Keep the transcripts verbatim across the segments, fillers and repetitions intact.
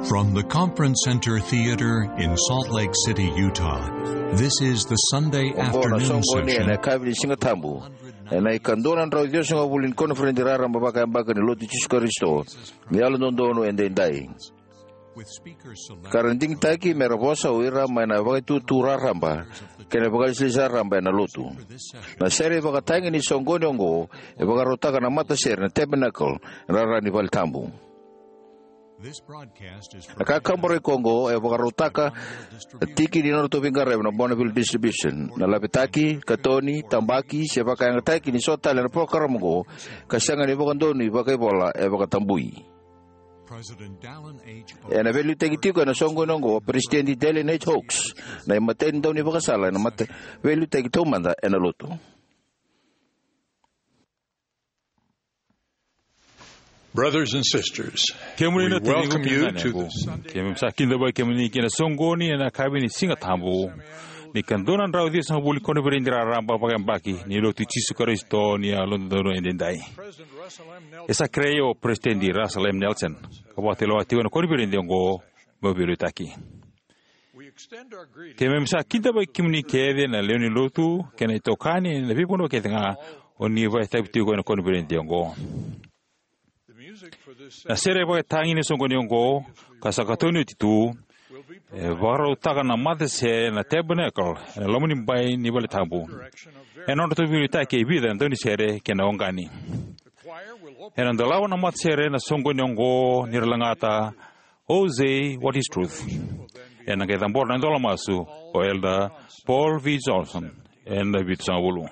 From the Conference Center Theater in Salt Lake City, Utah, this is the Sunday Oqo na afternoon soqoni ena session. Yakavi ni Siga Tabu ena ikadua na drau ciwasagavulu ni koniferedi raraba vakayabaki ni Lotu i Jisu Karisito ni Yalododonu Edaidai. Ka ra digitaki me ra vosa o ira mai na vakaitutu raraba kei na vakailesilesi raraba ena Lotu. Na sere ivakatagi ni soqoni oqo e vakarautaka na matasere na Tabernacle ena rara ni vale tabu. Na kakaburaki oqo e vakarautaka na tiki ni nodratou veiqaravi na Bonneville Distribution. Na lavetaki, katoni, tabaki se vakayagataki ni so tale na porokaramu oqo ka sega ni vakadonui vakaivola e vakatabui. Ena veiliutaki tiko ena soqoni oqo o Peresitedi Dallin H. Oaks, na imatai ni daunivakasala ena mata veiliutaki taumada ena Lotu. Brothers and sisters, kemuni na tiniqu kei na ganequ, keimami sa kidavaki kemuni ki na soqoni ena yakavi ni Siga Tabu ni ikadua na drau ciwasagavulu ni koniferedi raraba vakayabaki ni Lotu i Jisu Karisito ni Yalododonu Edaidai. E sa kerei au o Peresitedi Russell M. Nelson ka vakatulewa tiko ena koniferedi oqo meu veiliutaki. Keimami sa kidavaki kemuni kece na lewe ni Lotu kei na itokani ena veivanua kece ga o ni vakaitavi tiko ena koniferedi oqo. Na sere vakatagi ni soqoni oqo ka sa katoni oti tu e vakarautaka na matasere na Tabernacle ena loma ni bai ni vale tabu ena nodratou veiliutaki e vica na daunisere kei na oqani. Ena dolava na matasere na soqoni oqo ni ra lagata "Oh Say What Is Truth". Ena qai cabora na idola masu o Elder Paul V. Johnson ena vitusagavulu.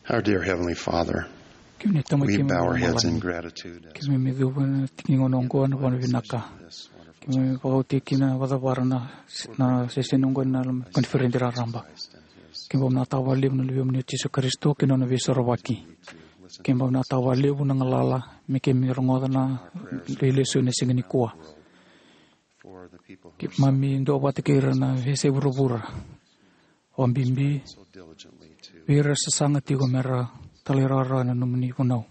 Our dear Heavenly Father, kemuni na Tamai we keimami bow our heads in gratitude as keimami cuva na tiki ni gauna oqo ena vakavinavinaka. Keimami vakauti kina vakacavara na, na seseni oqo ena koniferedi raraba. Keimami vakavinavinaka vakalevu na Luvemuni o Jisu Karisito kei na nona veisorovaki. Keimami vakavinavinaka vakalevu na galala me keimami rogoca na veilesu ena siga nikua. Keimami duavata kei ira na veiyasai vuravura, vakabibi vei ira era sasaga tiko me ra talairawarawa ena nomuni vunau.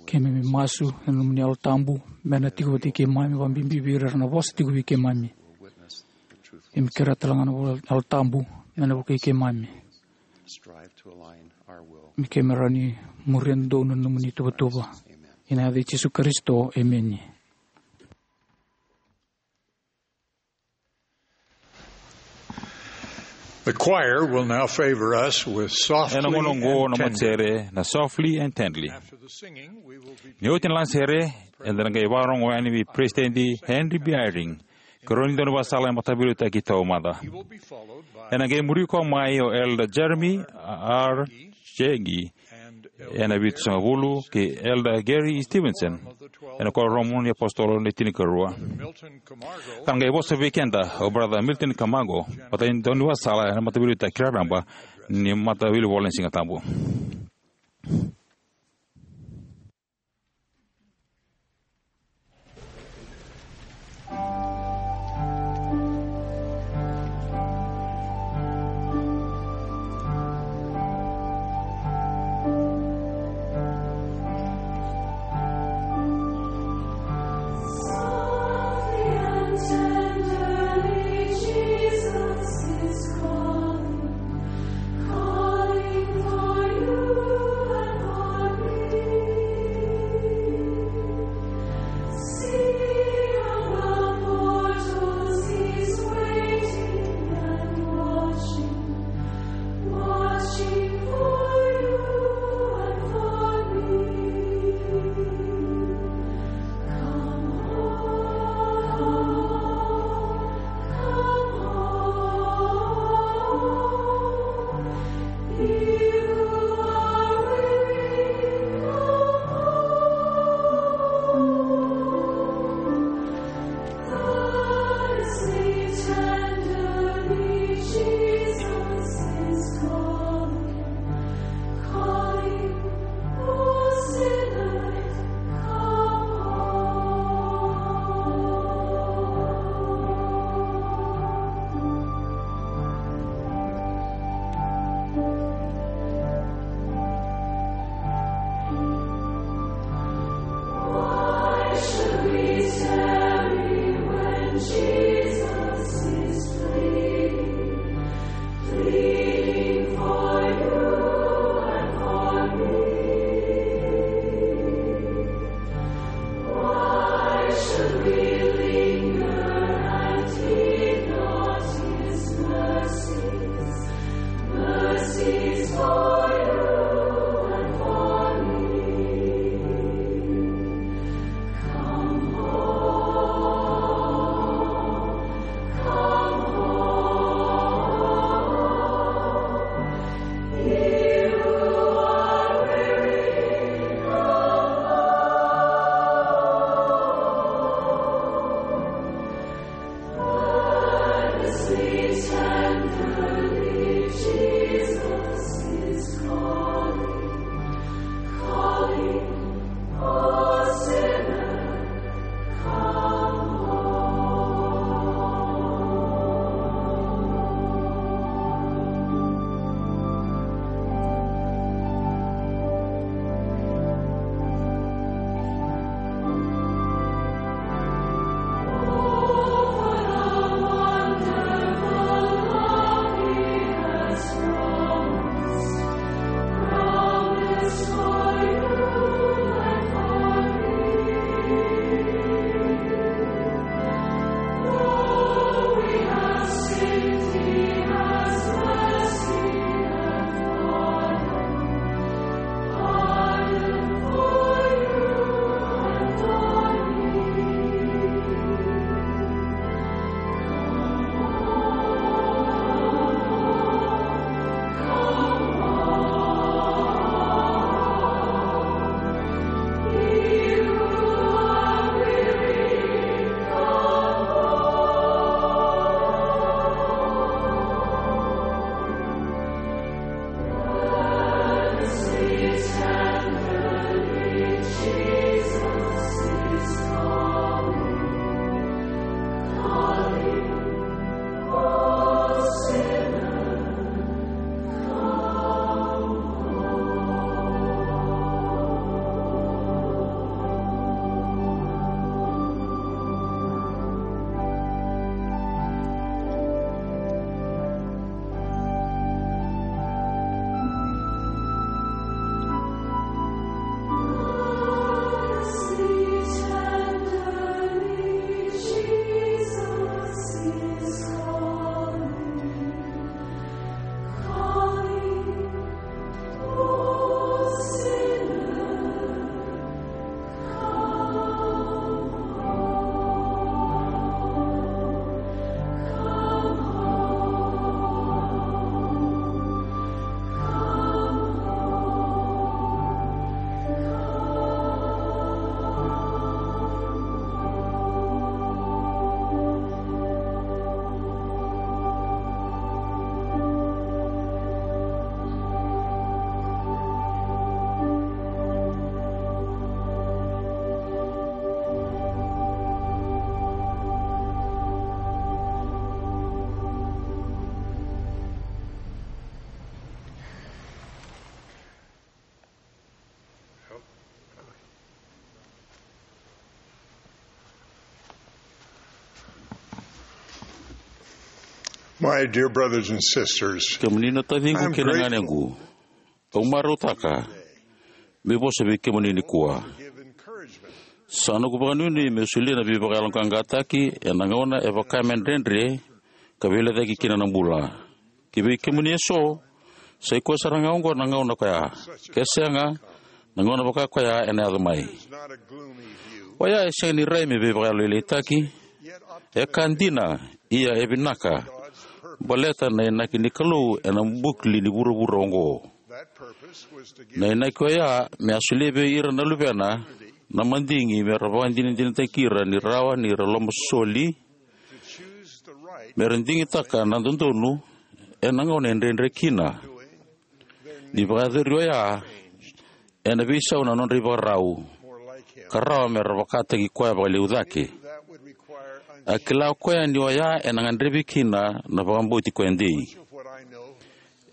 Keimami masu ena nomuni Yalo Tabu me na tiko vata kei keimami, vakabibi vei ira era na vosa tiko vei keimami. Keimami kerea tale ga na Yalo Tabu me na vukei keimami me keimami rawa ni muria dodonu na nomuni tuvatuva. Ena yaca i Jisu Karisito, emeni. The choir will now favor us with Softly Ena gauna oqo and na Tenderly. Matasere na Softly and Tenderly. After the singing, we will be Ni oti na lagasere, eda na qai vakarogo yani vei President Henry B. Eyring, ka rua ni daunivakasala e mataveiliutaki taumada. He will be followed by Ena qai muri koya mai o Elder Jeremy R. Jaggi, ena vitusagavulu, kei Elder Gary Stevenson, ena Kuoramu ni Apositolo ni Tinikarua. Ka na qai vosa vei keda o Brother Milton Camargo, vata ni daunivakasala ena mataveiliutaki raraba ni Mataveilivola ni Sigatabu. My dear brothers and sisters, kemuni na taciqu I'm kei na grateful ganequ, au marautaka meu vosa vei kemuni nikua. Give encouragement. Sa noqu vakanuinui meu solia na veivakayaloqaqataki ena gauna e vaka me dredre ka veilecayaki kina na bula. Ki vei kemuni eso, sa i koya sara ga oqo na gauna koya. Ke sega, na gauna vaka koya ena yaco mai. It's not a gloomy view. Oya e sega ni rai me veivakayalolailaitaki. E ka dina, ia e vinaka, baleta na inaki ni Kalou ena bukli ni vuravura oqo. That purpose was to give Na inaki oya me a solia vei ira na luvena na madigi me ra vakadinadinataki ira ni rawa ni ra lomasoli, to choose the right me ra digitaka na dodonu ena gauna e dredre kina. Ni vakayacori oya, ena veisau na nodra ivakarau, more like him. Ka rawa me ra vakataki koya vakalevu cake. That would require A kila o koya ni oya ena gadrevi kina na vakabauti koya dei. Of what I know,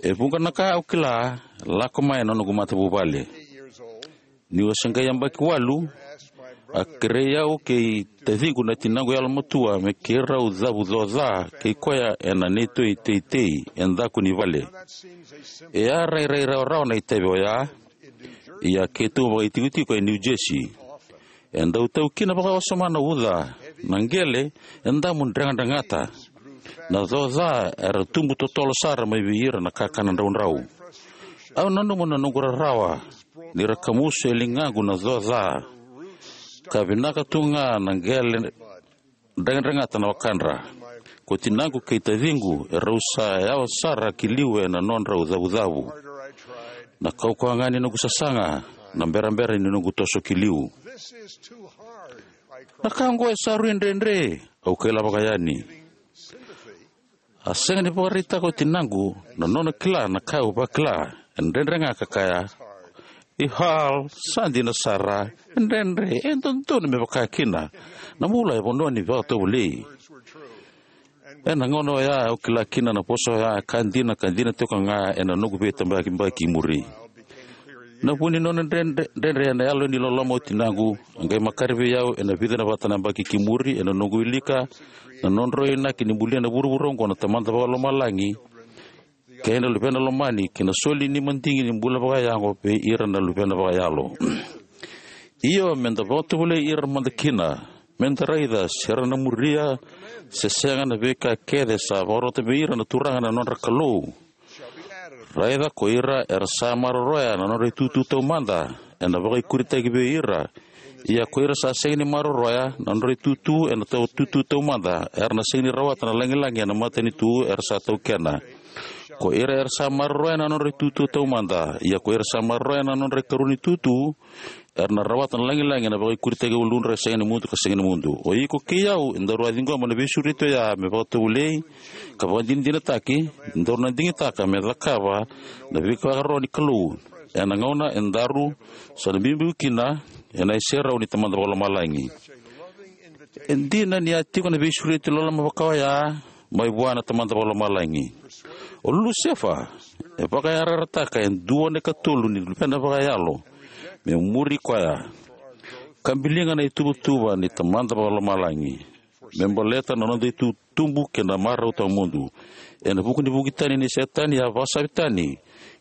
E vuqa na ka au kila, lako mai na noqu matavuvale. Eight years old, Niu a se qai yabaki walu, asked my a brother kerei au kei taciqu na tinaqu yalomatua me keirau cavu coca kei koya ena neitou iteitei e daku ni vale. That seems a simple E a rairai rawarawa na itavi oya, ia keitou vakaitikotiko e New Jersey. E dau tau kina vakawasoma na uca, na qele e damu dregata, na coca era tubu totolo sara mai vei ira na kakana draudrau. Au nanuma na noqu rarawa ni ra kamusu e ligaqu na coca, ka vinaka tu ga na qele dregata na wakadra. Ko tinaqu kei taciqu erau sa yawa sara ki liu ena nodrau cavucavu. Na kaukauwa ga ni noqu sasaga, na berabera ni noqu toso ki liu. This is too hard, I cried. Na ka oqo e sa rui dredre, au kaila vakayani. Sympathy. A sega ni vakaraitaka o tinaqu na nona kila na ka au vakila. E dredre ga ka kaya, "I Hal, sa dina sara, e dredre, e dodonu me vaka kina. Na bula e vanua ni vakatovolei." Ena gauna oya au kila kina na vosa oya e ka dina, ka dina tiko ga ena noqu veitabakibaki muri. Na vu ni nona dredre, dredre ena yalo ni loloma o tinaqu, a qai makare vei au ena vica na vata na yabaki ki muri, ena noqu wilika na nodrau inaki ni bulia na vuravura oqo na Tamada Vakalomalagi kei na Luvena Lomani, kei na soli ni madigi ni bula vakayago vei ira na luvena vakayalo. Io, meda vakatovolei ira mada kina, meda raica se ra na muria se sega na veika kece sa vakarota vei ira na Turaga na nodra Kalou. Raica ko ira era sa maroroya na nodra itutu taumada, ena vakaikuritaki vei ira. Ia ko ira sa sega ni maroroya na nodra itutu ena tau tutu taumada, era na sega ni rawata na lagilagi ena matanitu era sa taukena. Ko ira era sa maroroya na nodra itutu taumada, ia ko ira sa maroroya na nodra ikarua ni tutu, era na rawata na lagilagi ena vakaikuritaki e uludra e sega ni mudu ka sega ni mudu. O iko kei au, edaru a ciqoma na veisureti oya me vakatovolei ka vakadinadinataki, edaru na digitaka me cakava na veivakaro ni Kalou. Ena gauna edaru sa na biubiu kina ena iserau ni Tamada Vakalomalagi. E dina ni a tiko na veisureti loloma vaka oya mai vua na Tamada Vakalomalagi. O Lusefa e vakayarayarataka e dua na ikatolu ni luvena vakayalo me muri koya, ka biliga na ituvatuva ni Tamada Vakalomalagi me baleta na noda itutubu kei na marau tawamudu. Ena vuku ni vuki tani nei Setani, a vakasavi tani e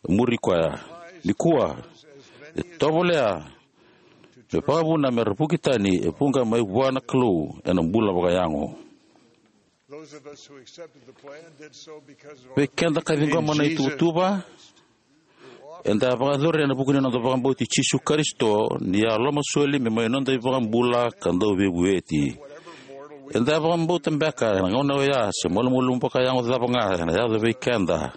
muri koya. Nikua, e tovolea me vakavuna me ra vuki tani e vuqa mai vua na Kalou ena bula vakayago. Those of us who accepted the plan did so because of our Vei keda ka ciqoma na ituvatuva, eda a vakayacori ena vuku ni noda vakabauti Jisu Karisito, ni a lomasoli me mai noda iVakabula ka Dauveivueti. Eda a vakabauta beka ena gauna oya se malumalumu vakayago cava ga ena yaco vei keda,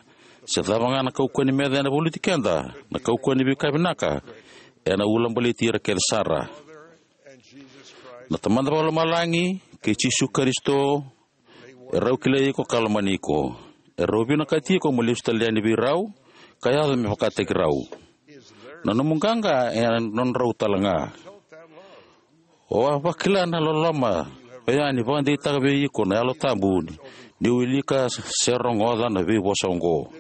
se cava ga na kaukauwa ni meca ena valuti keda, na kaukauwa ni veika vinaka ena ulabaleti ira kece sara. Na Tamada Vakalomalagi kei Jisu Karisito erau kilai iko ka lomani iko. Erau vinakati iko mo lesu tale yani vei rau ka yaco me vakataki rau. Na nomu qaqa e nodrau tale ga. O a vakila na loloma oya ni vakadeitaka vei iko na Yalo Tabu ni, ni wilika se rogoca na veivosa oqo.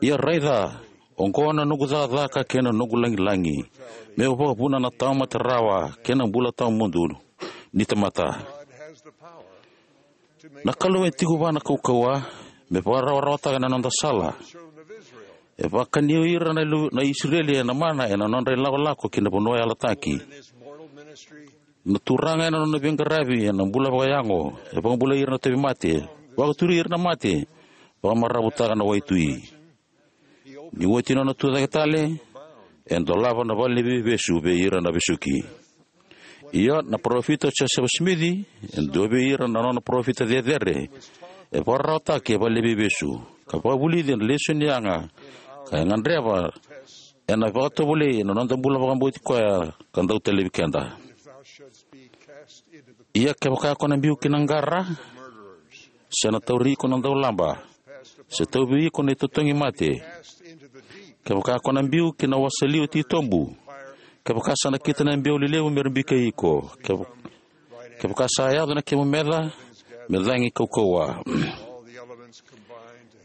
Ia raica, oqo na noqu cakacaka kei na noqu lagilagi, meu vakavuna na tamata rawa kei na bula tawamudu ni tamata. Na Kalou e tiko vua na kaukauwa me vakarawarawataka na noda sala. E vakani ira na, ilu, na Isireli ena mana ena nodra ilakolako ki na vanua yalataki. Na Turaga ena nona veiqaravi ena bula vakayago, e vakabulai ira na tauvimate, vakaturi ira na mate, vakamaravutaka na waitui. Ni oti nona tucake tale, e dolava na vale ni veivesu vei ira na vesuki. Ia na parofita o Josefa Simici, e dua vei ira na nona parofita cecere, e vakararawataki e vale ni veivesu, ka vakavulici ena lesoni yaga, ka e gadreva ena vakatovolei ena noda bula vakabauti koya ka dau talevi keda. Ia kevaka ko na biu ki na qara, se na tauri iko na daulaba, se tauvi iko na itotogi mate, kevaka ko na biu ki na wasa liwa titobu, kevaka sa nakita na biau lelevu me ra bikei iko, kev- kevaka sa yaco na kemu meca me cagi kaukauwa,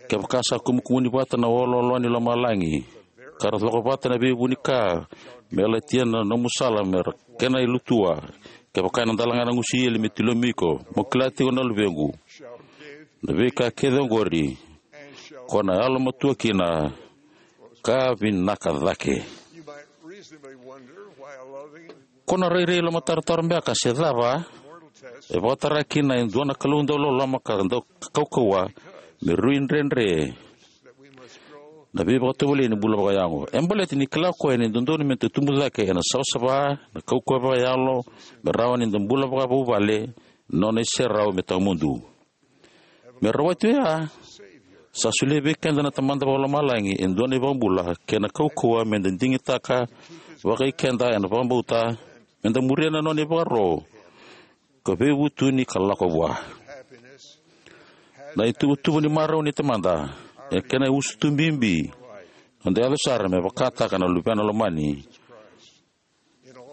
kevaka sa kumukumuni vata na oloolo ni lomalagi, ka ra coko vata na veivunika me latia na nomu sala me ra kena ilutua, kevaka ena dalaga na gusu eli me tilomi iko, mo kila tiko na luvequ, na veika kece oqori ko na yalomatua kina ka vinaka cake. Ko na rairai lomatarotaro beka se cava e vakatara kina e dua na Kalou dau loloma ka dau kaukauwa me rui dredre na veivakatovolei ni bula vakayago. E baleta ni kila o koya ni dodonu me da tubu cake ena savasava, na kaukauwa vakayalo, me rawa ni da bula vakavuvale, nona iserau me tawamudu. Me rawati oya, sa solia vei keda na Tamada Vakalomalagi e dua na iVakabula kei na kaukauwa me da digitaka vakai keda ena vakabauta, me da muria na nona ivakaro ka veivutuni ka lako vua. Na ituvatuva ni marau ni Tamada e kena usutu bibi, noda yaco sara me vakataka na Luvena lomani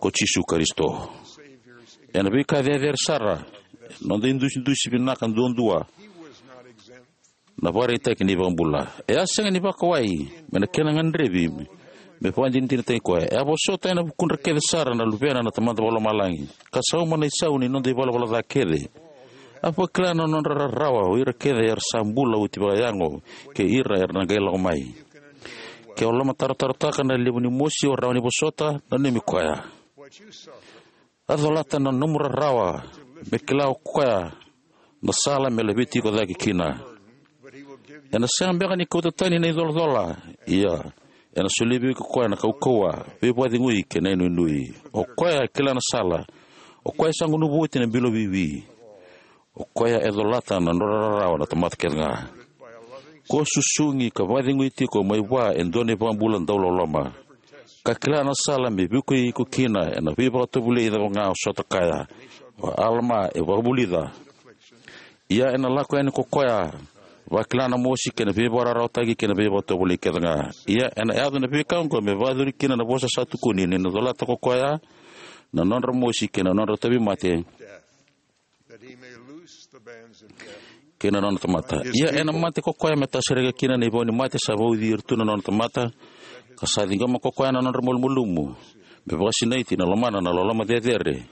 ko Jisu Karisito. Ena veika cecere sara, noda idusidusi vinaka duadua na vakaraitaki ni iVakabula. E a sega ni vakawai me na kena gadrevi me vakadinadinataki koya. E a vosota ena vukudra kece sara na Luvena na Tamada Vakalomalagi, ka sauma na isau ni noda ivalavala ca kece. A vakila na nodra rarawa o ira kece era sa bula oti vakayago kei ira era na qai lako mai. Ke o lomatarotarotaka na levu ni mosi o rawa ni vosota, nanumi koya. A colata na nomu rarawa me kila o koya na sala me laveti iko cake kina. Ena sega beka ni kauta tani na icolacola, ia ena solia vei iko koya na kaukauwa, veivakacegui kei na inuinui. O koya e kila na sala. O koya e sa gunuva oti na bilo vivi. O koya e colata na nodra rarawa na tamata kece ga. Ko susugi ka vakacegui tiko mai vua e dua na iVakabula dau loloma, ka kila na sala me vukei iko kina ena veivakatovolei cava ga o sota kaya. O Alama e vakavulica: Ia ena lako yani ko koya, vakila na mosi kei na veivakararawataki kei na veivakatovolei kece ga. Ia ena yaco na veika oqo me vakayacori kina na vosa sa tukuni, ni na colata ko koya na nodra mosi kei na nodra tauvimate kei na nona tamata. Ia ena mate ko koya me tasereka kina na ivau ni mate sa vauci ira tu na nona tamata, ka sa ciqoma ko koya na nodra malumalumu, me vakasinaiti ena lomana na loloma cecere,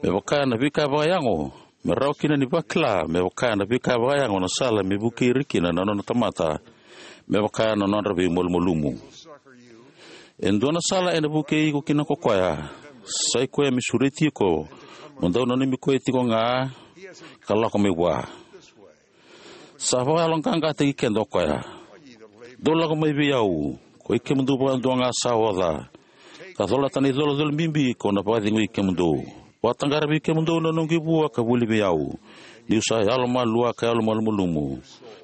me vaka na veika vakayago, me rawa kina ni vakila me vaka na veika vakayago na sala me vukei ira kina na nona tamata, me vaka na nodra veimalumalumu. E dua na sala ena vukei iko kina ko koya. Sa i koya me sureti iko mo dau nanumi koya tiko ga ka lako mai vua. Sa vakayaloqaqataki keda o koya: Dou lako mai vei au, koi kemudou vakadua ga sa oca ka colata na icolacola bibi, kau na vakacegui kemudou. Vakataqara vei kemudou na noqu ivua ka vuli vei au, niu sa yalomalua ka yalomalumalumu.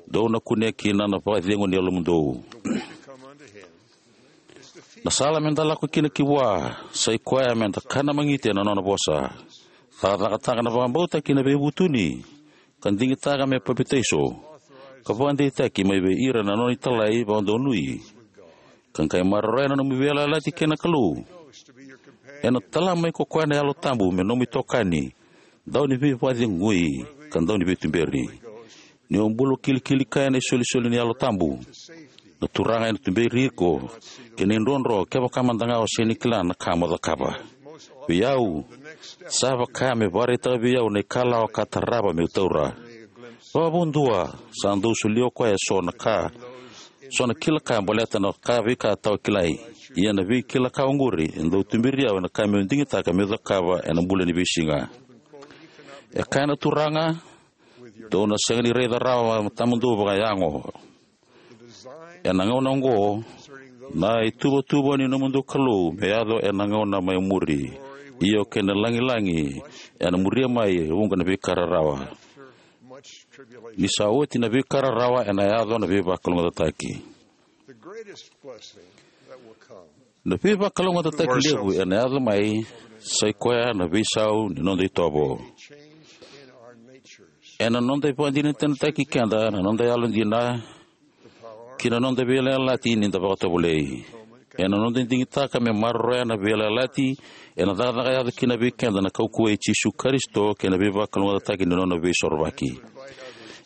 Dou na kunea kina na vakacegu ni yalomudou. Na sala me da lako kina ki vua sa i koya me da kana magiti ena nona vosa, cakacakataka na vakabauta kei na veivutuni, ka digitaka me papitaiso, ka vakadeitaki mai vei ira na nona italai vakadonui, ka qai maroroya na nomu veiyalayalati kei na Kalou. Ena tala mai ko koya na Yalo Tabu me nomu itokani, dau ni veivakacegui, ka dau ni veituberi. Ni o bula kilikili kaya na isolisoli ni Yalo Tabu, na Turaga ena tuberi iko kei na idrodro kevaka mada ga o sega ni kila na ka mo cakava. Vei au, sa vaka me vakaraitaka vei au na ikalawa ka tarava meu taura. Vakavudua, sa dau solia o koya e so na ka, so na kila ka baleta na ka veika tawa kilai. Ia na veikila ka oqori e dau tuberi au ena ka meu digitaka meu cakava ena bula ni veisiga. E kaya na Turaga, dou na sega ni raica rawa na tamamudou vakayago. Ena gauna oqo, na ituvatuva ni nomudou Kalou me yaco ena gauna mai muri. Io kei na lagilagi ena muria mai e vuqa na veika rarawa. Ni sa oti na veika rarawa ena yaco na veivakalougatataki. Na veivakalougatataki levu ena yaco mai sai koya na veisau ni noda itovo. Ena noda ivakadinadinataki keda na noda yalodina ki na noda veiyalayalati ni da vakatovolei. Ena noda digitaka me maroroya na veiyalayalati, ena cakacaka yaco kina vei keda na kaukauwa i Jisu Karisito kei na veivakalougatataki ni nona veisorovaki.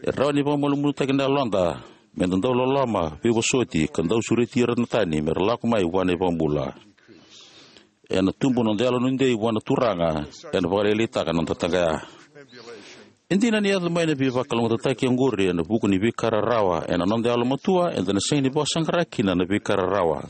E rawa ni vakamalumalumutaki na yaloda me da dau loloma, veivosoti, ka dau sureti ira na tani me ra lako mai vua na iVakabula. Ena tubu noda yalodei vua na Turaga, ena vakalailaitaka na noda taqaya. E dina ni yaco mai na veivakalougatataki oqori ena vuku ni veika rarawa ena noda yalomatua, eda na sega ni vakasaqara kina na veika rarawa.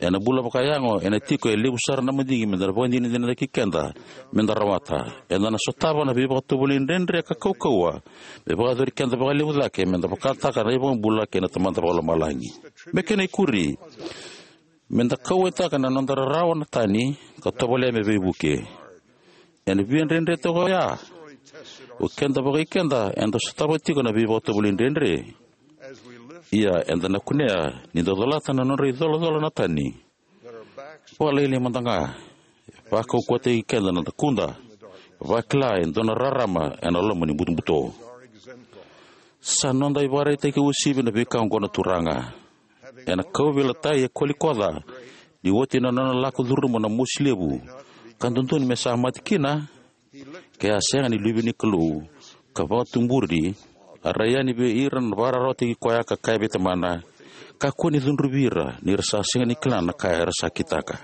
Ena bula vakayago, ena tiko e levu sara na madigi me da na vakadinadinataki keda me da rawata. Eda na sotava na veivakatovolei dredre ka kaukauwa me vakayacori keda vakalevu cake me da vakataka na iVakabula kei na Tamada Vakalomalagi. Me kena ikuri, me da kauwaitaka na noda rarawa na tani ka tovolea me veivuke. Ena via dredre toka oya, o keda vakai keda eda sotava tiko na veivakatovolei dredre. Ia eda na kunea ni da colata na nodra icolacola na tani. Vakalailai mada ga, e vakaukauwataki keda na dakuda, vakila e dua na rarama ena loma ni butobuto. Sa noda ivakaraitaki uasivi na veika oqo na Turaga. Ena kauveilatai e Kolikoca, ni oti na nona lako curuma na mosi levu, ka dodonu me sa mate kina, ke a sega ni Luve ni Kalou, ka vakatuburi, a rai yani vei ira na vakararawataki koya ka kaya vei Tamana, kakua ni cudruvi ira, ni ra sa sega ni kila na ka era sa kitaka.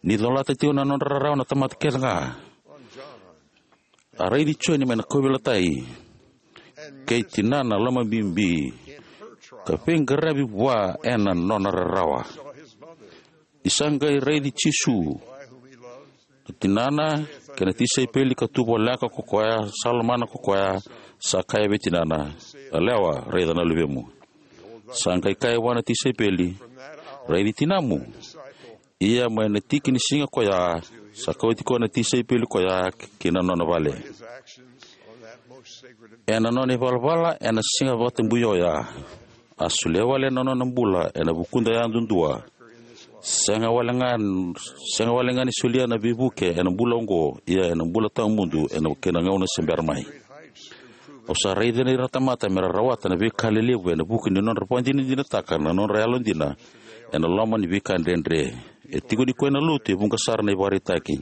Ni colata tiko na nodra rarawa na tamata kece ga, a raici Joni mai na kauveilatai kei tinana lomabibi, ka veiqaravi vua ena nona rarawa. Ni sa qai raici Jisu, na tinana kei na tisaipeli ka tu voleka ko koya, sa lomana ko koya, sa kaya vei tinana, "Yalewa, raica na luvemu." Sa qai kaya vua na tisaipeli, "Raici tinamu." Ia mai na tiki ni siga koya, sa kauti koya na tisaipeli koya ki na nona vale. Ena nona ivalavala ena siga vakatabui oya, a solia wale na nona bula ena vukuda yadudua. Sega wale ga, sega wale ga ni solia na veivuke ena bula oqo, ia ena bula tawamudu ena kena gauna se bera mai. Au sa raica na ira na tamata me ra rawata na veika lelevu ena vuku ni nodra vakadinadinataka na nodra yalodina ena loma ni veika dredre. E tiko ni koya na lotu e vuqa sara na ivakaraitaki.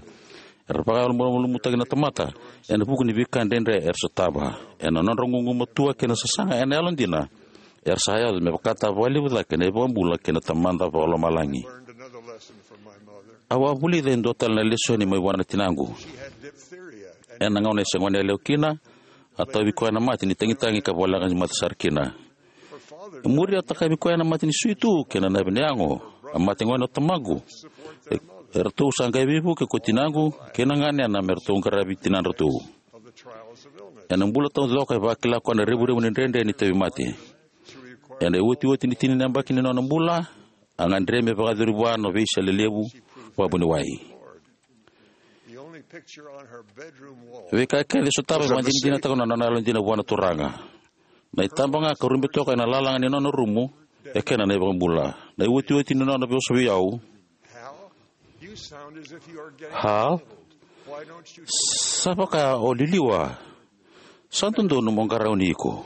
Era vakamalumalumutaki na tamata ena vuku ni veika dredre era sotava. Ena nodra gugumatua kei na sasaga ena yalodina, era sa yaco me vakataka vakalevu cake na iVakabula kei na Tamada Vakalomalagi. Au a vulica e dua tale na lesoni mai vua na tinaqu. Ena gauna e se goneyalewa kina, a tauvi koya na mate ni tagitagi ka voleka ni mate sara kina. E muri a takavi koya na mate ni suitu kei na naivi ni yago. A mate gone o tamaqu. E, eratou sa qai veivuke ko tinaqu kei na ganena me ratou qaravi tinadratou. Ena bula taucoko e vakila koya na revurevu ni dredre ni tauvimate. Ena iotioti ni tini na yabaki ni nona bula, a gadre me vakayacori vua na veisele levu vakavuniwai. Veika kece e sotava e vakadinadinataka na nona yalodina vua na Turaga. Na itaba ga ka rube toka ena lalaga ni nona rumu, e kena na iVakabula. Na iotioti ni nona vosa vei au, "Hal, sa vaka o liliwa. Sa dodonu mo qarauni iko."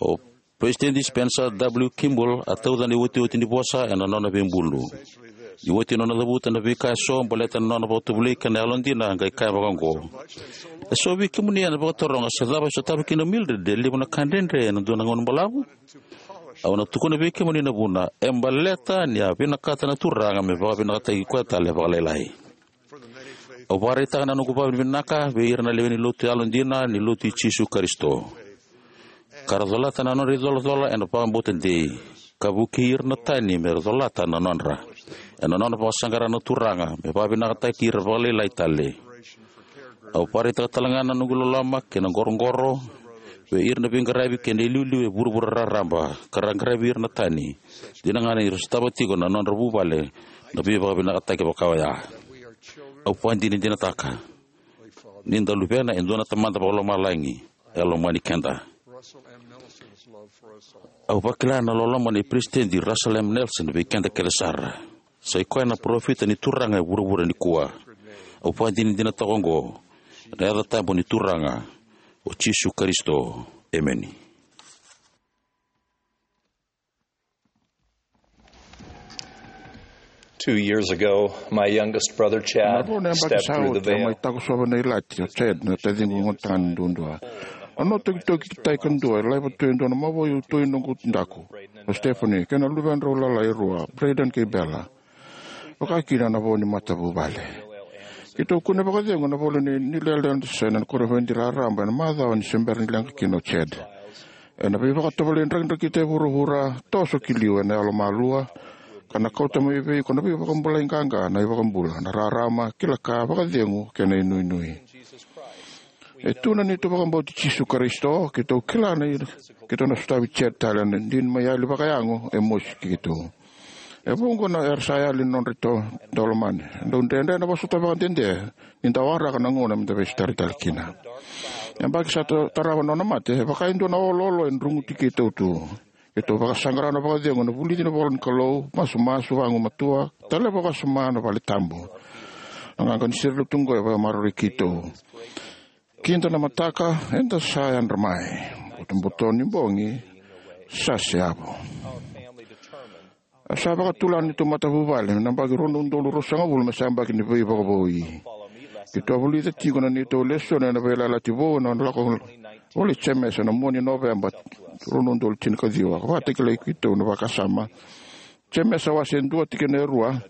O Peresitedi Spencer W. Kimball a tauca na iotioti ni vosa ena nona veibulu. Ni oti nona cavuta na veika eso baleta na nona vakatovolei kei na yalodina, a qai kaya vakaoqo, "E so vei kemuni ena vakataroga se cava e sotava kina o Mildred e levu na ka dredre ena dua na gauna balavu. Au na tukuna vei kemuni na vuna, e baleta ni a vinakata na Turaga me vakavinakataki koya tale vakalailai." Au vakaraitaka na noqu vakavinavinaka vei ira na lewe ni lotu yalodina ni Lotu i Jisu Karisito, ka ra colata na nodra icolacola ena vakabauta dei, ka vukei ira na tani me ra colata na nodra, ena nona vakasaqara na Turaga me vakavinakataki ira vakalailai tale. Au vakaraitaka talega na noqu loloma kei na qoroqoro vei ira na veiqaravi kei na iliuliu e vuravura raraba ka ra qaravi ira na tani, dina ga ni ra sotava tiko na nodra vuvale na veivakavinakataki vaka oya. Au vakadinadinataka ni da luvena e dua na Tamada Vakalomalagi e lomani keda. Au vakila na loloma nei Peresitedi Russell M. Nelson vei keda kece sara. Sa i koya na parofita ni Turaga e vuravura nikua. Au vakadinadinataka oqo ena yaca tabu ni Turaga, o Jisu Karisito. Emeni. Two years ago, my youngest brother, Chad, na vo na yabaki stepped sa through the oti a mai veil. takosova na ilati o Chad, na taciqu gone tagane duadua. A nona tokitoki tai kadua e laiva tu e dua na mavoa i uto i noqu daku, o Stephanie, kei na luvedrau lalai e rua, Braden kei Bella, vaka kina na vo ni matavuvale. Keitou kune vakacegu ena ivola ni New Orleans ena koniferedi raraba ena macawa ni se bera ni leqa kina o Chad. Ena veivakatovolei drakidrakita e vuravura, toso ki liu ena yalomalua, ka na kauta mai vei iko na veivakabulai qaqa na iVakabula, na rarama, kila ka, vakacegu, kei na inuinui. E tu na neitou vakabauti Jisu Karisito, keitou kila ni keitou na sotavi Chad tale ena dina mai yali vakayago e mosi keitou. E vuqa na era sa yali na nodra ito daulomani. Dau dredre na vosota vakadede ni da waraka na gauna me da veisotari tale kina. Yabaki sa ta- tarava na nona mate, e vaka e dua na oloolo e druguti keitou tu. Keitou vakasaqara na vakacegu ena vulici ni ivola ni Kalou, masumasu vagumatua, taleva vakasama na vale tabu. Na qaqa ni sere lotu oqo e vakamaroroi keitou. Kida na mataka eda sa yadra mai. Butobuto ni bogi sa seyavu. A sa vakatulana neitou matavuvale na yabaki rua na udolu ruasagavulu me sa yabaki ni veivakavoui. Keitou a vulica tiko na neitou lesoni ena Veiyalayalati Vou ena lako volei Jemesa ena mua ni Noveba rua na udolu tinikaciwa, ka vakatakilai keitou na vakasama. Jemesa wase dua tikina e rua.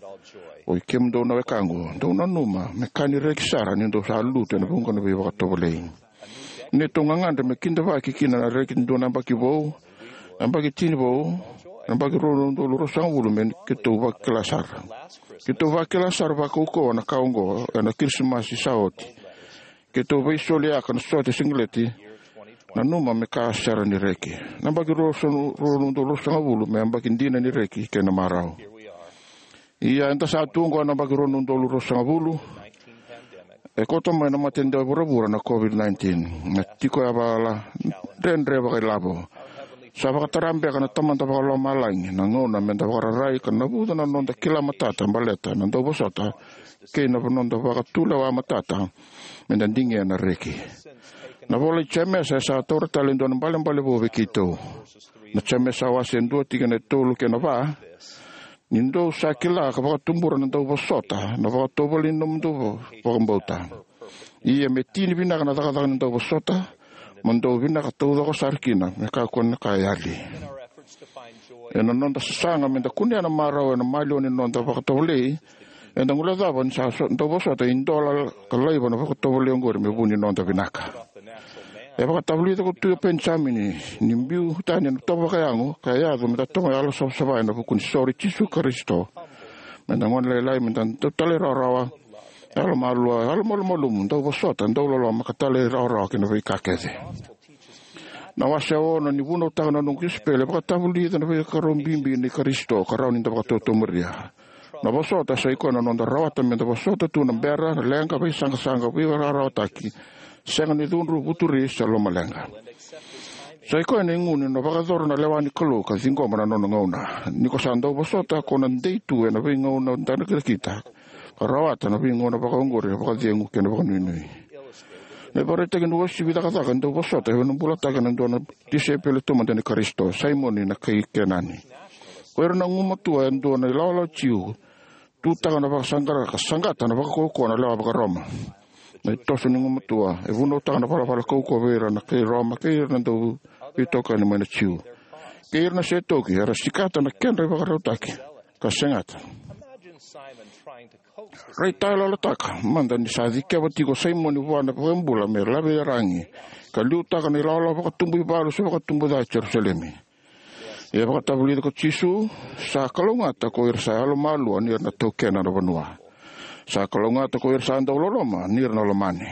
Oi kemudou na wekaqu, dou nanuma me ka ni reki sara ni dou sa lutu ena vuqa na veivakatovolei. Neitou gagadre me kidavaki kina na reki ni dua na yabaki vou, na yabaki tini vou, na yabaki rua na udolu ruasagavulu me keitou vakila sara. Keitou vakila sara vakaukauwa na ka oqo ena Kirisimasi sa oti. Keitou veisoliyaka na sote siqeleti, nanuma me ka sara ni reki. Na yabaki rua na udolu ruasagavulu me yabaki dina ni reki kei na marau. Ia eda sa tu oqo ena yabaki rua na udolu ruasagavulu. E kauta mai na mate dewa e vuravura na COVID nineteen, na tiko yavala, dredre vakailavo. Sa vakatara beka na Tamada Vakalomalagi na gauna me da vakararai ka navuca na noda kila matata baleta na dauvosota kei na noda vakatulewa matata me da digia na reki. Na ivola i Jemesa e sa taura tale e dua na ibalebale vou vei keitou. Na Jemesa wase dua tikina e tolu kei na va. Ni dou sa kila ka vakatubura na dauvosota na vakatovolei ni nomudou vakabauta. Ia me tini vinaka na cakacaka ni dauvosota, mo dou vinaka taucoko sara kina me kakua ni ka e yali. Ena noda sasaga me da kunea na marau ena maliwa ni noda vakatovolei, eda guilecava ni sa so- dauvosota e dola ka laiva na vakatovolei oqori me vu ni noda vinaka. E vakatavulica ko Tui o Penijamini ni biu tani na tovo vakayago ka yaco me da toka yalo savasava ena vuku ni soro i Jisu Karisito. Me da gone lailai, me da dau talairawarawa, yalomalua, yalomalumalumu, dauvosota, dauloloma ka talairawarawa ki na veika kece. Na wase ono ni Vunautaka na Noqu Kosipeli e vakatavulica na veika rau bibi nei Karisito ka rawa ni da vakatotomuria. Na vosota sa i koya na noda rawata me da vosota tu na bera, na leqa, veisaqasaqa, veivakararawataki, sega ni cudru, vuturi se lomaleqa. Sa i koya na igu ni na vakayacora na lewa ni Kalou ka ciqoma na nona gauna. Ni ko sa dau vosota, ko na dei tu ena veigauna drakidrakita ka rawata na veigauna vakaoqori e vakacegu kei na vakanuinui. Na ivakaraitaki ni uasivi cakacaka ni dauvosota e vakabulataka na dua na tisaipeli taumada nei Karisito, Saimoni na kai Kenani. Ko ira na gumatua e dua na ilawalawa Jiu, tutaka na vakasaqara ka saqata na vakaukauwa na lewa vakaRoma. Na itoso ni gumatua e vunautaka na valavala kaukauwa vei ira na kai Roma kei ira na dauveitokani mai na Jiu. Kei ira na setoki era sikata na kedra ivakarautaki ka segata Raitayaloyalotaka mada ni sa cikeva tiko o Saimoni vua na iVakabula me laveiragi ka liutaka na ilawalawa vakatubu ivalu se vakatubu ca e Jerusalemi. Ia, vakatavulica ko Jisu, sa kalougata ko ira sa yalomalua, ni ra na taukena na vanua. Sa kalougata ko ira sa dau loloma, ni ra na lomani.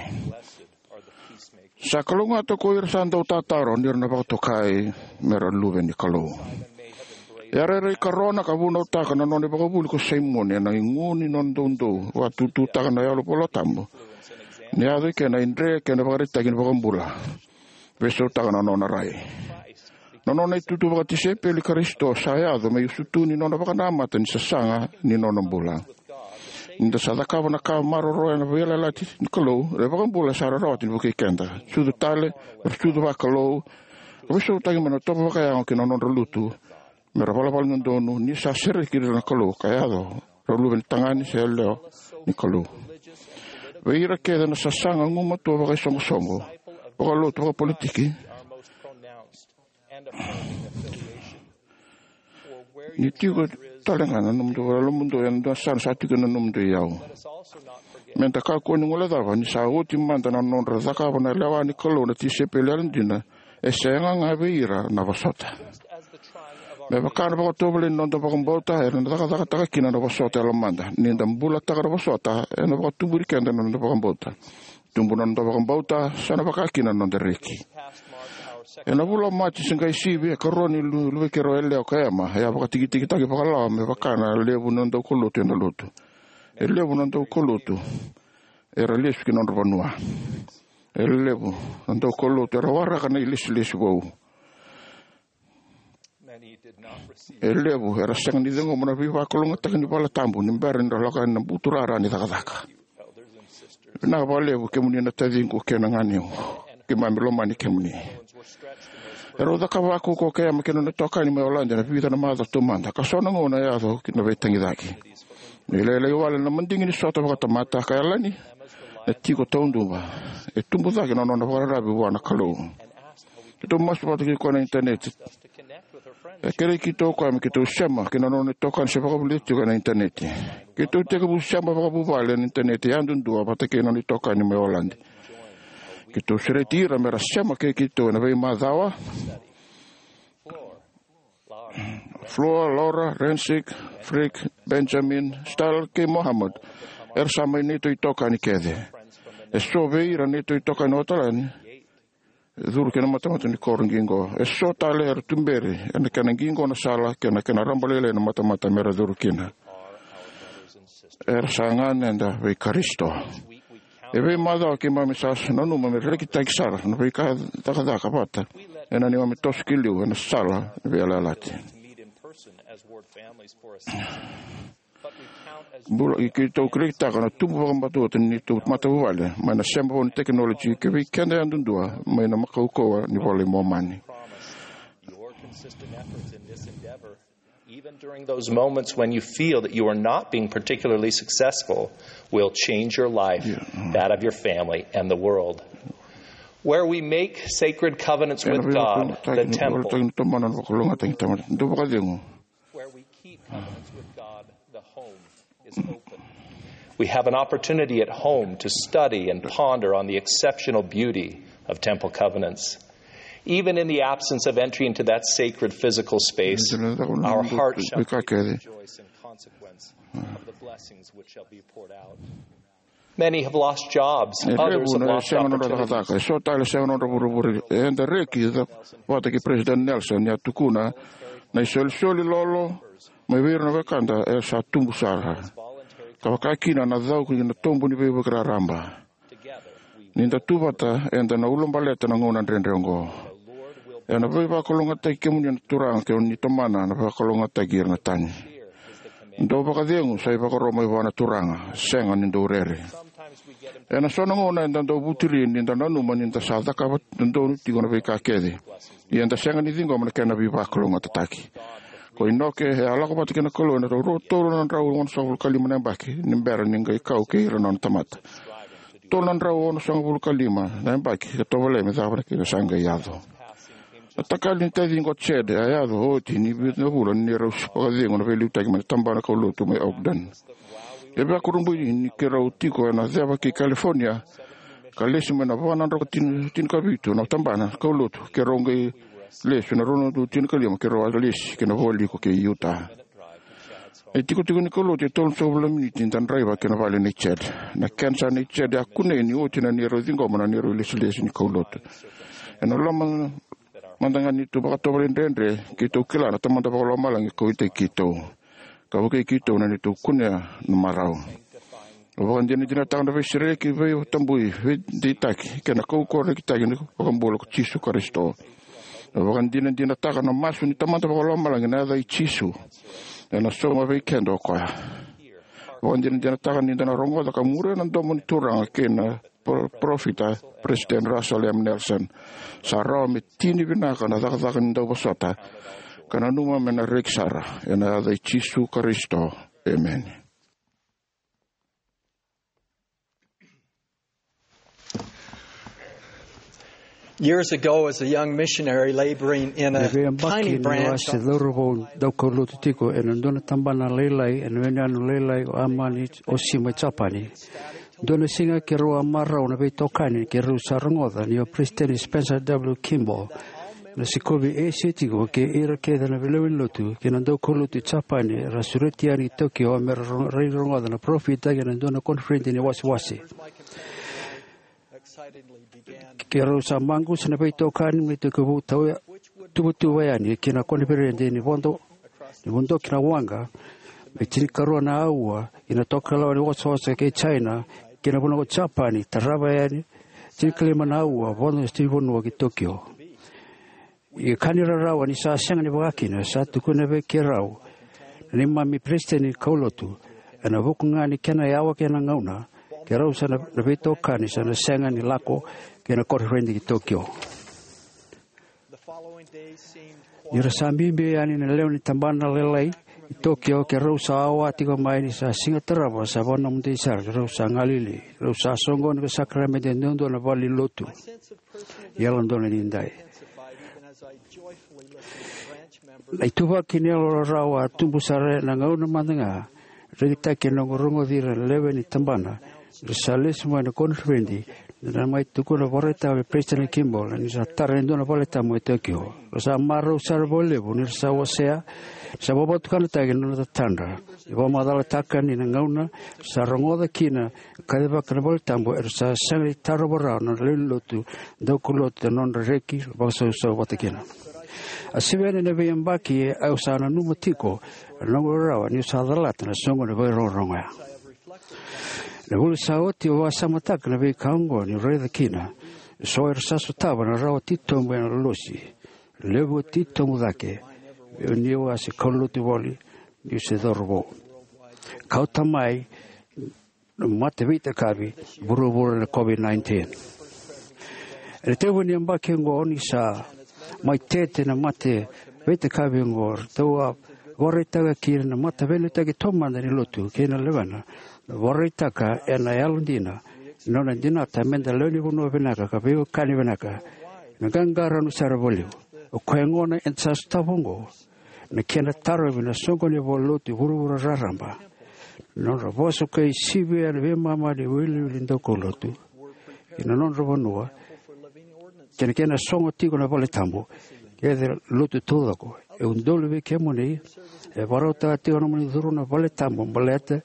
Sa kalougata ko ira sa dau tataro, ni ra na vakatokai me ra luve ni Kalou. E a rairai karona ka vunautaka na nona ivakavuvuli ko Saimoni ena igu ni nona doudou, vakatututaka na yalo vola tabu, ni yaco i kena idre kei na ivakaraitaki ni iVakabula. Veisautaka na nona rai. Na nona itutu vakatisaipeli i Karisito sa yaco me iusutu ni nona vakanamata ni sasaga ni nona bula. Ni da sa cakava na ka maroroya na veiyalayalati ni Kalou, na iVakabula sa ra rawata ni vukei keda. Sucu tale, ra sucu vakalou, ka veisautaki mai na tovo vakayago ki na nodra lutu, me ra valavala dodonu ni sa sereki ira na Kalou ka yaco ra luve ni tagane se yalewa ni Kalou. Vei ira kece na sasaga gumatua vakaisoqosoqo, vakalotu, vakapolitiki, ni tiko tale ga na nomudou, nomudou ena dua na sala sa tiko na nomudou iyau. Me da kakua ni guilecava ni sa oti mada na nodra cakava na lewa ni Kalou na tisaipeli yalodina, e sega ga vei ira na vosota. Me vaka na vakatovolei ni noda vakabauta, era na cakacakataka kina na vosota yalomada. Ni da bulataka na vosota, ena vakatuburi keda na noda vakabauta. Tubu na noda vakabauta, sa na vaka kina na noda reki. Ena vula o Maji se qai sivi, e karua ni lu-, luvei keirau yalewa ko Ema, e a vakatikitikitaki vakalawa me vaka na levu na daukaulotu ena lotu. E levu na daukaulotu era lesu ki na nodra vanua. E levu na daukaulotu era waraka na ilesilesi vou. E levu era sega ni ciqoma na veivakalougatataki ni valetabu ni bera ni ra lako yani na buturara ni cakacaka. Vinaka vakalevu kemuni na taciqu kei na ganequ. Keimami lomani kemuni. Erau cakava vakaukauwa o Ema kei na nona itokani mai Oladi ena vica na macawa taumada, ka so na gauna e yaco ki na veitagicaki. Ni lailai wale na madigi ni sota vakatamata ka yalani na tiko tauduva. E tubu cake na nona vakararavi vua na Kalou. Keitou masu vata kei koya ena initaneti. E kerei keitou o koya me keitou sema kei na nona itokani se vakavulica tiko ena initaneti. Keitou tekivu sema vakavuvale ena initaneti yadudua vata kei na nona itokani mai Oladi. Keitou sureti ira me ra sema kei keitou ena veimacawa. Flora, Laura, Rensik, Frik, Benjamin, Stal kei Mohammed, era sa mai neitou itokani kece. E so vei ira neitou itokani o Otalani e curu ki na matamata ni koro qiqo. E so tale era tuberi ena kena qiqo na sala kei na kena rabalailai na matamata me ra curu kina. Era sa ganeda vei Karisito. E veimacawa keimami sa nanuma me rekitaki sara na veika cakacaka vata ena neimami toso ki liu ena sala ni veiyalayalati. Bula, keitou rekitaka na tubu vakabauta ni neitou matavuvale mai na sema vou ni tekinoloji kei vei keda yadudua mai na kaukauwa ni Vola i Momani. Your consistent efforts in this endeavor, even during those moments when you feel that you are not being particularly successful, will change your life, that of your family, and the world. Where we make sacred covenants with God, the temple, where we keep covenants with God, the home is open. We have an opportunity at home to study and ponder on the exceptional beauty of temple covenants. Even in the absence of entry into that sacred physical space, our hearts shall rejoice in consequence of the blessings which shall be poured out. Many have lost jobs, others have lost opportunities. E so tale sega nodra vuravura. Eda reki vata kei President Nelson ni a tukuna na isolisoli lolo mai vei ira na wekada e sa tubu sara, ka vaka kina na cau ki na tobu ni veivuke raraba. Ni da tu vata, eda na ulabaleta na gauna dredre oqo. Ena veivakalougatataki kemuni na Turaga, kemuni tomana na vakalougatataki ira na tani. Dou vakacegu sa ivakaro mai vua na Turaga, sega ni dou rere. Ena so na gauna eda dau vuturi ni da nanuma ni da sa cakava dodonu tiko na veika kece, ia eda sega ni ciqoma na kena veivakalougatataki. Ko Inoke e a lako vata kei na Kalou ena rau tolu na drau onosagavulu ka lima na yabaki ni bera ni qai kau kei ira na nona tamata. Tolu na drau onosagavulu ka lima na yabaki ka tovolea me cava na kena sa qai yaco. Na takali ni taciqu o Chad a yaco oti ni vica na vula ni rau vakacegu na veiliutaki mai na tabana kaulotu mai Ogden. E vakurabui ni keirau tiko ena ceva kei California, ka lesu mai na va na drau ka tini, tinikavitu na tabana kaulotu, keirau qai lesu na rua na udolu tinikalima, keirau a lesi ki na vualiku kei Utah. Na itikotiko ni kaulotu e tolu na drau na miniti da draiva ki na vale nei Chad. Na kenisa nei Chad a kunei ni oti na neirau ciqoma na neirau ilesilesi ni kaulotu. Ena loma mada ga ni neitou vakatovolei dredre, keitou kila na Tamada Vakalomalagi e kauwaitaki keitou ka vukei keitou na neitou kunea na marau. Au vakadinadinataka na veisereki, veitabui, veideitaki kei na kaukauwa rekitaki ni iVakabula ko Jisu Karisito. Au vakadinadinataka na masu ni Tamada Vakalomalagi ena yaca i Jisu, ena sauma vei keda o koya. Au vakadinadinataka ni da na rogoca ka muria na domo ni Turaga kei na pro-, parofita, President Russell M. Nelson. Sa rawa me tini vinaka na cakacaka ni dauvosota, ka nanuma me na reki sara, ena yaca i Jisu Karisito. Emeni. Years ago, as a young missionary laboring in a tiny branch, na veiyabaki ni au a se cauravou daukaulotu tiko ena dua na tabana lailai ena yanuyanu lailai o Amami, Oshima, Japani. Dua na siga keirau a marau na veitokani keirau sa rogoca ni o President Spencer W. Kimball na sikovi Esia tiko kei ira kece na veilewe ni lotu kei na daukaulotu i Japani era sureti yani i Tokyo me ra ro-, rai rogoca na parofita kei na dua na koniferedi ni wasewase. Keirau sa maqusa na veitokani me tekivu tau-, tuvatuva yani ki na koniferedi ni vodo, ni vodo ki na waqa, me tinikarua na aua ina tokalau ni wasawasa kei China, ki na vanua ko Japani, tarava yani tinikalima na aua vodo ni vanua ki Tokyo. Ia ka ni rarawa ni sa sega ni vaka kina, sa tukuna vei keirau na neimami peresitedi ni kaulotu, ena vuku ga ni kena yawa kei na gauna, keirau sa na, na veitokani sa na sega ni lako ki na koniferedi ki Tokyo. Ni ra sa bibi yani na lewe ni tabana lailai i Tokyo, keirau sa wawa tiko mai ni sa siga tarava sa vakanomodi sara, keirau sa galili, keirau sa soqoni ka sakaramede e duadua na valenilotu. Yalododonu ni dai. Na ituvaki ni yalo rarawa a tubu sara ena gauna mada ga rekitaki ena noqu rogoci ira na lewe ni tabana era sa lesu mai na koniferedi, ni ra mai tukuna vakaraitaka vei President Kimball ni sa tara e dua na valetabu e Tokyo. Ra sa marau sara vakalevu ni ra sa wasea, sa vakavatukanataki na nona tatadra. E vakamacalataka ni na gauna sa rogoca kina kacivaka na valetabu, era sa sega ni tarova rawa na lewe ni lotu, daukaulotu, na nodra reki vakasausau vata kina. A sivi yani na veiyabaki, au sa nanuma tiko na noqu rarawa niu sa calata na soqo ni vakarogorogo oya. Na vula sa oti au vakasamataka na veika oqo niu raica kina eso era sa sotava na rarawa titobu ena lolosi, levu titobu cake meu ni au a se kaulotu voli niu se cauravou. Kauta mai na mate veitakavi vuravura na COVID nineteen. Ena tekivu ni yabaki oqo ni sa mai tete na mate veitakavi oqo, ratou a vakaraitaka kina na mataveilaitaki taumada ni lotu kei na lewena, na vakaraitaka ena yalodina na nona dinata meda lewe ni vanua vinaka ka veiwekani vinaka. Na qaqarauni sara vakalevu. O koya gona eda sa sotava oqo na kena tarovi na soqoni ni valenilotu e vuravura raraba. Na nodra vosa ka sivi ena veimama ni wiliwili daukaulotu ki na nodra vanua, kei na kena sogo tiko na valetabu kei na lotu taucoko. E udolu vei kemuni e vakarautaka tiko na nomuni curu na valetabu baleta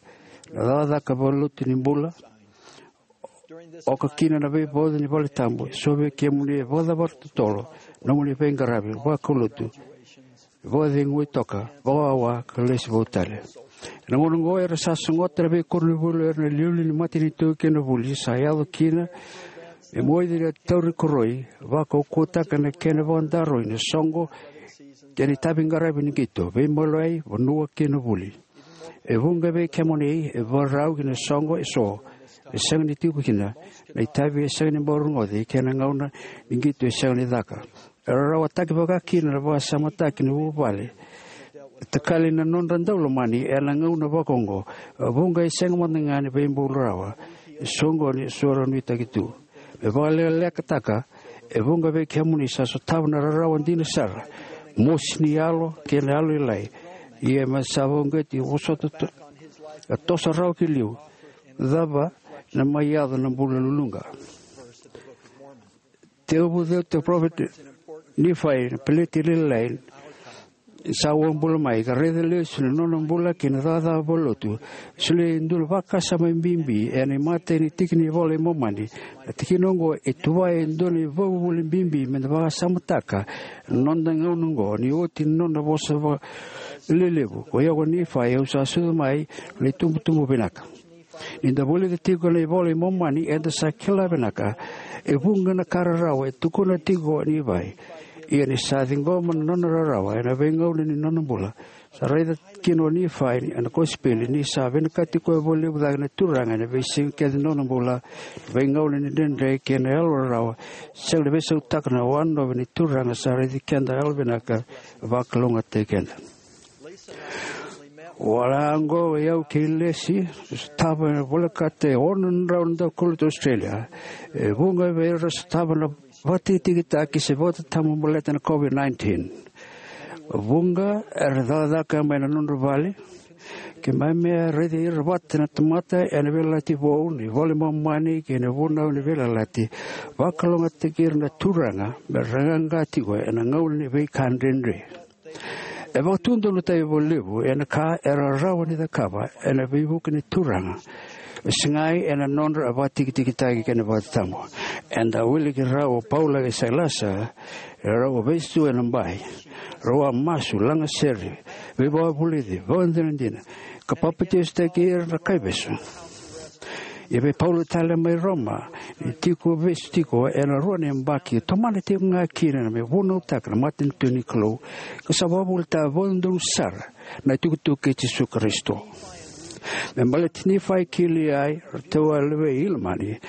na cakacaka vakalotu ni bula, oka kina na veivauci ni valetabu. Eso vei kemuni e vakacavara totolo na nomuni veiqaravi vakaulotu, vakacegui toka, vakawawa ka lesu vou tale. Ena gauna oqo era sa sogota na veikoronivuli o ira na iliuliu ni matanitu kei na vuli, sa yaco kina me moici na tauri koroi, vakaukauwataka na kena vakadaroi na soqo kei na itaviqaravi ni qito, veimaliwai, vanua kei na vuli. E vuqa vei kemuni e vakarau ki na soqo eso e sega ni tiko kina, na itavi e sega ni bau rogoci kei na gauna ni qito e sega ni caka. E rarawataki vaka kina na vakasamataki ni vuvale e takali na nodra daulomani ena gauna vaka oqo. E vuqa e sega mada ga ni veibulu rawa e soqoni eso ra nuitaki tu. Me vakalekalekataka, E vuqa vei kemuni sa sotava na rarawa dina sara, mosi ni yalo kei na yalolailai. Ia me sa vakauqeti, vosota, to-, a toso rawa ki liu. Cava na mai yaco na bula luluqa? Tekivu ceuta na parofita o Nifai na peleti lailai sa uabula mai, ka raica lesu na nona bula kei na cakacaka vakalotu. Solia e dua na vakasama bibi ena imatai ni tiki ni iVola i Momani. Na tikina oqo e tuvaya e dua na ivakavuvuli bibi meda vakasamataka ena noda gauna oqo, ni oti na nona vosa vakalelevu. Ko iko Nifai, au sa sucu mai na itubutubu vinaka. Ni da vulica tiko na iVola i Momani, eda sa kila vinaka e vuqa na ka rarawa e tukuna tiko o Nifai. Ia ni sa ciqoma na nona rarawa ena veigauna ni nona bula, sa raica kina o Nifai ena kosipeli ni sa vinakati koya vakalevu cake na Turaga ena veisiga kece ni nona bula, na veigauna ni dredre kei na yalo rarawa. Sega ni veisautaka na wanonovi ni Turaga sa raici keda yalovinaka, vakalougatataki keda. Wale oqo o yau kei Lesi, sotava na volekata e ono na drau na daukaulotu Australia. E vuqa vei ira sotava na vakatikitikitaki se vakatatabu baleta na COVID nineteen. Vuqa era cakacaka mai na nodra vale. Keimami a raici ira vata na tamata ena Veiyalayalati Vou, na iVola i Momani kei na Vunau ni Veiyalayalati. Vakalougatataki ira na Turaga mera qaqa tiko ena gauna ni veika dredre. E vakatudolatavi vakalevu ena ka era rawa ni cakava ena veivuke ni Turaga, e segai ena nodra vakatikitikitaki kei na vakatatabu. Eda wiliki rawa o Paula kei Sailasa, e rau a vesu ena bai, rau a masu, lagasere, veivakavulici, vakadinadina, ka papitaisotaki ira na kaivesu. Ia vei Paula tale mai Roma, ni tiko vesu tiko ena rua na yabaki, tomana tiko ga kina me vunautaka na matanitu ni Kalou, ka sa vakavuvulitaka vakadodonu sara na itukutuku kei Jisu Karisito. Me baleti Nifai kei Liai, ratou a luvei Ilamani,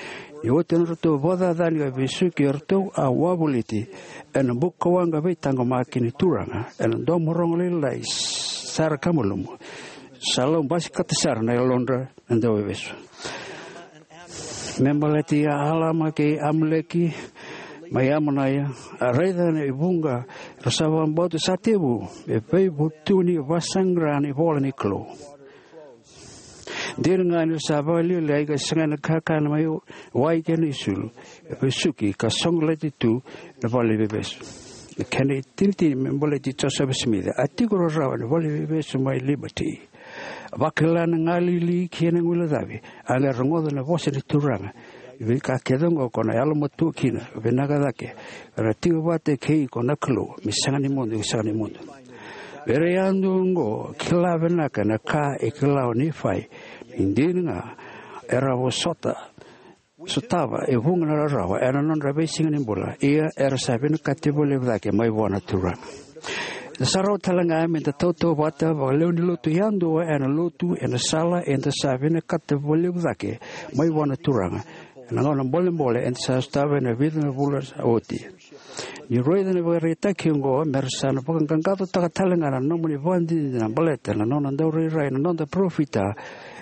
ni oti na nodratou vakacacani ka vesuki, eratou a wavoliti ena bukawaqa veitaqomaki ni Turaga ena domo rogo lailai sara ka malumu. Sa lau basikata sara na yalodra na dauveivesu. Me baleti Alama kei Amuleki mai Amonaia, a raica na ivuqa era sa vakabauta sa tekivu me veivutuni vakasaqara na ivola ni Kalou. Dina ga ni ra sa vakalialiai ka sega na kakana mai wai kei na isulu, e vesuki ka sogolati tu na valeniveivesu. Na kena itinitini me baleti Josefa Simici, a tiko rarawa ena valeniveivesu mai Liberty. Vakila na galili kei na guilecavi, a qai rogoca na vosa ni Turaga. Veika kece oqo ko na yalomatua kina, vinaka cake, era tiko vata kei iko na Kalou me sega ni mudu, sega ni mudu. Vei ira yadua oqo, kila vinaka na ka e kila o Nifai, ni dina ga era vosota, sotava e vuqa na rarawa ena nodra veisiga ni bula, ia era sa vinakati vakalevu cake mai vua na Turaga. Eda sa rawa tale ga meda tautauvata vakalewe ni lotu yadua ena lotu ena sala eda sa vinakata vakalevu cake mai vua na Turaga ena gauna bolebole eda sa sotava ena vica na vula sa oti. Ni raica na ivakaraitaki oqo, me ra sa na vakaqaqacotaka tale ga na nomuni vakadinadina baleta na nona daurairai na noda parofita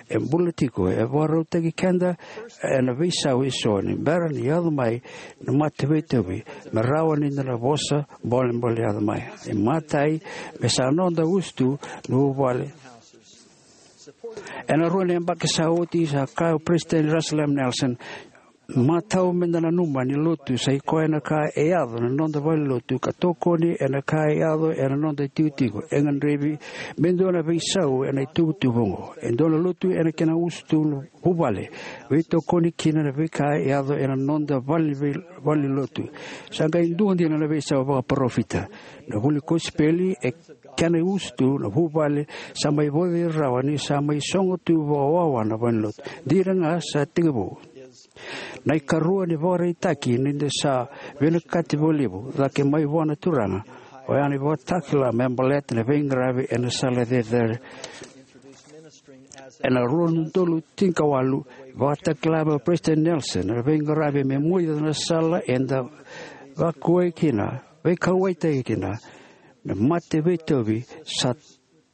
e bula tiko, e vakarautaki keda ena veisau eso ni bera ni yaco mai na mate veitauvi, me rawa ni da na vosa bolebole yaco mai. Imatai, me sa noda usutu na vuvale. Ena rua na yabaki sa oti, sa kaya o Peresitedi Russell M Nelson, matau meda nanuma ni lotu sa i koya na ka e yaco na noda valenilotu ka tokoni ena ka e yaco ena noda itikotiko. E gadrevi me dua na veisau ena ituvatuva oqo. E dua na lotu ena kena usutu na vuvale, veitokoni kina na veika e yaco ena noda vale, vale ni lotu. Sa qai dua dina na veisau vakaparofita. Na vuli kosipeli e kena usutu na vuvale sa mai vauci rawa ni sa mai sogo tu vakawawa na valenilotu. Dina ga sa tekivu. Na ikarua ni vakaraitaki ni da sa vinakati vakalevu cake mai vua na Turaga, oya na ivakatakila me baleta na veiqaravi ena sala cecere. Ena rua na udolu tinikawalu, vakatakila mai o Peresitedi Nelson na veiqaravi me muria na sala eda vakauwai kina, veikauwaitaki kina, me mate veitauvi sa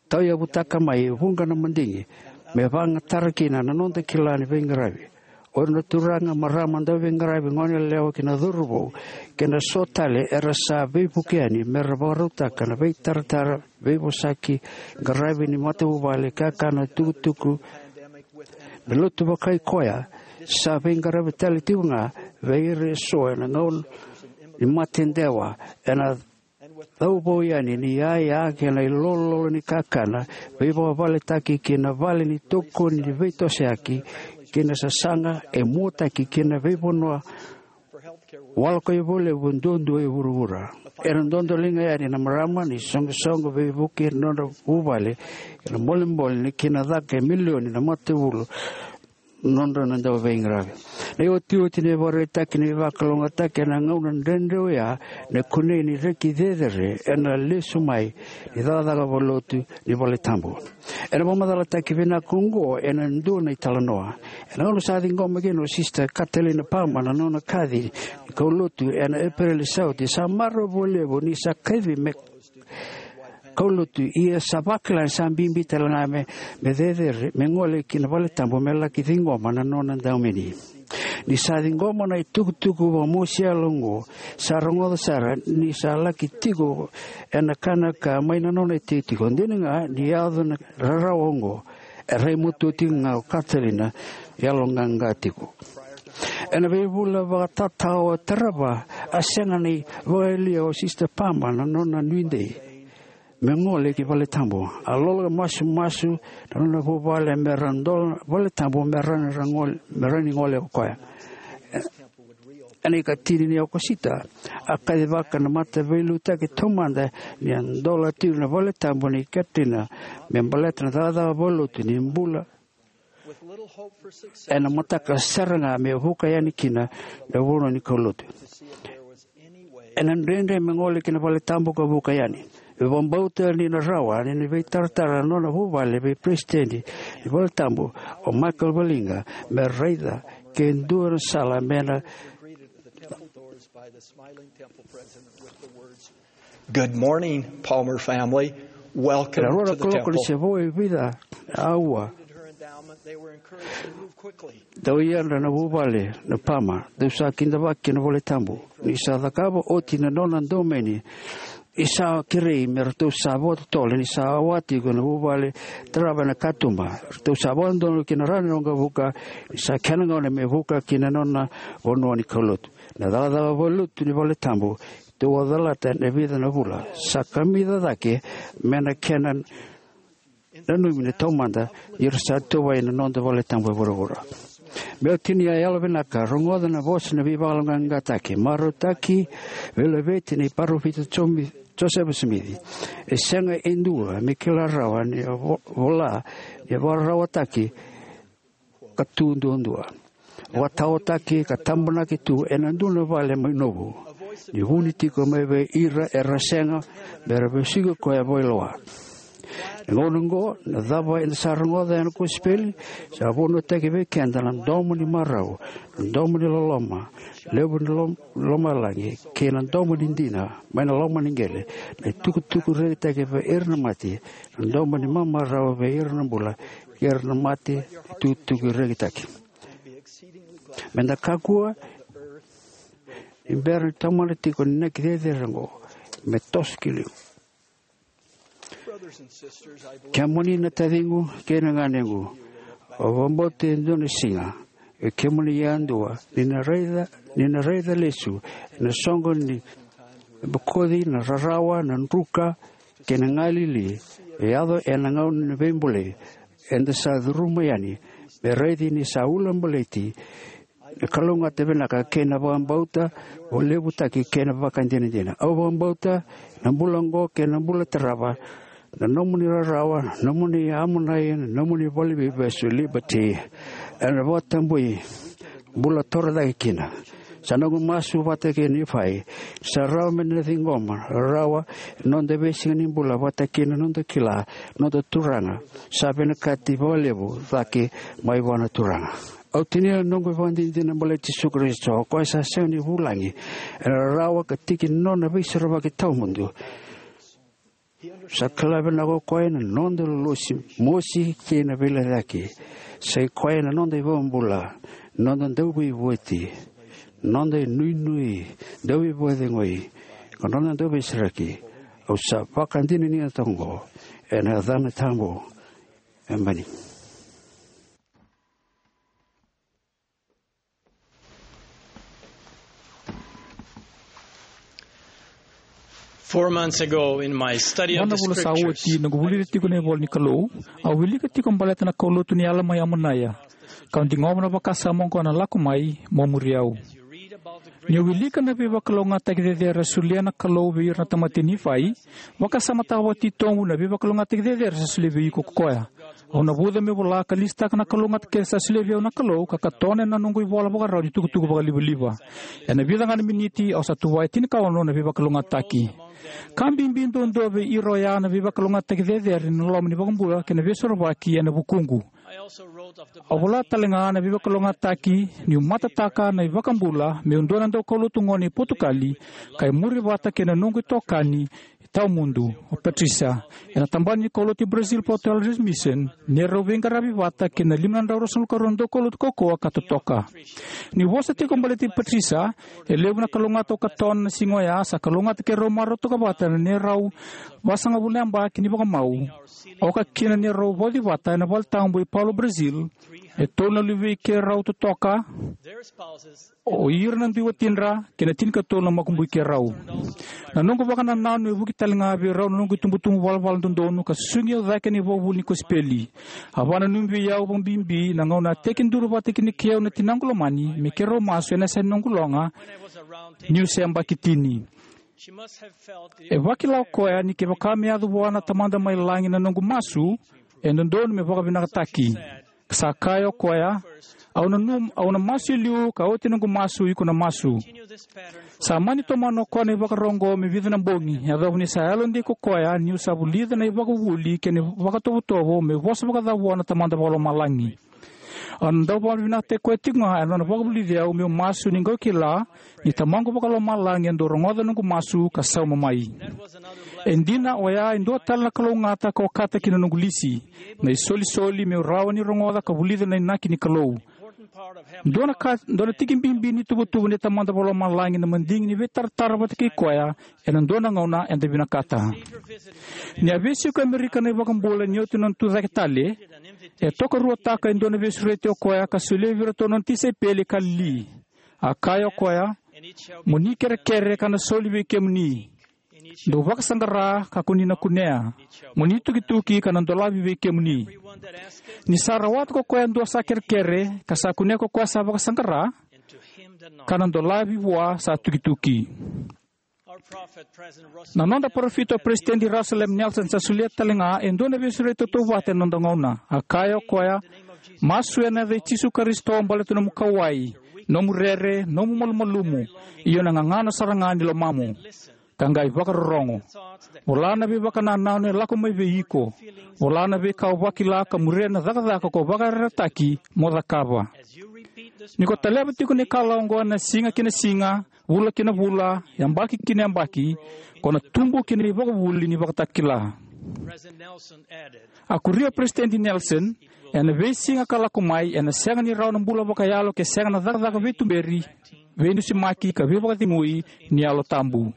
tauyavutaka mai e vuqa na madigi me vakayagatara kina na noda kila ni veiqaravi. O ira na turaga, marama, dauveiqaravi, goneyalewa kei na cauravou, kei na so tale era sa veivuke yani me ra vakarautaka na veitaratara, veivosaki, qaravi ni matavuvale, kakana, tukutuku me lotu vakai koya, sa veiqaravi tale tiko ga vei ira eso ena gauna ni mate dewa, ena cauvou yani ni yaya kei na ilololo ni kakana, veivakavaletaki kei na vale ni tokoni ni veitosoyaki, kei na sasaga e muataki kei na veivanua waloka ivolevu duadua e vuravura. Era dodoliga yani na marama ni soqosoqo veivuke na nodra vuvale, ena bolebole ni kena caka e milioni na matavuvale nodra na dauveiqaravi. Na iotioti ni vakaraitaki ni vakalougatataki ena gauna dredre oya, na kunei ni reki cecere ena lesu mai ni cakacaka vakalotu ni valetabu. Ena vakamacalataki vinaka oqo ena dua na italanoa. Ena gauna sa ciqoma kina o Sista Katalina Palmer na nona kaci ni kaulotu ena Epereli sa oti, sa marau vakalevu ni sa kacivi me kaulotu, ia sa vakila ni sa bibi tale ga me, me cecere me gole ki na valetabu me laki ciqoma na nona daumeni. Ni sa ciqoma na itukutuku vakamosi yalo oqo, sa rogoca sara ni sa laki tiko ena kanaka mai na nona itikotiko. Dina ga ni yaco na rarawa oqo, e rai matua tiko ga o Katalina, yaloqaqa tiko. Ena veivula vakatatao e tarava, a sega ni vakayalia o Sista Palmer na nona nuidei me gole ki valetabu. A lolo ka masumasu na nona vuvale me ra dola valetabu me ra ni ra gole, me ra ni gole o koya. Ena ikatini ni Okosita, a kacivaka na mataveiliutaki taumada ni a dola tiko na valetabu nei Katalina me baleta na cakacaka vakalotu ni bula ena mataka sara ga me vuka yani kina na vanua ni kaulotu. Ena dredre me gole ki na valetabu ka vuka yani. E vakabauta ni na rawa ni na veitaratara na nona vuvale vei peresitedi ni valetabu o Michael Valiga me raica ke dua na sala me na Good morning, Palmer family. Welcome Ena rua na to the kaloko ni temple. Se vo e vica a ua. Her endowment, they were encouraged to move quickly. Dau yadra na vuvale na Palmer, dau sa kidavaki na valetabu. Ni sa cakava oti na nona daumeni, ni sa kerei me ratou sa vakatotolo ni sa wati iko na vuvale tarava ena katuba. Ratou sa vakadodonu ki na rawa ni waqavuka, ni sa kena gauna me vuka ki na nona vanua ni kaulotu. Na cakacaka vakalotu ni valetabu tou a calata ena vica na vula sa kamica cake me na kena nanumi na taumada ni ra sa tuvai na noda valetabu e vuravura. Meu tinia yalovinaka, rogoca na vosa na veivakaloqaqataki, marautaki, veilaveti ni parofita Jomi-, Josefa Simici. E sega e dua me kila rawa ni vo-, vola ni vakararawataki ka tu duadua. Vakataotaki ka tabonaki tu ena dua na vale mai Novu. Ni vuni tiko mai vei ira era sega me ra vesuki koya vakailoa. Na gauna oqo, na cava eda sa rogoca ena kosipeli, sa vunautaki vei keda na domo ni marau, na domo ni loloma, levu ni lom-, lomalagi, kei na domo ni dina mai na loma ni qele, na itukutuku rekitaki vei ira na mate, na domo ni mamarau vei ira na bula, kei ira na mate, na itukutuku rekitaki. Meda kakua ni bera ni taumada tiko na inaki cecere oqo me toso ki liu. Kemuni na taciqu kei na ganequ, au vakabauta e dua na siga, e kemuni yadua, ni na raica, ni na raica lesu ena soqo ni bokoci, na rarawa, na druka kei na galili e yaco ena gauna ni veibulai eda sa curuma yani, me raici ni sa ulabaleti na kalougata vinaka kei na vakabauta vakalevutaki kei na vakadinadina. Au vakabauta na bula oqo kei na bula tarava, na nomuni rarawa, na nomuni Amonai, na nomuni valeniveivesu Liberty, ena vakatabui bula torocake kina. Sa noqu masu vata kei Nifai, sa rawa me na ciqoma rarawa ena noda veisiga ni bula vata kei na noda kila na noda Turaga sa vinakati vakalevu cake mai vua na Turaga. Au tinia na noqu ivakadinadina baleti Jisu Karisito, o koya sa sega ni vulagi ena rarawa ka tiki ni nona veisorovaki tawamudu. Sa kila vinaka o koya na noda lolosi, mosi kei na veilecayaki. Sa i koya na noda iVakabula, noda dauveivueti, noda inuinui, dauveivakacegui, ka noda dauveisereki. Au sa vakadinadinataka oqo ena yacana tabu. Emeni. Four months ago, in my study of the Vana vula sa oti, scriptures, noqu vulica tiko na ivola ni Kalou, au wilika tiko baleta na kaulotu ni yala mai Amonaia, kau digova na vakasama oqo na lako mai mo muri au. Ni o wilika na veivakalougatataki cecere a solia na Kalou vei ira na tamata i Nifai, vakasamataka vakatitobu na veivakalougatataki cecere sa solia vei iko ko koya. Au navuca meu vola ka lisitaka na kalougata kece sa solia vei au na Kalou, ka katona ena noqu ivola vakarau ni tukutuku vakalivaliva. Ena vica ga na miniti au sa tuvaya tinikaono na veivakalougatataki. Ka bibi duadua vei ira oya na veivakalougatataki cecere ni loma ni iVakabula kei na Veisorovaki ena vukuqu. Au vola tale ga na veivakalougatataki niu matataka na iVakabula meu dua na daukaulotu gone i Potukali, ka imuri vata kei na noqu itokani tawamudu, o Patricia, ena tabana ni kaulotu i Brazil Porto Alegre Mission, ni rau veiqaravi vata kei na lima na drau ruasagavulu ka rua na daukaulotu kaukauwa ka totoka. Niu vosa tiko baleti Patricia, e levu na kalougata au katona na siga oya sa kalougata keirau marautaka vata na neirau vasagavulu na yabaki ni vakamau, oka kina neirau vauci vata ena valetabu i Paulo, Brazil, e tolu na luvei keirau totoka, o ira na dui watidra kei na tinikatolu na makubui keirau. Na noqu vakanananu e vuki tale ga vei rau na noqu itubutubu valavala dodonu ka susugi au cake ena ivakavuvuli ni kosipeli. A vakananumi vei au vakabibi na gauna a tekiduru vata kina kei au na tinaqu lomani me keirau masu ena yasa ni noqu loga niu se yabaki tini. E vakila o koya ni kevaka me yaco vua na Tamada mai Lagi na noqu masu, e dodonu me vakavinakataki. Sa kaya o koya, au na, num, au na masu e liu, ka oti noqu masu, iko na masu. Sa mani tomana o koya na ivakaro oqo me vica na bogi, yacova ni sa yalodei ko koya niu sa vulica na ivakavuvuli kei na vakatovotovo me vosa vakacava vua na Tamada Vakalomalagi. Au na dau vakavinavinakataki koya tiko ga ena nona vakavulici au meu masu, ni qai kila ni Tamaqu Vakalomalagi e dau rogoca noqu masu ka sauma mai. E dina, oya e dua tale na kalougata ka okata ki na noqu lisi, na isolisoli meu rawa ni rogoca ka vulica na inaki ni Kalou. Dua na ka, dua na tiki bibi ni tuvatuva ni Tamada Vakalomalagi na madigi ni veitaratara vata kei koya ena dua na gauna eda vinakata. Ni a veisiko e Amerika na iVakabula ni oti na nona tucake tale, e tokaruataka e dua na veisureti o koya ka solia vei iratou na nona tisaipeli e Kalili. A kaya o koya, mo ni kerekere ka na soli vei kemuni. Dou vakasaqara ka ko ni na kunea. Mo ni tukituki ka na dolavi vei kemuni. Ni sa rawata ko koya e dua sa kerekere, ka sa kunea ko koya sa vakasaqara, ka na dolavi vua sa tukituki. Na noda parofita o Peresitedi Russell M Nelson sa solia tale ga e dua na veisureti tautauvata ena noda gauna. A kaya o koya, masu ena yaca i Jisu Karisito baleta nomu kauwai, nomu rere, nomu malumalumu, io na gagano sara ga ni lomamu. Ka qai vakarorogo. Vola na veivakanananu e lako mai vei iko. Vola na veika o vakila ka muria na cakacaka ko vakayarayarataki mo cakava. Ni ko taleva tiko na ikalawa oqo ena siga ki na siga, vula ki na vula, yabaki ki na yabaki, ko na tubu ki na ivakavuvuli ni vakatakila. A kuria o Peresitedi Nelson, ena veisiga ka lako mai, ena sega ni rawa na bula vakayalo ke sega na cakacaka veituberi, veidusimaki ka veivakacegui ni Yalo Tabu.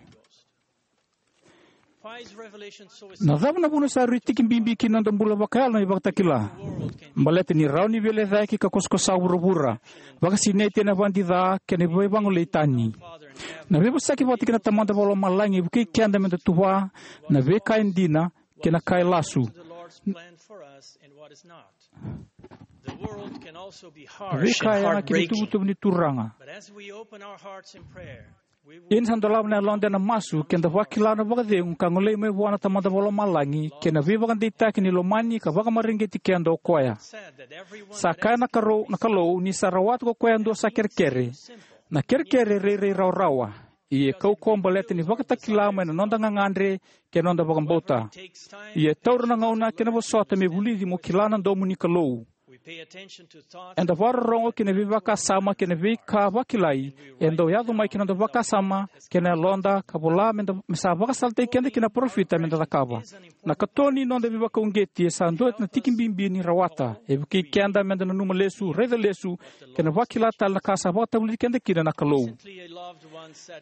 Na cava na vuna sa rui tiki bibi ki na noda bula vakayalo na ivakatakila? Baleta ni rawa ni veilecayaki ka kosakosa vuravura, vakasinaiti ena vadi ca kei na veivagolei tani. Na veivosaki vata kei na Tamada Vakalomalagi e vukei keda meda tuva na veika e dina kei na ka e lasu. Na veika e yaga ki na ituvatuva ni Turaga. Ia ni sa dolava na yaloda ena masu, keda vakila na vakacegu ka golei mai vua na Tamada Vakalomalagi kei na veivakadeitaki ni lomani ka vakamareqeti keda o koya. Sa kaya na Kalou, na Kalou ni sa rawata ko koya e dua sa kerekere. Na kerekere e rairai rawarawa, ia e kaukauwa baleta ni vakatakila mai na noda gagadre kei na noda vakabauta. Ia e taura na gauna kei na vosota me vulici mo kila na domo ni Kalou. Eda vakarorogo ki na veivakasama kei na veika vakilai e dau yaco mai ki na noda vakasama kei na yaloda, ka vola me da, me sa vakasalataki keda kina na parofita me da cakava. Na katoni ni noda veivakauqeti e sa dua na tiki bibi ni rawata. E vukei keda me da nanuma lesu, raica lesu, kei na vakila tale na ka sa vakatavulici keda kina na Kalou.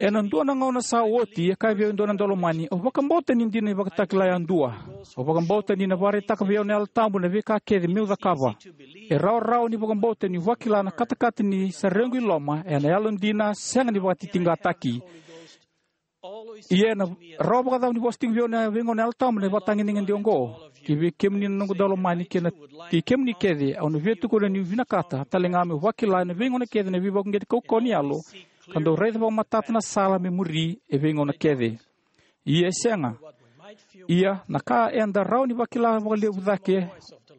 Ena dua na gauna sa oti, e kaya vei au e dua na daulomani, "Au vakabauta ni dina na ivakatakila yadua. Au vakabauta ni na vakaraitaka vei au na Yalo Tabu na veika kece meu cakava." E rawarawa ni vakabauta niu vakila na katakata ni sa requ i loma ena yalodina sega ni vakatitiqataki. Ia ena rawa vakacava ni vosa tiko vei au na veigauna na Yalo Tabu ena ivakatagedegede oqo? Ki vei kemuni na noqu daulomani kei na, kei kemuni kece, au na via tukuna niu vinakata tale ga meu vakila ena veigauna kece na veivakauqeti kaukauwa ni yalo ka dau raica vakamatata na sala me muri e veigauna kece. Ia e sega. Ia na ka eda rawa ni vakila vakalevu cake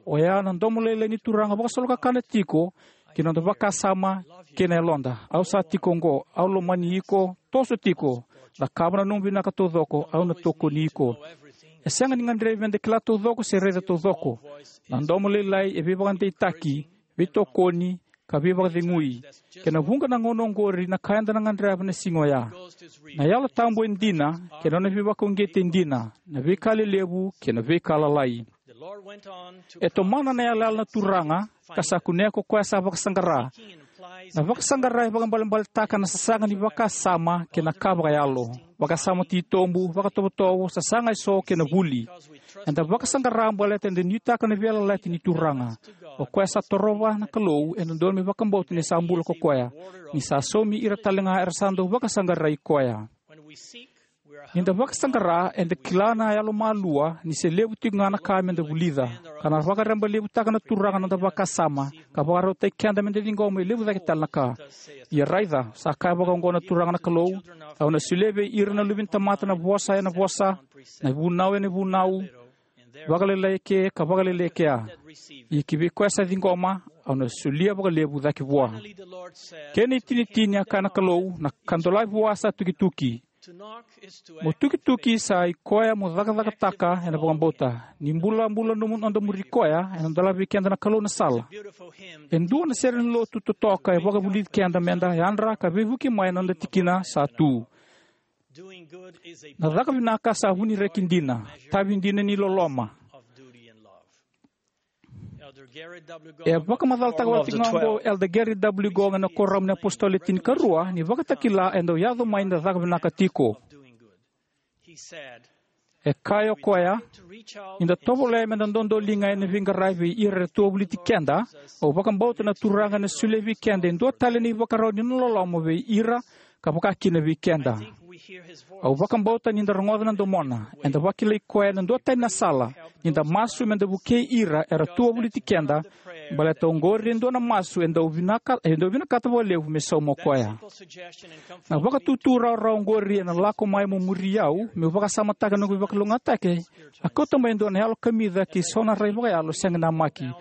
oya na domo lailai ni Turaga vakasolokakana tiko ki na noda vakasama kei na yaloda. "Au sa tiko oqo, au lomani iko, toso tiko, cakava na nomu vinaka taucoko, au na tokoni iko." E sega ni gadrevi me da kila taucoko se raica taucoko. Na domo lailai e veivakadeitaki, veitokoni, ka veivakacegui. Kei na vuqa na gauna oqori na ka eda na gadreva na siga oya. Na Yalo Tabu e dina, kei na nona veivakauqeti e dina, na veika lelevu kei na veika lalai. E tomana na yalayala na Turaga, ka sa kunea ko koya sa vakasaqara. Na vakasaqara e vakaibalebaletaka na sasaga ni vakasama kei na ka vakayalo. Vakasama titobu, vakatovotovo, sasaga eso kei na vuli. Eda vakasaqara baleta eda nuitaka na veiyalayalati ni Turaga. O koya sa torova na Kalou, eda dodonu me vakabauta ni sa bula ko koya, ni sa saumi ira tale ga era sa dau vakasaqarai koya. Ni da vakasaqara, eda kila na yalomalua ni se levu tiko ga na ka me da vulica, ka na vakarebalevutaka na Turaga na noda vakasama, ka vakarautaki keda me da ciqoma e levu cake tale na ka. Ia raica, sa kaya vakaoqo na Turaga na Kalou: "Au na solia vei ira na luve ni tamata na vosa ena vosa, na vunau ena vunau, vakalailai eke ka vakalailai ekea. Ia ki vei koya sa ciqoma, au na solia vakalevu cake vua." Kena itinitini, a kaya na Kalou, na ka dolavi vua sa tukituki. Mo tukituki sa i koya mo cakacakataka ena vakabauta. Ni bulabula nomu noda muri koya, ena dolavi vei keda na Kalou na sala. E dua na sere ni lotu totoka e vakavulici keda me da yadra ka veivuke mai ena noda tikina sa tu. Na caka vinaka sa vu ni reki dina, tavi dina ni loloma. E vakamacalataka vata tiko ga oqo o Elder Gary W. Gong ena Kuoramu ni iApositolo Le Tinikarua, ni vakatakila e dau yaco mai na caka vinaka tiko. E kaya o koya: "Ni da tovolea me da dodoliga ena veiqaravi vei ira era tu wavoliti keda, au vakabauta na Turaga ena solia vei keda e dua tale na ivakarau ni nona loloma vei ira, ka vaka kina vei keda. Au vakabauta ni da rogoca na domona, eda vakilai koya ena duatani na sala, ni da masu me da vukei ira era tu wavoliti keda, baleta oqori e dua na masu e dau vinaka, e dau vinakata vakalevu me sauma o koya." Na vakatutu rawarawa oqori ena lako mai mo muri au, meu vakasamataka na noqu veivakalougatataki, a kauta mai e dua na yalo kamica kei so na rai vakayalo sega ni namaki.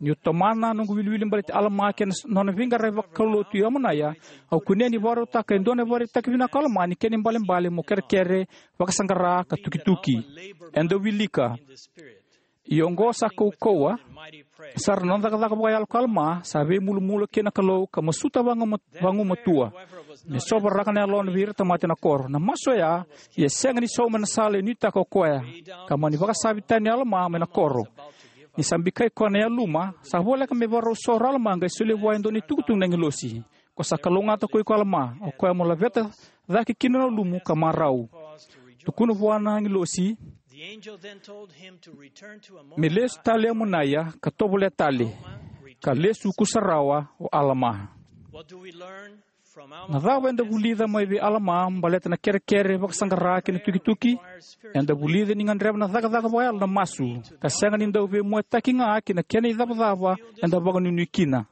Niu tomana na noqu wiliwili baleti Alama kei na nona veiqaravi vakaulotu i Amonaia, au kunea ni vakarautaka e dua na ivakaraitaki vinaka o Alama ni kena ibalebale mo kerekere, vakasaqara ka tukituki. Eda wilika. Ia oqo sa kaukauwa sara na nona cakacaka vakayalo ko Alama, sa veimulumu kina na Kalou ka masuta vagumatua. Me sovaraka na yalona vei ira na tamata ena koro. Na masu oya, ia sega ni sauma ena sala e nuitaka o koya, ka mani vakasavi tani o Alama mai na koro. Ni sa bikai koya na yaluma, sa voleka me vakarau soro o Alama qai solia vua e dua na itukutuku na agilosi: "Ko sa kalougata ko iko Alama, o koya mo laveta cake kina na ulumu ka marau. Tukuna vua na agilosi me lesu tale i Amonaia ka tovolea tale." Ka lesu kusarawa o Alama. Na cava eda vulica mai vei Alama baleta na kerekere, vakasaqara kei na tukituki? Eda vulica ni gadreva na cakacaka vakayalo na masu, ka sega ni dau veimuataki ga ki na kena icavacava eda vakanuinui kina.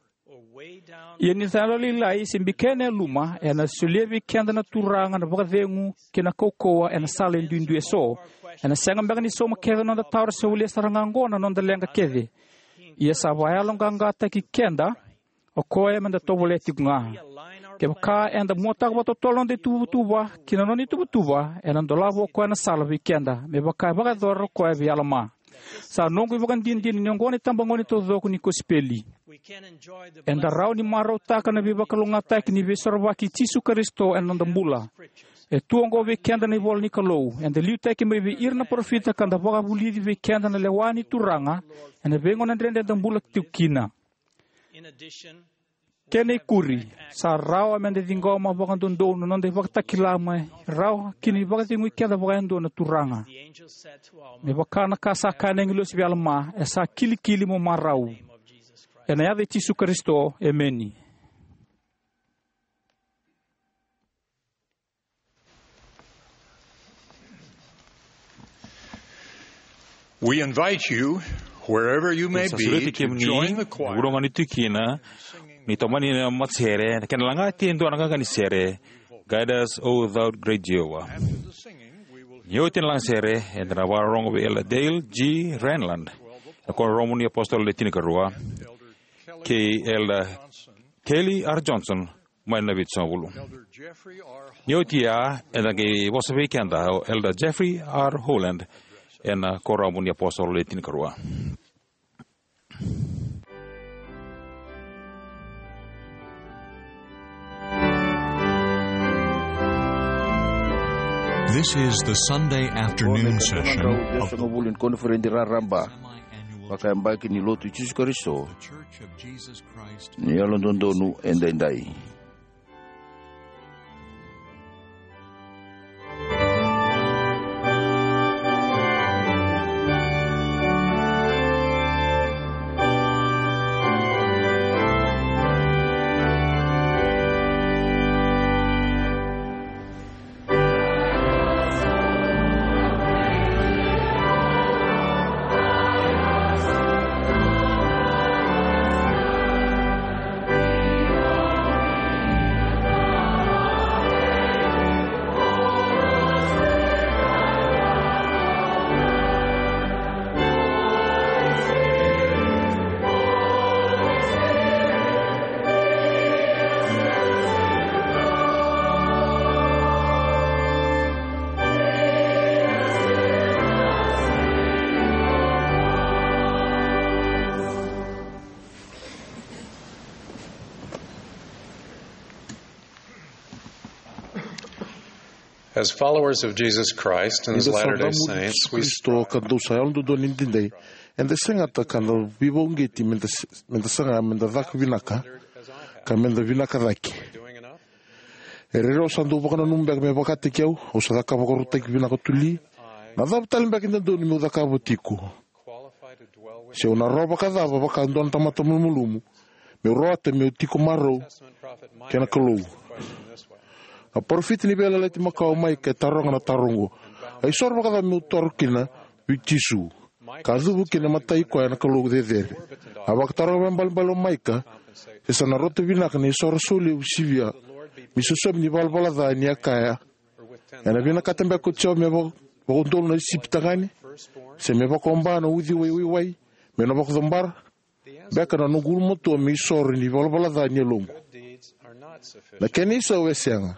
Ia ni da yalolailai se bikai na yaluma, ena solia vei keda na Turaga na vakacegu kei na kaukauwa ena sala e duidui eso. Ena sega beka ni sauma kece na noda tawara se walia sara ga oqo na noda leqa kece. Ia sa vakayaloqaqataki keda o koya me da tovolea tiko ga. Kevaka eda muataka vakatotolo na noda ituvatuva ki na nona ituvatuva, ena dolava o koya na sala vei keda, me vaka e vakayacora o koya vei Alama. Sa noqu ivakadinadina ni oqo na itabagone taucoko ni kosipeli. Eda rawa ni marautaka na veivakalougatataki ni Veisorovaki i Jisu Karisito ena noda bula. E tu oqo vei keda na ivola ni Kalou, eda liutaki mai vei ira na parofita ka da vakavulici vei keda na lewa ni Turaga ena veigauna dredre eda bula tiko kina. Kena ikuri, sa rawa meda ciqoma vakadodonu na noda ivakatakila me rawa kina ni vakacegui keda vakayadua na Turaga. Me vaka na ka sa kaya na agilosi vei Alama, e sa kilikili mo marau. Ena yaca i Jisu Karisito, emeni. We invite you, wherever you may be, to join the choir. Sa sureti kemuni, vuravura ni tu kina, ni tomani na matasere, na kena lagati e dua na qaqa ni sere, Guide Us, O Thou Great Jehovah. Ni oti na lagasere, eda na vakarorogo vei Elder Dale G. Renlund, na Kuoramu ni Apositolo Le Tinikarua, kei Elder Kelly R. Johnson, mai na Vitusagavulu. Ni oti ya, eda qai vosa vei keda o Elder Jeffrey R. Holland, ena Kuoramu ni Apositolo Le Tinikarua. This is the Sunday afternoon session of the Koniferedi Raraba Vakayabaki ni Lotu i Jisu Karisito ni Yalododonu Edaidai. As followers of Jesus Christ and His Latter-day Saints, we Kristo ka dou sa Yalododonu Edaidai, eda segata ka da veivakauqeti meda s-, meda saga meda caka vinaka, ka meda vinaka cake. E rairai au sa dau vakananuma beka me vakataki au, au sa cakava vakarautaki vinaka tuli. Na cava tale beka e dodonu meu cakava tiko? Se au na rawa vakacava vaka dua na tamata malumalumu, meu rawata meu tiko marau kei na Kalou? Na parofita ni Veiyalayalati Makawa o Maika e taroga na taro oqo: A isoro vakacava meu toro kina vei Jisu, ka cuva kina e matai koya na Kalou cecere? A vakataroga vakaibalebale o Maika se sa na rauta vinaka na isoro saulevu sivia me isosomi ni valavala ca, ni a kaya: Ena vinakata beka ko Jiova me vaka-, vakaudolu na sipi tagane, se me vakaoba na uciwai waiwai me na vakacobara? Beka na noqu ulumatua me isoro ni valavala ca ni yaloqu. Na kena isau e sega.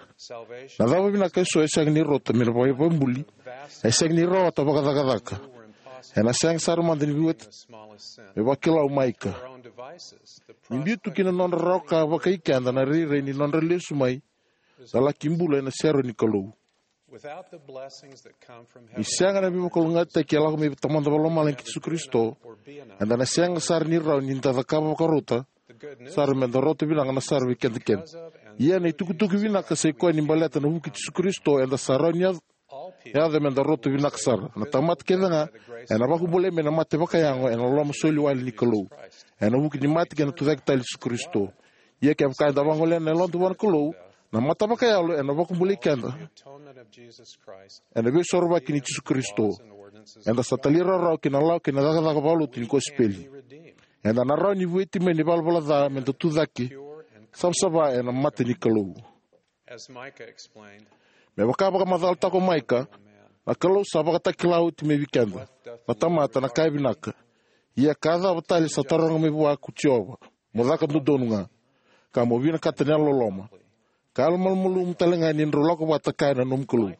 Na cava vinaka eso e sega ni rauta me na vakabuli, e sega ni rawata vakacakacaka. Ena sega sara mada ni veiwati me vakila o Maika. Ni biu tu ki na nodra rawa ka vakai keda na rairai ni nodra lesu mai, da laki bula ena sere ni Kalou. Ni sega na veivakalougatataki e lako mai vei Tamada Vakalomalagi kei Jisu Karisito, eda na sega sara ni rawa ni da cakava vakarauta sara meda rauta vinaka na sara vei keda kece. Ia na itukutuku vinaka sai koya ni baleta na vuku i Jisu Karisito eda sa rawa ni yaco, yaco meda rauta vinaka sara. Na tamata kece ga ena vakabulai mai na mate vakayago ena loloma soli wale ni Kalou, ena vuku ni mate kei na tucake tale i Jisu Karisito. Ia kevaka eda vagolea na yaloda vua na Kalou, na mata vakayalo ena vakabulai keda ena veisorovaki nei Jisu Karisito. Eda sa talairawarawa ki na lawa kei na cakacaka vakalotu ni kosipeli. Eda na rawa ni vueti mai na ivalavala ca meda tucake savasava ena mata ni Kalou. Me vaka vakamacalataka o Maika, na Kalou sa vakatakila oti mai vei keda na tamata na ka e vinaka. Ia ka cava tale sa taroga mai vua ko Jiova? Mo caka dodonu ga, ka mo vinakata na yalololoma, Ka yalomalumalumu tale ga ni drau lako vata kaya na nomu Kalou.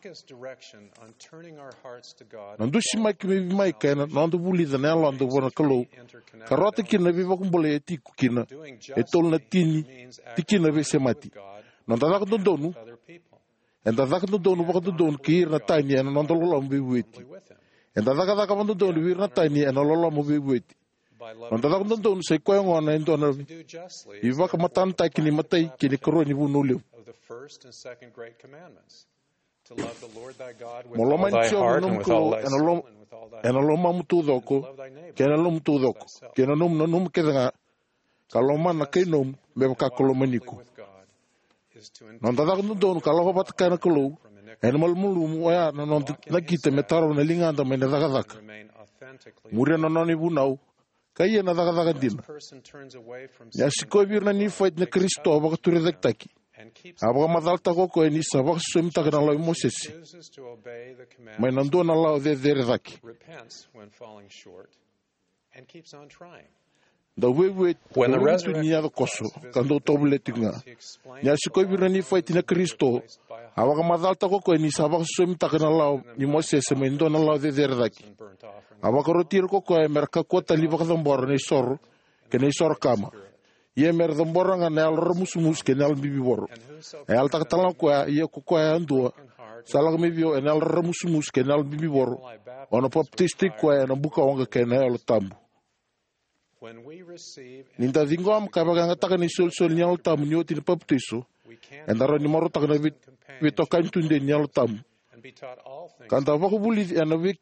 Na dusimaki mai vei Maika ena noda vulica na yaloda vua na Kalou ka rawata kina na veivakabulai e tiko kina e tolu na tini tikina veisemati. Noda caka dodonu. Eda caka dodonu vakadodonu kei ira na tani ena noda loloma veivueti. Eda cakacaka vakadodonu vei ira na tani ena loloma veivueti. Noda caka dodonu sai koya gona e dua na ivakamatanataki ni imatai kei na ikarua ni vunau levu. Mo lomani Jiova na nomu Kalou ena lom- ena lomamu taucoko, kei na yalomu taucoko, kei na nomu nanuma kece ga, ka lomana na kai nomu me vaka ko lomani iko. Noda caka dodonu ka lako vata kaya na Kalou ena malumalumu oya na noda nakita me tarova na ligada mai na cakacaka, muria na nona ivunau, ka ia na cakacaka dina. Ni a sikovi ira na Nifaiti na Karisito vakaturicaketaki, a vakamacalataka o koya ni sa vakasosomitaka na lawa i Mosese mai na dua na lawa cecere cake. Dau veivueti, dau lutu ni yaco koso, ka dau tovolea tiko ga. Ni a sikovi ira na Nifaiti na Karisito, a vakamacalataka o koya ni sa vakasosomitaka na lawa ni Mosese mai dua na lawa cecere cake. A vakaroti ira ko koya me ra kakua tale ni vakacabora na isoro kei na isoro kama, ia me ra cabora ga na yalo raramusumusu kei na yalo bibivoro. A yalataka tale ga o koya, ia ko koya yadua sa lako mai vei au ena yalo raramusumusu kei na yalo bibivoro, au na papitaisotaki koya ena bukawaqa kei na Yalo Tabu. Ni da ciqoma ka vakayagataka na isolisoli ni Yalo Tabu ni oti na papitaiso, eda rawa ni marautaka na vei- veitokani tudei ni Yalo Tabu, ka da vakavulici ena vei-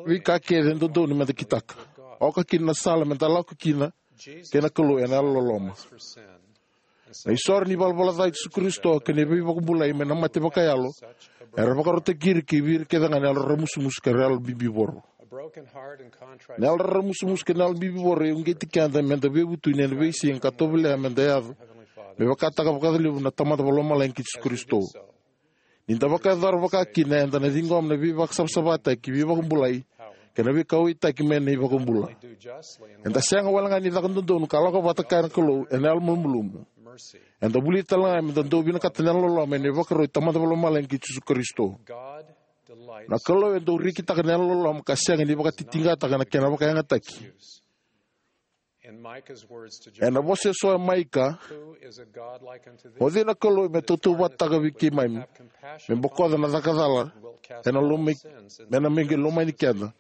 veika kece e dodonu meda kitaka, oka kina na sala meda lako kina kei na Kalou ena yalololoma. Na isoro ni valavala ca i Jisu Karisito kei na veivakabulai mai na mate vakayalo era vakarautaki ira ki vei ira kece ga na yalo raramusumusu kei na yalo bibivoro. Na yalo raramusumusu kei na yalo bibivoro e uqeti keda meda veivutuni ena veisiga ka tovolea meda yaco me vakataka vakalevu na Tamada Vakalomalagi kei Jisu Karisito. Ni da vakayacora vaka kina, eda na ciqoma na veivakasavasavataki, veivakabulai, kei na veikauwaitaki mai na iVakabula. Eda sega wale ga ni caka dodonu ka lako vata kaya na Kalou ena yalo malumalumu. Eda vulica tale ga meda dau vinakata na yalololoma ena ivakarau i Tamada Vakalomalagi kei Jisu Karisito. Na Kalou e dau rekitaka na yalololoma ka sega ni vakatitiqataka na kena vakayagataki. Ena vosa eso o Maika, o cei na Kalou me tautauvatataka vei keimami, me bokoca na caka cala ena loma i- me na me qai lomani keda,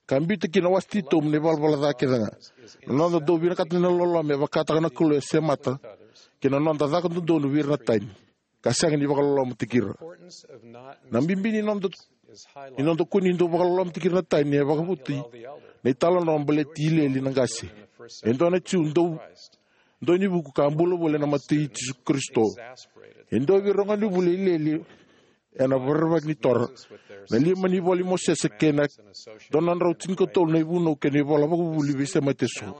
ka biuta kina na wase titobu na ivalavala ca kece ga? Na noda dau vinakata na yalololoma e vakataka na Kalou e semata ki na noda caka dodonu vei ira na tani, ka sega ni vakalolomataki ira. Na bibi ni noda ni noda kua ni dau vakalolomataki ira na tani e vakavuti na italanoa baleti Ilieli na qase, e dua na Jiu dau dau ni vuku ka bula voli ena mata i Jisu Karisito. E dua vei ira na gonevuli o Ilieli ena rerevaki ni Tora, na lima ni ivola i Mosese kei na dua na drau tinikatolu na ivunau kei na ivola vakavuvuli veisemati eso.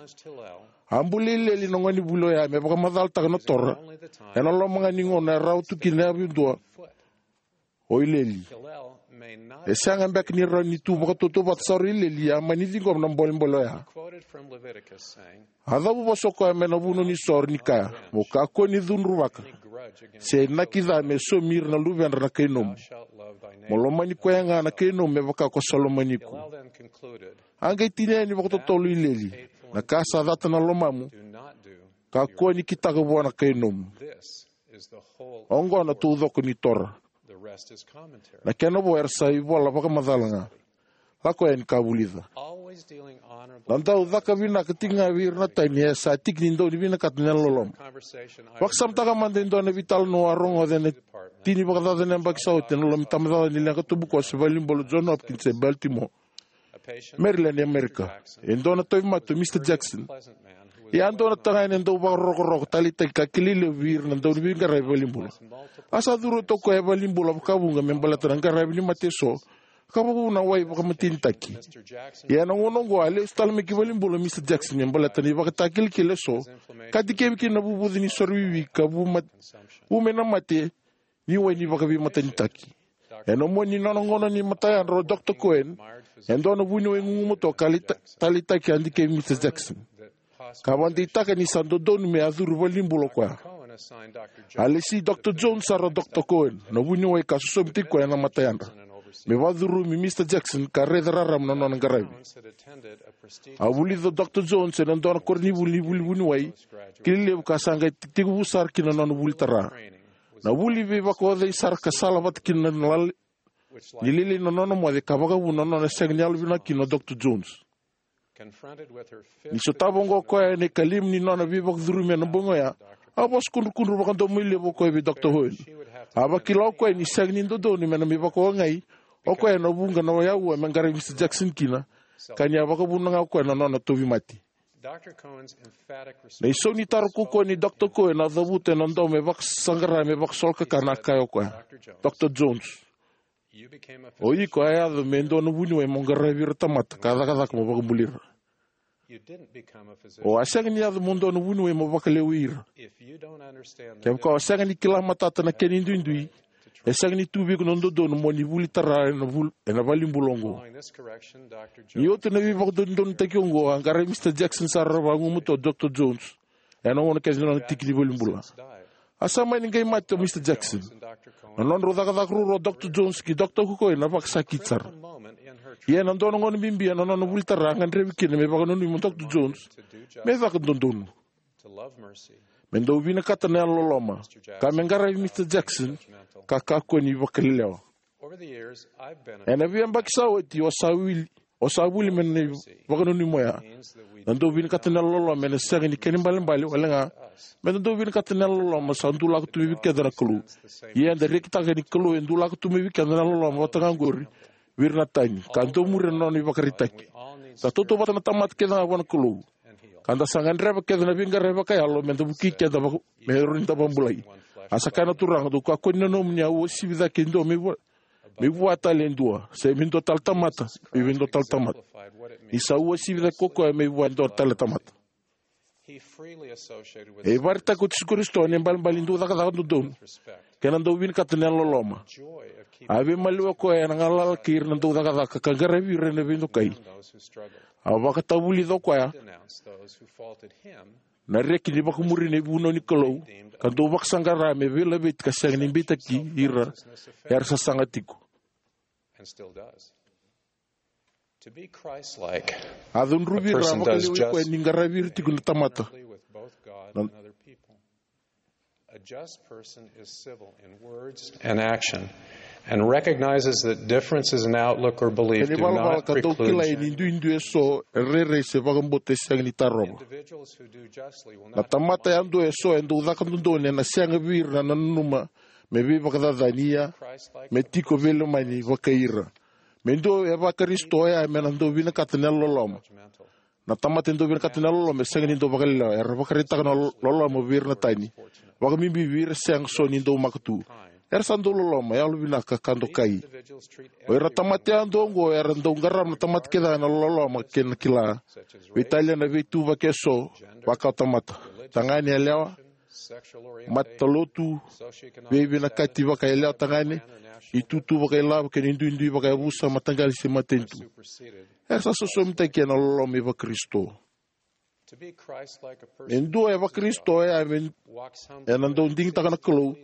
A buli Ilieli na gonevuli oya me vakamacalataka na Tora ena loma ga ni gauna e rawa tu kina e yavudua o Ilieli. E sega beka ni rawa ni tu vakatautauvata sara o Ilieli, ia a mani ciqoma na bolebole oya. A cavuvosa o koya mai na vunau ni soro ni kaya, mo kakua ni cudruvaka se inaki ca me saumi ira na luvedra na kai nomu. Mo lomani koya ga na kai nomu me vaka ko sa lomani iko. A qai tinia yani vakatotolo o Ilieli, na ka sa cata na lomamu, kakua ni kitaka vua na kai nomu. Oqo na taucoko ni Tora. Na kena vo era sa ivola vakamacala ga. Lako yani ka vulica. Na dau caka vinaka tiko ga vei ira na tani e sa tiki ni dau ni vinakata na yalololoma. Vakasamataka mada e dua na veitalanoa a rogoca ena tini vakacaca na yabaki sa oti ena loma ni tabacakacaka ni leqa tubukoso e valenibula o John Hopkins e Baltimore, Maryland, e Amerika. E dua na tauvimate o Mr Jackson. Ia a dua na tagane dau vakarokoroko taleitaki ka kilai levu vei ira na dauniveiqaravi valenibula. A sa curu oti o koya e valenibula vakavuqa me baleta na qaravi ni mate eso, ka vakavuna na wai vakamatenitaki. Ia ena gauna oqo a lesu tale mai ki valenibula o Mr Jackson me baleta na ivakatakilakila eso ka dikevi kina na vuvuce ni soro wiwi ka vu mat- vu mai na mate ni wai ni vakaveimatenitaki. Ena mua ni nona gauna ni matayadra o Doctor Cohen, e dua na vuniwai gugumatua ka lai ta- taleitaki a dikevi Mr Jackson, ka vakadeitaka ni sa dodonu me a curu valenibula o koya. A lesi Dr Jones sara o Dr Cohen, na vuniwai ka sosomitaki koya ena mata yadra, me vakacurumi Mr Jackson ka raica raraba na nona qaravi. A vulica o Dr Jones ena dua na koronivuli ni vuli vuniwai ki lelevu ka sa qai tekivu sara kina na nona vuli tara. Na vuli veivakaocai sara ka sala vata kina na lala ni lailai na nona moce ka vakavuna na nona sega ni yalovinaka kina o Dr Jones. Ni sotava oqo o koya ena ikalima ni nona veivakacurumi ena bogi oya, a vosa kudrukudru vakadomoilevu o koya vei Dr Cohen. A vakila o koya ni sega ni dodonu me na mai vakaogai o koya ena vuqa na auwa me qaravi Mr Jackson kina, ka ni a vakavuna ga o koya na nona tauvimate. Na isau ni taro kaukauwa nei Dr Cohen a cavuta ena domo e vakasaqara me vakasolokakana, a kaya o koya, Dr Jones, o iko a yaco me dua na vuniwai mo qaravi ira na tamata ka cakacaka mo vakabulai ira. O a sega ni yaco mo dua na vuniwai mo vakalewai ira. Kevaka o sega ni kila matata na kena iduidui, e sega ni tu vei iko na dodonu mo ni vuli tara ena vul-, ena valenibula oqo. Ni oti na veivakadodonutaki oqo, a qaravi Mr Jackson sara vagumatua o Dr Jones ena gauna kece ni nona tiki ni valenibula. A sa mani qai mate o Mr Jackson. Na nodrau cakacaka ruarua o Dr Jones kei Dr Cohen a vakasakiti sara. Ia ena dua na gauna bibi ena nona vuli tara, a gadrevi kina me vakananumi o Dr Jones me caka dodonu, me dau vinakata na yalololoma, ka me qaravi Mr Jackson ka kakua ni vakalelewa. Ena veiyabaki sa oti, o sa wili, o sa vuli mai na ivakananumi oya. Na dau vinakata na yalololoma ena sega ni kena ibalebale wale ga me da dau vinakata na yalololoma sa dulaka tu mai vei keda na Kalou. Ia eda rekitaka ni Kalou e dulaka tu mai vei keda na yalololoma vata ga oqori vei ira na tani, ka dau muria na nona ivakaraitaki. Da tautauvata na tamata kece ga vua na Kalou, ka da sa gadreva kece na veiqaravi vakayalo me da vukei keda vaka-, me rawa ni da vakabulai. A sa kaya na Turaga, dou kakua ni nanuma ni a uasivi cake e dua me vua, me vua tale e dua, se me dua tale tamata me vei dua tale tamata. Ni sa uasivi cake ko koya me vua e dua tale tamata. E vakaraitaka o Jisu Karisito na ibalebale ni dau cakacaka dodonu kei na dau vinakata na yalololoma. A veimaliwai o koya ena galala kei ira na dau cakacaka ka qaravi ira ena veidokai. A vakatavulica o koya na reki ni vakamuri na ivunau ni Kalou, ka dau vakasaqara me veilaveti ka sega ni beitaki ira era sasaga tiko. A cudruvi ira a vakalewai koya ni qaravi ira tiko na tamata. Na A just person is civil in words and action, and recognizes that differences in outlook or belief Kena do ivalavala not ka dau preclude kilai ni genuine duidui eso e rairai se vakabauta e sega ni tarova. Individuals who do justly will Na not tamata yadua eso e dau caka dodonu ena sega vei ira na nanuma me veivakacacani, ia Christ-like me tiko veilomani vakai ira. Me dua e vaKarisito oya me na dau vinakata na yalololoma. Judgmental. Na tamata e dau vinakata na yalololoma e sega ni dau vakalelewa. Era vakaraitaka na lo-, loloma vei ira na tani, vakabibi vei ira sega so ni dau maka tu. Era sa dau loloma, yalovinaka ka dokai. O ira na tamata yadua oqo era dau qarava na tamata kece ena loloma kei na kila. Veitalia na veituvaki eso, vaka o tamata, tagane, yalewa, matalotu, veivinakati vakayalewa tagane, itutu vakailavo kei na iduidui vakayavusa, mataqali se matanitu. Era sa sosomitaki ena loloma i vaKarisito. E dua e vaKarisito oya me, ena dau digitaka na Kalou,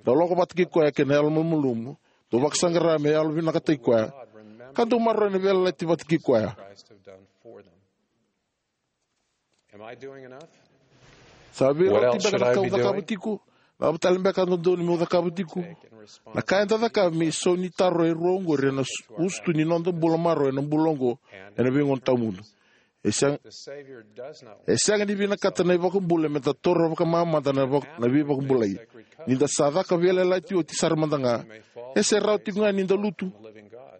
dau lako vata kei koya kei na yalomalumalumu, dau vakasaqara me yalovinakataki koya, ka dau maroroya na veiyalayalati vata kei koya. Am I doing enough? Sa veirauti beka na ka au cakava tiko? Na cava tale beka e dodonu meu cakava tiko? Na ka eda cakava me isau ni taro e rua oqori ena su-, usutu ni noda bula marau ena bula oqo ena veigauna tawamudu. E sega, e sega ni vinakata na iVakabula me da taura vakamamada na vak-, na veivakabulai. Ni da sa caka veiyalayalati oti sara mada ga, e se rawa tiko ga ni da lutu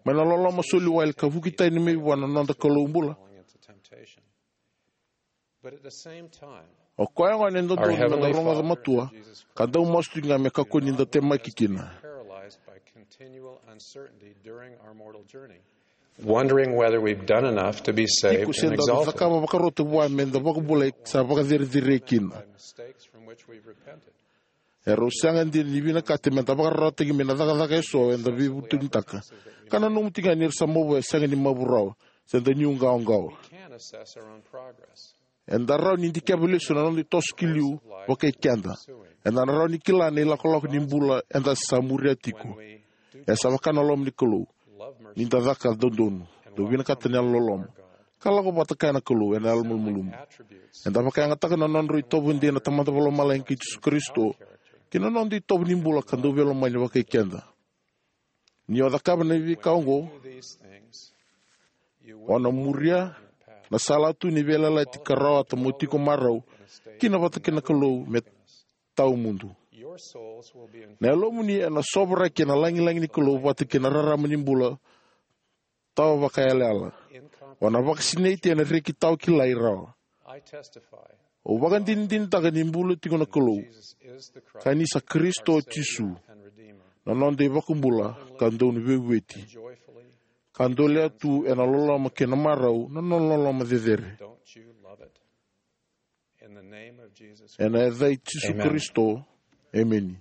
mai na loloma soli wale ka vuki tani mai vua na noda Kalou bula. O koya gona e dodonu me da rogoca matua, ka dau masu tiko ga me kakua ni da temaki kina. Wondering whether we've done enough to be saved and exalted. Tiko se da cakava vakarota vua me da vakabulai sa vakacerecerei kina. Erau sega dina ni vinakata me da vakararawataki mai na cakacaka eso eda veivutunitakitaka. Ka nanuma tiko ga ni ra sa mavoa e sega ni mavoa rawa, se da niu qawaqawa. Eda rawa ni dikeva lesu na noda itoso ki liu vakai keda. Eda na rawa ni kila na ilakolako ni bula eda sa muria tiko. E sa vaka na loma ni Kalou. Ni da caka dodonu, dau vinakata na yalololoma, ka lako vata kaya na Kalou ena yalomalumalumu. Eda vakayagataka na nodra itovo dina na Tamada Vakalomalagi kei Jisu Karisito, kei na noda itovo ni bula ka dau veilomani vakai keda. Ni o cakava na veika oqo, o na muria na sala tu ni veiyalayalati ka rawata mo tiko marau kina vata kei na Kalou me tawamudu. Na yalomuni ena sovaraki ena lagilagi ni Kalou vata kei na rarama ni bula tawa vakayalayala. O na vakasinaiti ena reki tawa kilai rawa. Au vakadinadinataka ni bula tiko na Kalou, ka ni sa Karisito o Jisu, na noda iVakabula ka dau ni veivueti, ka dolea tu ena loloma kei na marau na nona loloma cecere. Ena yaca i Jisu Karisito, emeni.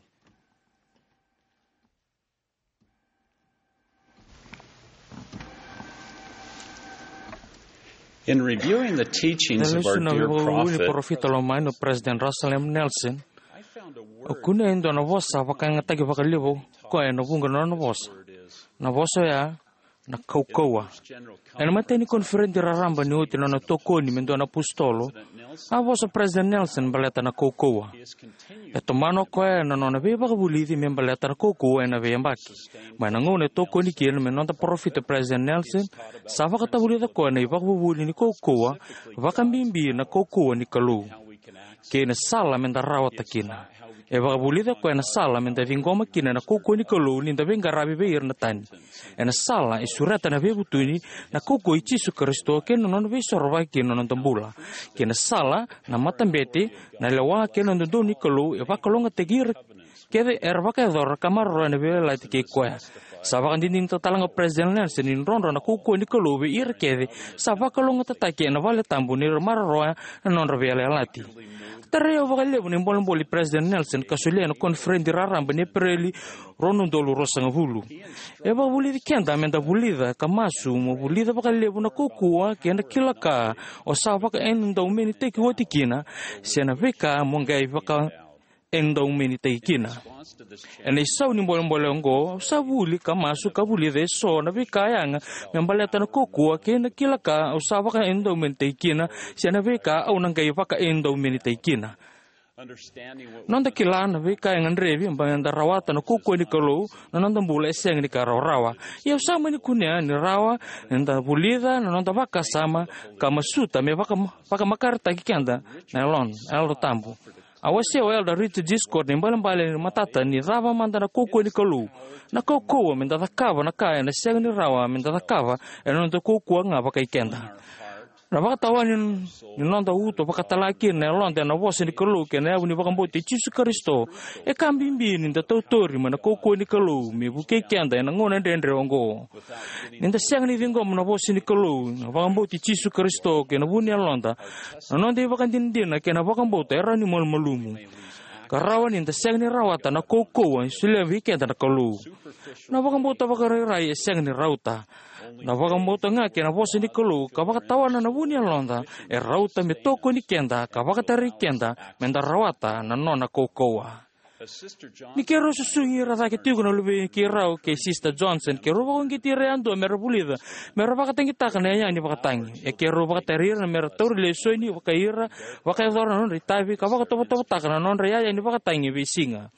In reviewing the teachings of our dear prophet, parofita lomani o President Russell M. Nelson, o kune e dua na vosa vakayagataki vakalevu koya ena vuqa na nona vosa. Na vosa oya na kaukauwa. Ena matai ni koniferedi raraba ni oti na nona tokoni me dua na apositolo, a vosa President Nelson baleta na kaukauwa. E tomana o koya na nona veivakavulici me baleta na kaukauwa ena veiyabaki. Mai na gauna e tokoni kina me noda parofita President Nelson, sa vakatavulica koya na ivakavuvuli ni kaukauwa, vakabibi na kaukauwa ni Kalou, kei na sala me da rawata kina. E vakavulica koya na sala me da ciqoma kina na kaukauwa ni Kalou ni da veiqaravi vei ira na tani. Ena sala e sureta na veivutuni, na kaukauwa i Jisu Karisito kei na nona veisorovaki kei na noda bula. Kei na sala, na matabete, na lewa kei na dodonu ni Kalou e vakalougatataki ira kece era vakayacora ka maroroya na veiyalayalati kei koya. Sa vakadinadinataka talega o President Nelson ni drodro na kaukauwa ni Kalou vei ira kece sa vakalougatataki ena vale tabu ni ra maroroya na nodra veiyalayalati. Tarai au vakalevu na ibolebole i President Nelson ka solia ena koniferedi raraba ni Epereli rua na udolu ruasagavulu. E vakavulici keda me da vulica ka masu mo vulica vakalevu na kaukauwa kei na kila ka o sa vakaedaumenitaki oti kina, se na veika mo qai vakaedaumenitaki kina. Ena isau ni bolebole oqo, au sa vuli ka masu ka vulica eso na veika yaga me baleta na kaukauwa kei na kila ka au sa vakaedaumenitaki kina, se na veika au na qai vakaedaumenitaki kina. Noda kila na veika e gadrevi me da rawata na kaukauwa ni Kalou na noda bula e sega ni ka rawarawa. Ia au sa mani kunea ni rawa ni da vulica na noda vakasama ka masuta me vaka, vakamakaretaki keda na Yalo, Yalo Tabu. A wasea o Elder Richard G. Scott na ibalebale ni matata ni cava mada na kaukauwa ni Kalou. Na kaukauwa me da cakava na ka ena sega ni rawa me da cakava ena noda kaukauwa ga vakai keda. Na vakatawa ni, ni noda uto vakatala kina na yaloda ena vosa ni Kalou kei na yavu ni vakabauti Jisu Karisito e ka bibi ni da tautori mai na kaukauwa ni Kalou me vukei keda ena gauna dredre oqo. Ni da sega ni ciqoma na vosa ni Kalou, na vakabauti Jisu Karisito kei na vu ni yaloda, na noda ivakadinadina kei na vakabauta e rawa ni malumalumu ka rawa ni da sega ni rawata na kaukauwa e solia vei keda na Kalou. Na vakabauta vakarairai e sega ni rauta. Na vakabauta ga kei na vosa ni Kalou ka vakatawana na vu ni yaloda e rauta me tokoni keda ka vakatarai keda me da rawata na nona kaukauwa. Ni keirau susugi ira cake tiko na luvei keirau kei Sister Johnson, keirau vakauqeti ira yadua me ra vulica me ra vakatagitaka na iyaya ni vakatagi. E keirau vakatari ira me ra taura lesoni vakai ira, vakayacora na nodra itavi ka vakatovotovotaka na nodra iyaya ni vakatagi e veisiga.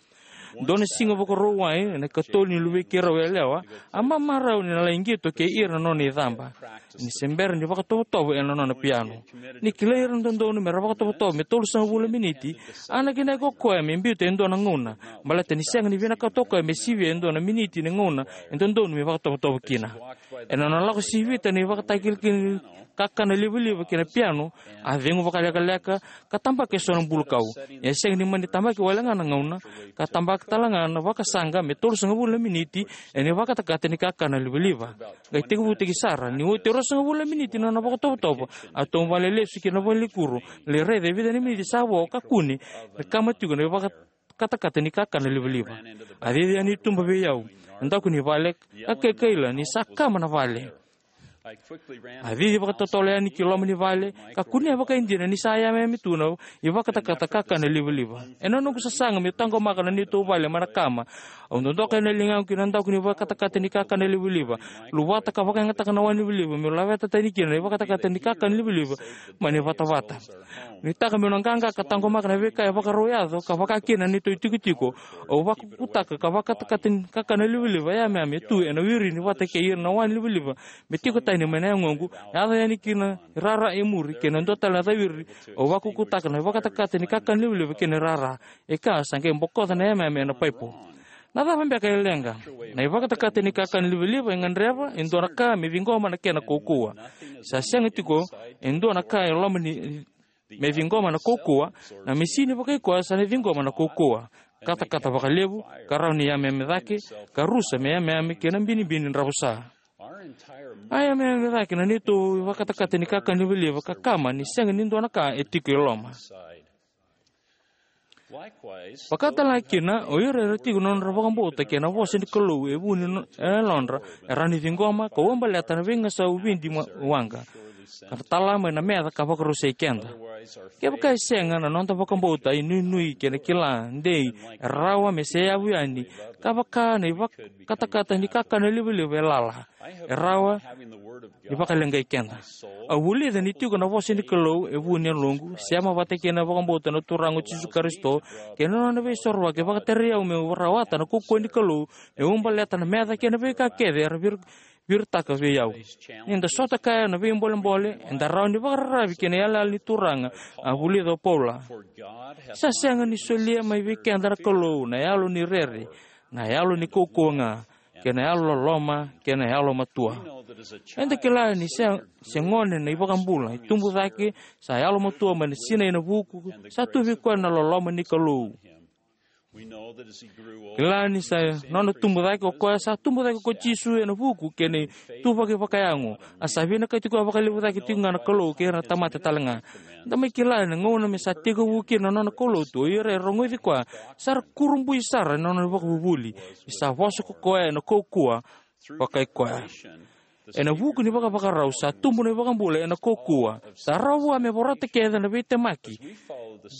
Dua na siga Vakarauwai, ena ikatolu ni luvei keirau yalewa, a mamarau ni na lai qito kei ira na nona icaba ni se bera ni vakatovotovo ena nona piano. Ni kilai ira na dodonu me ra vakatovotovo me tolusagavulu na miniti, a nakinaki o koya me biuta e dua na gauna, baleta ni sega ni vinakata o koya me sivia e dua na miniti ni gauna e dodonu me vakatovotovo kina. Ena nona lako sivita na ivakatakilakila ni kakana livaliva ki na piano, a cegu vakalekaleka ka tabaka eso na bulukau. E sega ni mani tabaki wale ga na gauna, ka tabaka tale ga na vakasaqa me tolusagavulu na miniti ena ivakatakata ni kakana livaliva. Qai tekivutaki sara, ni oti e ruasagavulu na miniti na nona vakatovotovo, a tauvale lesu ki na valenikuro, lai raica e vica na miniti sa vo ka kune me kama tiko na ivakatakata ni kakana livaliva. A cici yani i tuba vei au, e daku ni vale, ka kaikaila ni sa kama na vale. A cici vakatotolo yani ki loma ni vale, ka kunea vakaidina ni sa yameyame tu na ivakatakata kakana livaliva. Ena noqu sasaga meu taqomaka na neitou vale mai na kama, au dodoka ena ligaqu ki na daku ni vakatakata ni kakana livaliva, luvata ka vakayagataka na wai livaliva meu laveta tani kina na ivakatakata ni kakana livaliva mai na ivatavata. Nuitaka meu na qaqa ka taqomaka na veika e vakarau yaco ka vaka kina na neitou itikotiko, au vakukutaka na ivakatakata ni kakana livaliva yameyame tu ena wirini vata kei ira na wai livaliva me tiko tani mai na yagoqu, yaco yani ki na irara e muri kei na dua tale na cawiri. Au vakukutaka na ivakatakata ni kakana livaliva kei na irara, e ka sa qai bokoca na yameyame ena paipo. Na cava beka e leqa? Na ivakatakata ni kakana livaliva e gadreva e dua na ka me ciqoma na kena kaukauwa. Sa sega tiko e dua na ka e loma ni me ciqoma na kaukauwa. Na misini vakaikoya sa na ciqoma na kaukauwa, katakata vakalevu, ka rawa ni yameyame cake, ka rusa me yameyame kei na binibini dravusa. A yameyame cake na neitou ivakatakata ni kakana livaliva ka kama ni sega ni dua na ka e tiko e loma. Vakatale kina, o ira era tiko na nodra vakabauta kei na vosa ni Kalou e vu ni no-, e yalodra, e rawa ni ciqoma ka uabaleta na veigasau vidi ma-, waqa, ka na tala mai na meca ka vakarusai keda. Kevaka e sega, na noda vakabauta, inuinui kei na kila dei e rawa me seyavu yani, ka vaka na ivakatakata ni kakana livaliva e lala. E rawa ni vakaleqai keda. Au vulica ni tiko na vosa ni Kalou e vu ni yaloqu, sema vata kei na vakabauta na Turaga o Jisu Karisito kei na nona veisorova e vakaterei au meu rawata na kaukauwa ni Kalou, meu uabaleta na meca kei na veika kece era vir-, viritaka vei au. Ni da sota kaya na veibolebole, eda rawa ni vakararavi ki na yalayala ni Turaga, a vulica o Paula. Sa sega ni solia mai vei keda na Kalou na yalo ni rere, na yalo ni kaukauwa ga, kei na yalo loloma, kei na yalo matua. Eda kila ni se, se gone na iVakabula, e tubu cake, sa yalo matua mai na sinai ena vuku, sa tu vei koya na loloma ni Kalou. Kila ni sa nona tubu cake o koya, sa tubu cake ko Jisu ena vuku kei na ituvaki vakayago, a sa vinakati koya vakalevu cake tiko ga na Kalou kei ira na tamata tale ga. Da mai kila na gauna me sa tekivu kina na nona kaulotu, o ira e rogoci koya sa ra kurabui sara ena nona vakavuvuli, ni sa vosa ko koya ena kaukauwa vakai koya. Ena vuku ni vakavakarau sa tubu na iVakabula ena kaukauwa, sa rawa vua me vorata kece na veitemaki.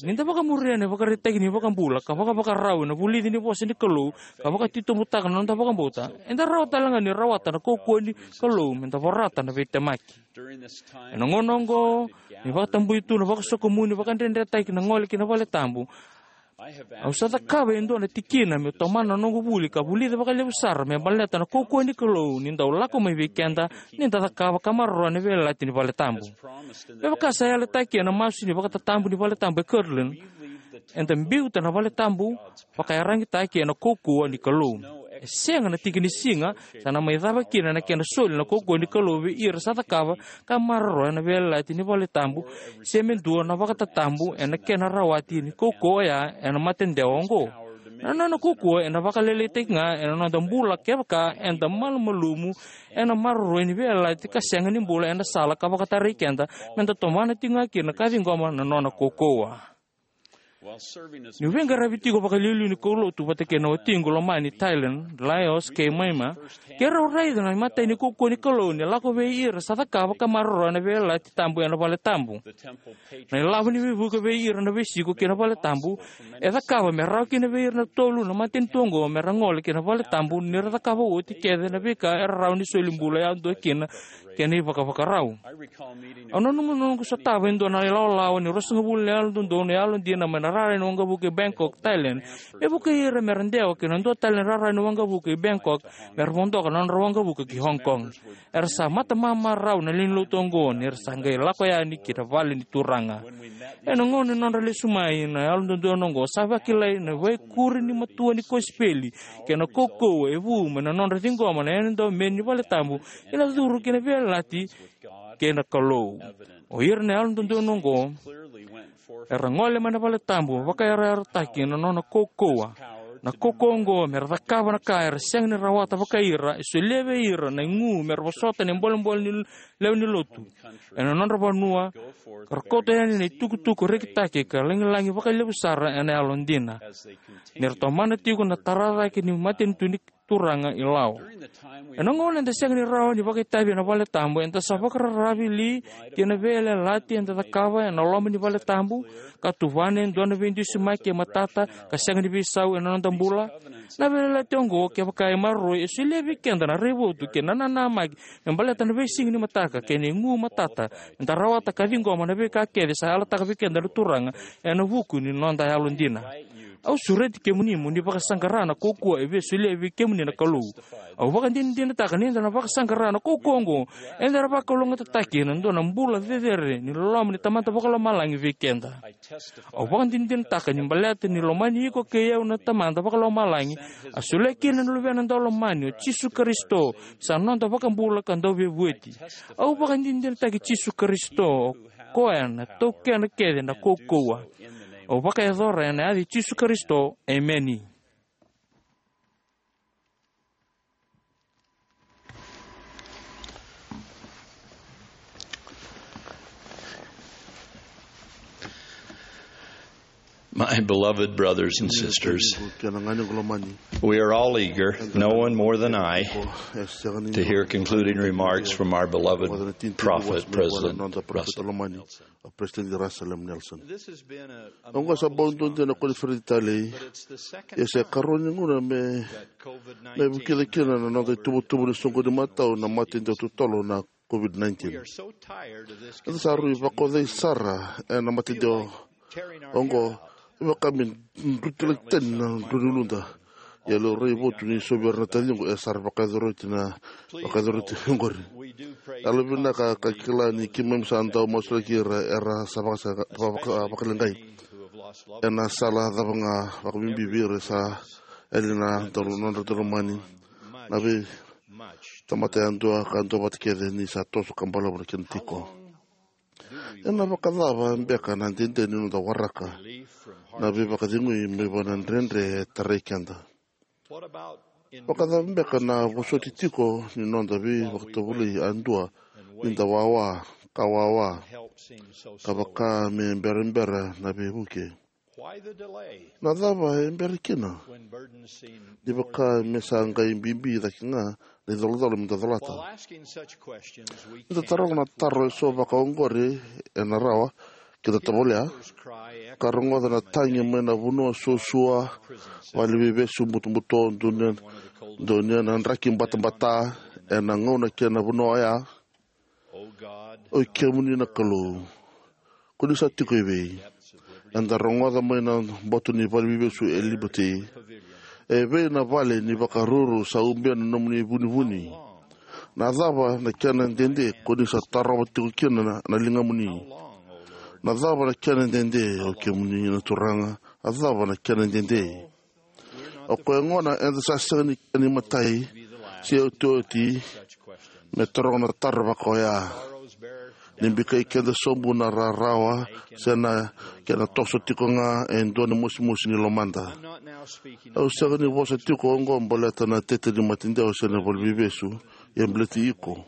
Ni da vakamuria na ivakaraitaki ni iVakabula ka vakavakarau ena vulici ni vosa ni Kalou, ka vakatitobutaka na noda vakabauta, eda rawa tale ga ni rawata na kaukauwa ni Kalou me da vorata na veitemaki. Ena gauna oqo, ni vakatabui tu na vakasokomuni, vakadredretaki na gole ki na vale tabu, au sa cakava e dua na tikina meu tomana na noqu vuli ka vulica vakalevu sara me baleta na kaukauwa ni Kalou ni dau lako mai vei keda ni da cakava ka maroroya na veiyalayalati ni vale tabu. Me vaka sa yalataki ena masu ni vakatatabu ni vale tabu e Kirtland, eda biuta na vale tabu vakaiyaragitaki ena kaukauwa ni Kalou. E sega na tiki ni siga sa na mai cava kina na kena soli na kaukauwa ni Kalou vei ira sa cakava ka maroroya na veiyalayalati ni vale tabu, se me dua na vakatatabu ena kena rawati ni kaukauwa oya ena matadewa oqo. Na nona kaukauwa ena vakalailaitaki ga ena noda bula kevaka eda malumalumu ena maroroi ni veiyalayalati ka sega ni bula ena sala ka vakatarai keda me da tomana tiko ga kina ka ciqoma na nona kaukauwa. Niu veiqaravi tiko vakaliuliu ni kaulotu vata kei na watiqu lomani Thailand, Laos kei Myanmar, keirau raica na imatai ni kaukauwa ni Kalou ni lako vei ira sa cakava ka maroroya na veiyalayalati tabu ena vale tabu. Na ilavo ni veivuke vei ira na veisiko ki na vale tabu e cakava me rawa kina vei ira na tolu na matanitu oqo me ra gole ki na vale tabu ni ra cakava oti kece na veika era rawa ni soli bula yadua kina kei na ivakavakarau. Au nanuma na noqu sotava e dua na ilawalawa ni ruasagavulu na yalododonu yalodina mai na rara ni waqavuka i Bangkok, Thailand, me vukei ira me ra dewa ki na dua tale na rara ni waqavuka i Bangkok me ra vodoka na nodra waqavuka ki Hong Kong. Era sa matamamarau na lewenilotu oqo ni ra sa qai lako yani ki na vale ni Turaga. Ena gauna ni nodra lesu mai na yalododonu oqo, sa vakilai na veikuri ni matua ni kosipeli kei na kaukauwa e vu mai na nodra ciqoma na Yalo Daumeni ni vale tabu kei na curu ki na veiyalayalati kei na Kalou. O ira na yalododonu oqo era gole mai na vale tabu vakayarayarataki na nona kaukauwa. Na kaukauwa oqo me ra cakava na ka era sega ni rawata vakai ira e solia vei ira na igu me ra vosota na ibolebole ni lewe ni lotu ena nodra vanua, ka ra kauta yani na itukutuku rekitaki ka lagilagi vakalevu sara ena yalodina. Ni ra tomana tiko na tara cake ni matanitu ni Turaga i Lao. Ena gauna eda sega ni rawa ni vakaitavi ena vale tabu, eda sa vakararavi li ki na veiyalayalati eda cakava ena loma ni vale tabu, ka tuvana e dua na veidusimaki e matata ka sega ni veisau ena noda bula? Na veiyalayalati oqo, kevaka e maroroi, e solia vei keda na raivotu kei na nanamaki me baleta na veisiga ni mataka kei na igu matata, meda rawata ka ciqoma na veika kece sa yalataka vei keda na Turaga ena vuku ni noda yalodina. Au sureti kemuni mo ni vakasaqara na kaukauwa e via solia vei kemuni na Kalou. Au vakadinadinataka ni da na vakasaqara na kaukauwa oqo, eda na vakalougatataki ena dua na bula cecere ni loloma ni Tamada Vakalomalagi vei keda. Au vakadinadinataka ni baleta ni lomani iko kei au na Tamada Vakalomalagi, a solia kina na Luvena Daulomani, o Jisu Karisito, sa noda iVakabula ka Dauveivueti. Au vakadinadinataki Jisu Karisito, o koya na taukena kece na kaukauwa. Au vakayacora ena yaca i Jisu Karisito. Emeni. My beloved brothers and sisters, Kena gani qo lomani. We are all eager, no one more than I, E sega ni to hear concluding remarks from our beloved prophet, President Russell. President Russell M. Nelson. Oqo sa bau duadua na koniferedi talei. Ia sa ikarua ni gauna me me vukica kina na noda ituvatuva ni soqoni matau na mate dau totolo na COVID nineteen. Eda sa rui vakaucai sara ena mate dau oqo, e vaka me drutilaki tani na drau ni uluda. Ia laurai votu ni so vei ira na taciqu e sa ra vakayacori oti na vakayacori oti oqori. Yalo vinaka ka kila ni keimami sa dau masulaki ira era sa vaka- vaka- vakaleqai ena sala cava ga vakabibi vei ira sa yali na dau- nodra daulomani. Na vei tamata yadua ka duavata kece ni sa toso ka balavu na kena tiko. Ena vakacava beka na dede ni noda waraka na veivakacegui mai vua na dredre e tarai keda? Vakacava beka na vosoti tiko ni noda veivakatovolei yadua ni da wawa ka wawa ka vaka me berabera na veivuke? Na cava e bera kina ni vaka me sa qai bibi cake ga na icolacola me da colata? Ni da taroga na taro eso vaka oqori, ena rawa ke da tovolea ka rogoca na tagi mai na vanua suasua, vale ni veivesu butobuto, donia, donia na draki batabata ena gauna kei na vanua oya. Oi kemuni na Kalou, ko ni sa tiko evei? Eda rogoca mai na boto ni vale ni veivesu e Liberty. Evei na vale ni vakaruru sa ubia na nomuni vunivuni? Na cava na kena dede ko ni sa tarova tiko kina na, na ligamuni? Na cava na kena dede, o kemuni na Turaga? A cava na kena dede? O koya gona eda sa sega ni, ni matai se otioti me taroga na taro vaka oya. Ni bikai keda sobu na rarawa se na kena toso tiko ga e dua na mosimosi ni lomada. Au sega ni vosa tiko oqo baleta na tete ni mate dau se na vale ni veivesu, ia baleti iko,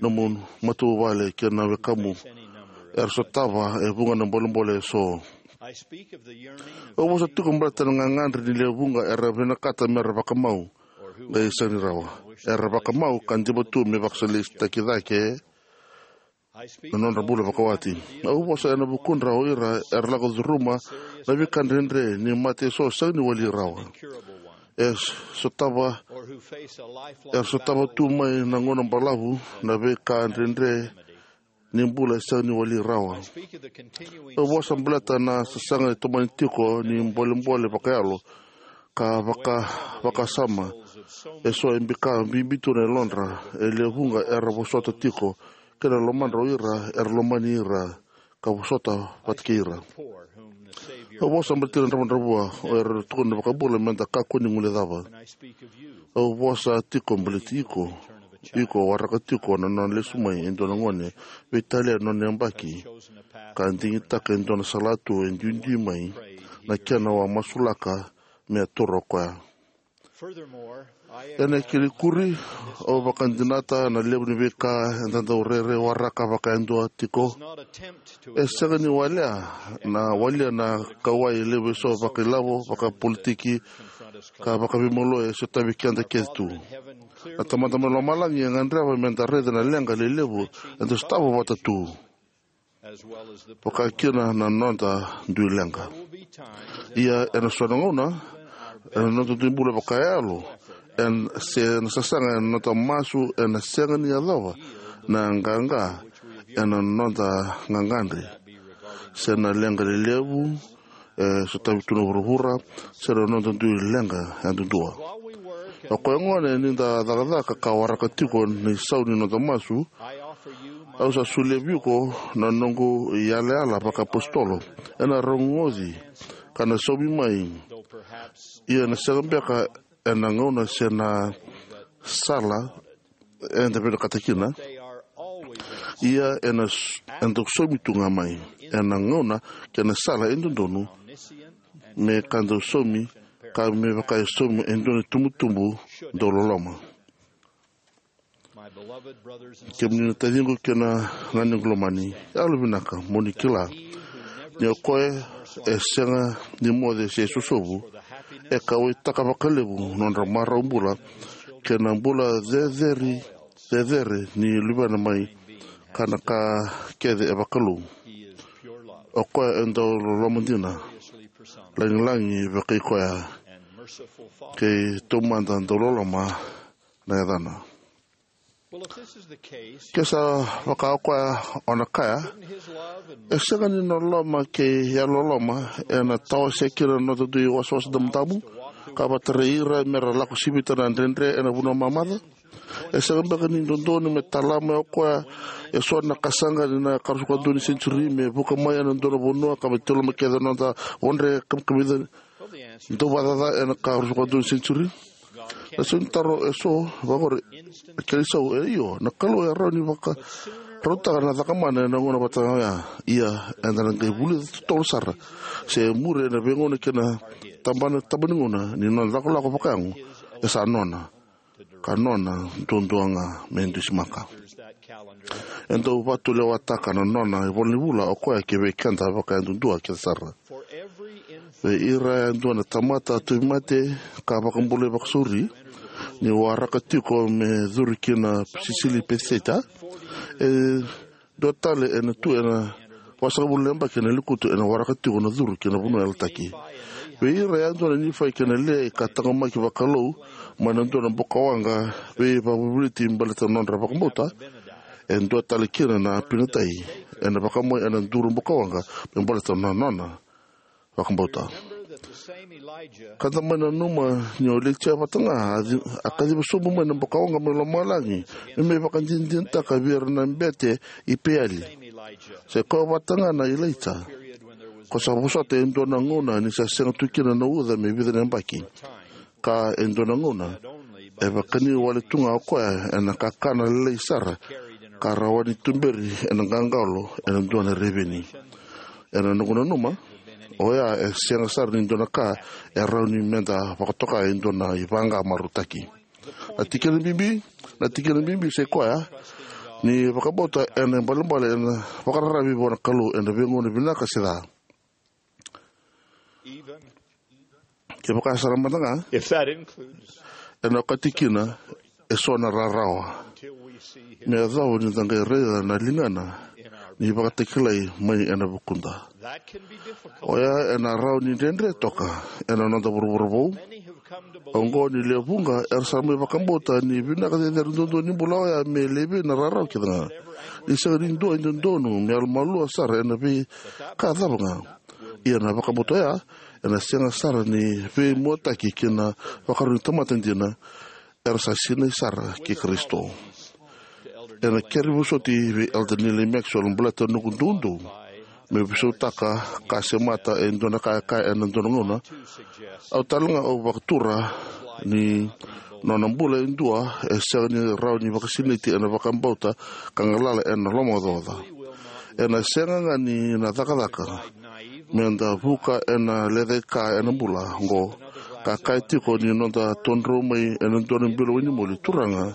nomu matavuvale kei na wekamu era sotava e vuqa na bolebole eso. Au vosa tiko baleta na gagadre ni lewe vuqa era vinakata mera vakamau, qai sega ni rawa. Era vakamau ka diva tu me vakasaleitaki cake na nodra bula vakawati. Au vosa ena vukudra o ira era lako curuma na veika dredre ni mate eso sega ni wali rawa. E sotava, era sotava tu mai na gauna balavu na veika dredre ni bula e sega ni wali rawa. Au vosa baleta na sasaga e tomani tiko ni bolebole vakayalo ka vaka, vakasama eso e bika bibi tu na yalodra. E lewe vuqa era vosota tiko kei na lomana o ira era lomani ira ka vosota vata kei ira. Au vosa baleti ira na dravudravua o ira era tukuna na iVakabula meda kakua ni guilecava. Au vosa tiko baleti iko. Iko waraka tiko na nona lesu mai e dua na gone veitalia na nona yabaki ka digitaka e dua na salatu e duidui mai na kena wa masulaka me a taura o koya. Ena kena ikuri, au vakadinata na levu ni veika eda dau rairai waraka vakayadua tiko. E sega ni walia na walia na kauwai levu eso vakailavo, vakapolitiki, ka vakaveimalua e sotavi keda kece tu. Na Tamada mai Lomalagi e gadreva meda raica na leqa lelevu eda sotava vata tu, vaka kina na noda dui leqa. Ia ena so na gauna, ena noda dui bula vakayalo, ena se na sasaga ena noda masu, ena sega ni yacova na qaqa ena noda gagadre, se na leqa lelevu e sotavi tu na vuravura, se na noda dui leqa yadudua. O koya gona ni da cakacaka ka waraka tiko na isau ni noda masu, au sa solia vei iko na noqu iyalayala vakaapositolo. Ena rogoci ka na saumi mai. Ia na sega beka ena gauna se na sala eda vinakata kina. Ia ena s- eda saumi tu ga mai ena gauna kei na sala e dodonu, me ka dau saumi, ka me vaka e saumi e dua na itubutubu dau loloma. Kemuni na taciqu kei na ganequ lomani, yalovinaka mo ni kila ni o koya e sega ni moce se sosovu, e kauwaitaka vakalevu nodra marau bula kei na bula cecere, cecere ni luvena mai, ka na ka kece e vakalou. O koya e dau loloma dina, lagilagi vakai koya, kei taumada dau loloma na yacana. Ke sa vaka o koya, o na kaya, e sega ni loloma kei yalololoma ena tawasea kina na noda dui wasawasa damudamu, ka vakatarai ira mera lako sivita na dredre ena vanua mamaca? E sega beka ni dodonu me tala mai o koya eso na kasaqa ni na ikaruasagavulu ka dua ni senitiuri me vuka mai ena dua na vanua ka me tilo mai kece na noda vodre kamikamica dau vakacaca ena ikaruasagavulu ka dua ni senitiuri? Na sau ni taro eso vaqori, na kena isau e io, na Kalou e rawa ni vakarautaka na cakamana ena gauna vata oya. Ia eda na qai vulica totolo sara se muri ena veigauna kei na tabana, tabana ni gauna ni nona lakolako vakayago e sa nona, ka nona duadua ga me dusimaka. E dau vatulewataka na nona ivolanivula o koya ki vei keda vakayadudua kece sara. Vei ira yadua na tamata tauvimate ka vakabulai vakasauri, ni waraka tiko me curu ki na sisili Peciseita, e dua tale ena tu ena vasagavulu na yabaki ena lekutu ena waraka tiko na curu ki na vanua yalataki. Vei ira yadua na Nifai kei na Liai ka taqomaki vakalou mai na dua na bukawaqa veivakavuvuliti baleta na nodra vakabauta, e dua tale kina na Apinatai ena vakamai ena duru bukawaqa me baleta na nona vakabauta. Ka da mai nanuma ni o Ilaija vata ga a ci- a kaciva sobu mai na bukawaqa mai lomalagi me mai vakadinadinataka vei ira na bete i Peali. Sa i koya vata ga na Ilaija ko sa vosota e dua na gauna ni sa sega tu kina na uca me vica na yabaki, ka e dua na gauna e vakani wale tu ga o koya ena kakana lailai sara ka rawa ni tuberi ena qaqalo ena dua na reveni. Ena noqu nanuma, oya e sega sara ni dua na ka e rawa ni meda vakatoka e dua na ivaqa marautaki. Na tikina bibi, na tikina bibi sa i koya ni vakabauta ena ibalebale ena vakararavi vua na Kalou ena veigauna vinaka se ca. Kevaka sara mada ga, if that includes ena okati kina eso na rarawa, until we see him, me yacova ni da qai raica na ligana in our ni vakatakilai mai ena vukuda. That can be difficult. Oya ena rawa ni dredre toka ena noda vuravura vou. Many have come to believe oqo ni lewe vuqa era sa mai vakabauta ni vinaka cecere duadua ni bula oya me laivi na rarawa kece ga. Ni sega ni dua e dodonu me yalomalua sara ena veika cava ga. Ia na vakabauta oya ena sega sara ni veimuataki ki na vakarau ni tamata dina era sa sinai sara kei Karisito. Ena kere vosoti vei Elder Neal A. Maxwell baleta na noqu doudou me veisautaka ka semata e dua na ka e kaya ena dua na gauna. Au tale ga au vakatura ni nona bula e dua e sega ni rawa ni vakasinaiti ena vakabauta ka galala ena lomaocaoca. Ena sega ga ni na cakacaka meda vuka ena lecaika ena bula oqo. ka kaya tiko ni noda todrou mai ena dua na bilo wainimoli: Turaga,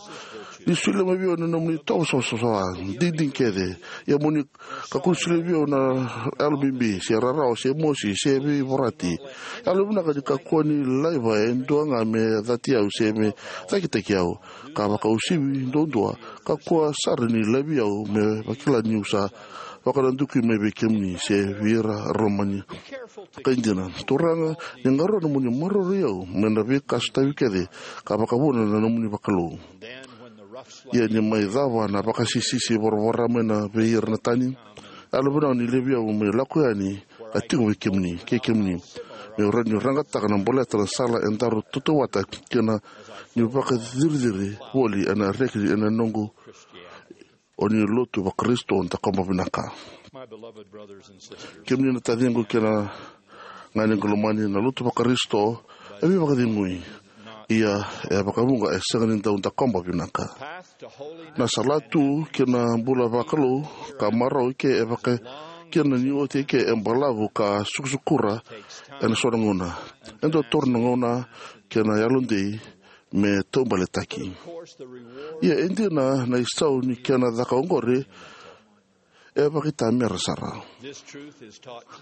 ni solia mai vei au na nomuni itovo savasava, digidigi kece. Ia mo ni kakua ni solia vei au na yalo bibi, se rarawa, se mosi, se veivorati. Yalo vinaka ni kakua ni laiva e dua ga me cati au se me cakitaki au, ka vakauasivi duadua. Kakua sara ni laivi au me vakila niu sa vakanadukui mai vei kemuni se vei ira Roma ni kaidina. Turaga, ni qarauna mo ni maroroi au mai na veika sotavi kece, ka vakavuna na nomuni vakalou. Ia ni mai cava na vakasisisi voravora mai na vei ira na tani, yalo vinaka ni laivi au me lako yani ka tiko vei kemuni, kei kemuni, meu rawa ni raqataka na baleta na sala e daru tautauvata kina, niu vakaciriciri voli ena reki ena noqu o ni lotu vaKarisito dakoba vinaka. My beloved brothers and sisters, kemuni na taciqu kei na ganequ lomani, na lotu vaKarisito e veivakacegui. Ia, e vakavuqa e sega ni dau dakoba vinaka. Path to holiness, na sala tu ki na bula vakalou ka marau i ke e vaka kina ni oti i ke e balavu ka sukusukura ena so na gauna. E dau toro na gauna kei na yalodei me taubaletaki. Ia e dina na isau ni kena caka oqori e vakaitamera sara.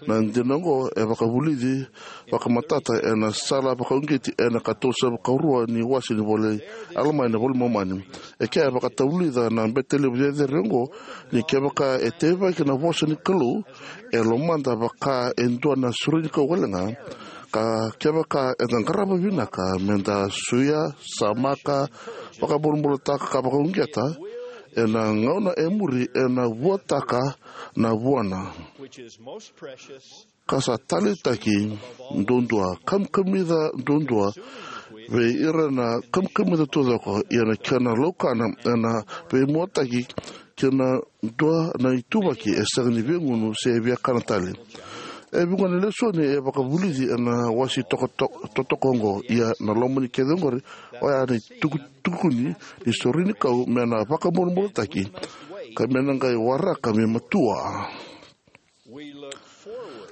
Na dina oqo e vakavulici vakamatata ena sala vakauqeti ena ka tolusagavulu ka rua ni wase ni vola i Alama ena iVola i Momani. E kea e vakatavulica na bete levu cecere oqo ni kevaka e teivaki na vosa ni Kalou, e lomada vaka e dua na sorenikau wale ga, ka kevaka eda qarava vinaka meda suia, samaka, vakabulabulataka ka vakauqeta, ena gauna e muri ena vuataka na vuana, which is most precious, ka sa taleitaki duadua, kamikamica duadua vei ira na kamikamica taucoko, ia na kena laukana ena veimuataki kei na dua na ituvaki e sega ni viagunu se viakana tale. E vuqa na lesoni e vakavulici ena wase toka-, to-, totoka oqo, ia na loma ni kece oqori oya na itukutukuni ni sorenikau me na vakabulabulataki ka me na qai waraka me matua.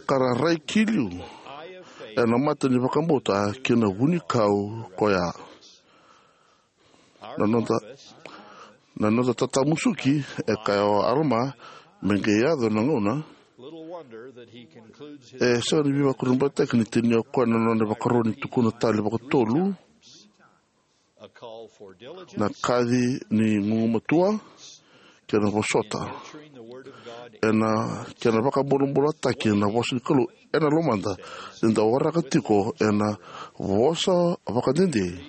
Ka ra rai ki liu ena mata ni vakabauta ki na vunikau koya. Na noda, na noda tatamusuki, e kaya o Alama, me qai yaco na gauna. E sega ni veivakurabuitaki ni tinia o koya na nona ivakarau ni tukuna tale vakatolu na kaci ni gugumatua kei na vosota ena kena vakabulabulataki na vosa ni Kalou ena lomada, ni da waraka tiko ena vosa vakadede,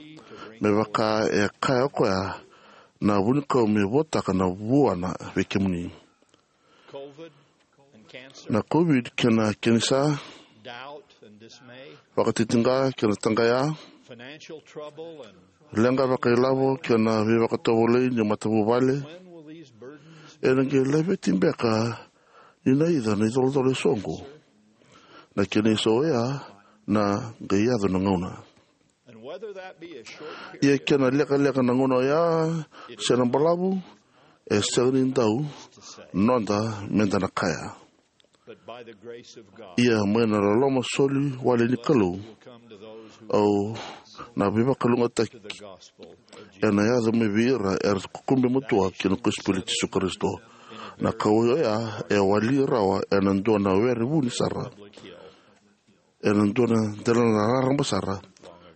me vaka e kaya o koya, na vunikau me vuataka na vuana vei kemuni. Na COVID kei na kenisa, vakatitiqa kei na taqaya, leqa vakailavo kei na veivakatovolei ni matavuvale, ena qai laveti beka ni naica na icolacola e soqo? Na kena isau oya, na qai yaco na gauna. Ia kena lekaleka na gauna oya se na balavu, e sega ni dau noda meda na kaya. Ia mai na loloma soli wale ni Kalou, au na veivakalougatataki ena yaco mai vei ira era kukube matua ki na kosipeli i Jisu Karisito. Na kauwai oya e wali rawa ena dua na were vuni sara, ena dua na delana raraba sara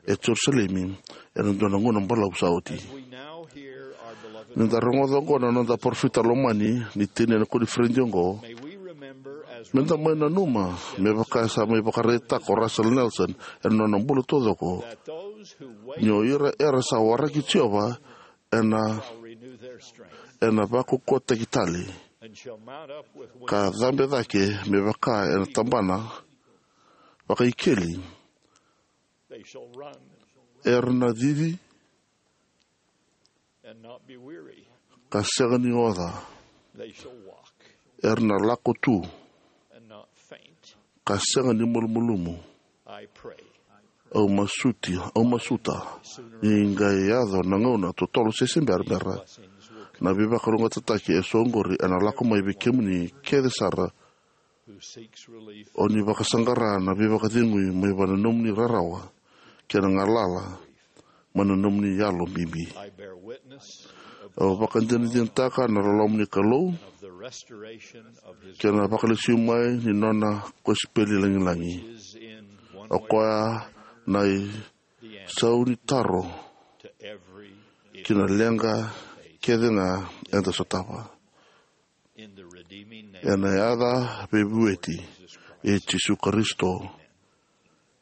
e Jerusalemi, ena dua na gauna balavu sa oti. Ni da rogoca oqo na noda parofita lomani ni tinia na koniferedi oqo, meda mai nanuma me vaka sa mai vakaraitaka o Russell Nelson ena nona bula taucoko, ni o ira era sa waraki Jiova ena, ena vakaukauwataki tale, ka cabe cake me vaka ena tabana vakaikeli. Era na cici ka sega ni oca. Era na lako tu ka sega ni malumalumu. Au masuti, au masuta ni qai yaco na gauna totolo se se berabera, na veivakalougatataki e soqori ena lako mai vei kemuni kece sara o ni vakasaqara na veivakacegui mai vua na nomuni rarawa kei na galala mai na nomuni yalo bibi. Au vakadinadinataka na loloma ni Kalou kei na vakalesui mai ni nona kosipeli lagilagi. O koya na isau ni taro ki na leqa kece ga eda sotava. Ena yaca veivueti i Jisu Karisito.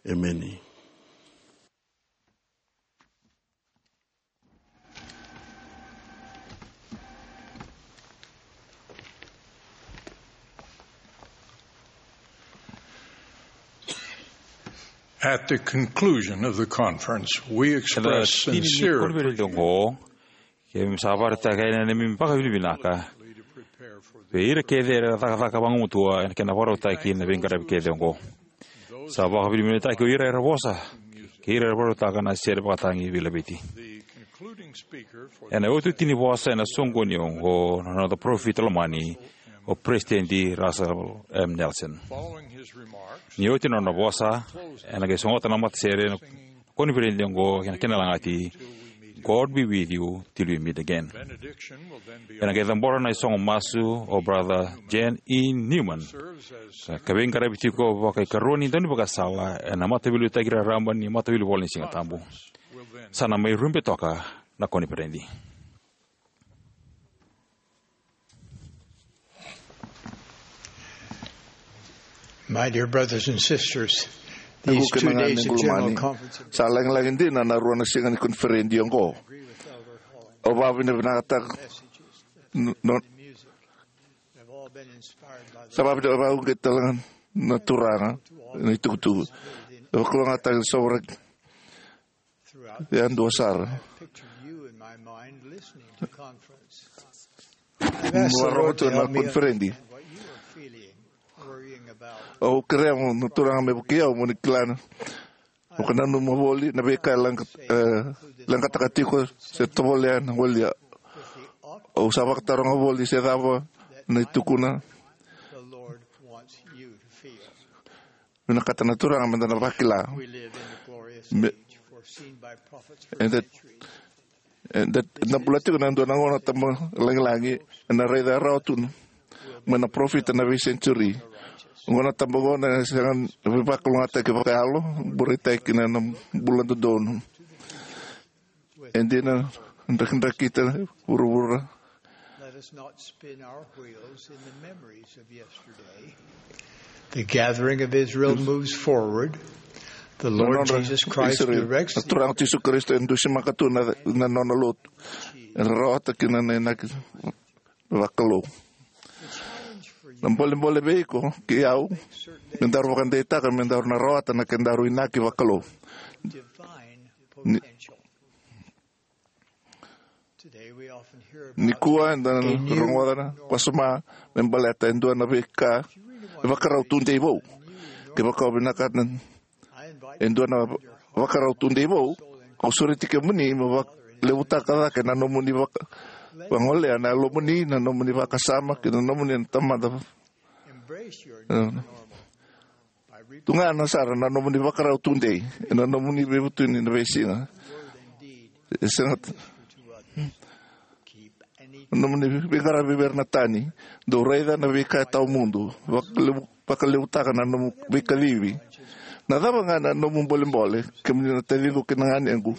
Emeni. At the conclusion of the conference, we express sincere koniferedi oqo, keimami sa vakaraitaka yani na neimami vakavinavinaka vei ira kece era cakacaka vagumatua ena kena vakarautaki na veiqaravi kece oqo. Sa vakavinavinakataki o ira era vosa kei ira era vakarautaka na sere vakatagi veilaveti. Ena iotioti ni vosa ena soqoni oqo na noda parofita lomani, o Peresitedi Russell M. Nelson. Ni oti na nona vosa, ena qai sogota na matasere na koniferedi oqo ena kena lagati, "God be with you till we meet again." Ena qai cabora na isogo masu o Brother Jan E. Newman, ka veiqaravi tiko vakaikarua ni daunivakasala ena Mataveiliutaki Raraba ni Mataveilivola ni Siga Tabu. Sa na mai rube toka na koniferedi. My dear brothers and sisters, these two days of general conference, sa lagilagi dina na rua na siga ni koniferedi oqo. Au vakavinavinakataka, no, no, sa vakavinavinakataka na Turaga na itukutuku. E vakalougatataki na sovaraki yadua sara. I've pictured you in my mind listening to conference. I've asked the Lord to help me understand what you are feeling, worrying about. Au kerea mo na Turaga me vukei au mo ni kila na vakananuma voli na veika e leqa, e, leqataka tiko se tovolea na voli. Au sa vakataroga voli se cava na itukuna. The Lord wants you to feel. Vinakata na Turaga meda na vakila. We live in the glorious age foreseen by prophets for centuries. Eda, eda na bula tiko na dua na gauna tabu lagilagi ena raica rawa tu mai na parofita na veisenitiuri. Gauna tabu oqo na sega ni veivakalougatataki vakayalo, bureitaki kina na bula dodonu. E dina, drakidrakita vuravura. Let us not spin our wheels in the memories of yesterday. The gathering of Israel moves forward. The Lord Jesus Christ directs. Na Turaga Jisu Karisito e dusimaka tu na, na nona lotu. E rawata kina na inaki vakalou. Na bolebole vei iko kei au, me daru vakadeitaka me daru na rawata na kedaru inaki vakalou. Divine potential. Nikua eda na rogoca na wasoma me baleta e dua na veika e vakarau tudei vou. Kevaka o vinakata e dua na vakarau tudei vou, au sureti kemuni mo vakalevutaka cake na nomuni vaka, vagolea na yalomuni, na nomuni vakasama kei na nomuni na tamata. Tu ga na sara na nomuni vakarau tudei ena nomuni veivutuni na veisiga. E sega, na nomuni veiqaravi vei ira na tani, dou raica na veika e tawamudu, vakalevu, vakalevutaka na nomu veikacivi. Na cava ga na nomu bolebole, kemuni na taciqu kei na ganequ,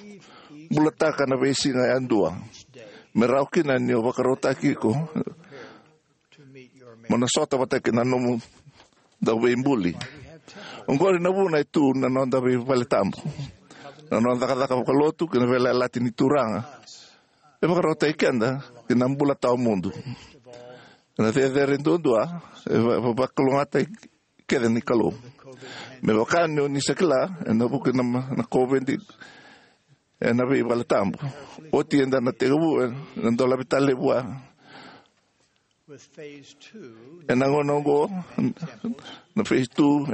bulataka na veisiga yadua me rawa kina ni o vakarautaki iko mo na sota vata kei na nomu dauveibuli. Oqori na vuna e tu na noda veivaletabu. Na noda cakacaka vakalotu kei na veiyalayalati ni Turaga e vakarautaki keda ki na bula tawamudu. Na cecere duadua e va, va, vakalougatataki kece ni Kalou. Me vaka ni o ni sa kila, ena vuku ni ma, na COVID ena veivaletabu. Oti eda na tekivu ena dolavi tale vua. Ena gauna oqo, na phase two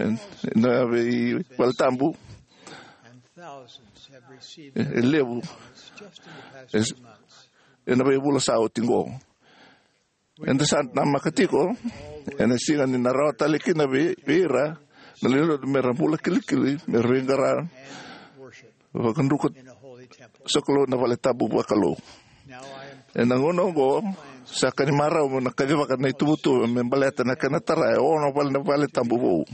ena veivaletabu e, e levu. E, ena veivula sa oti oqo. Eda sa namaka tiko ena siga ni na rawa tale kina vei, vei ira na lewe ni lotu mera bula kilikili, mera veiqara, Vakadruka sokalou na vale tabu vakalou. Ena gauna oqo, sa ka ni marau mo na kacivaka na ituvatuva me baleta na kena tara e ono vale na vale tabu vou.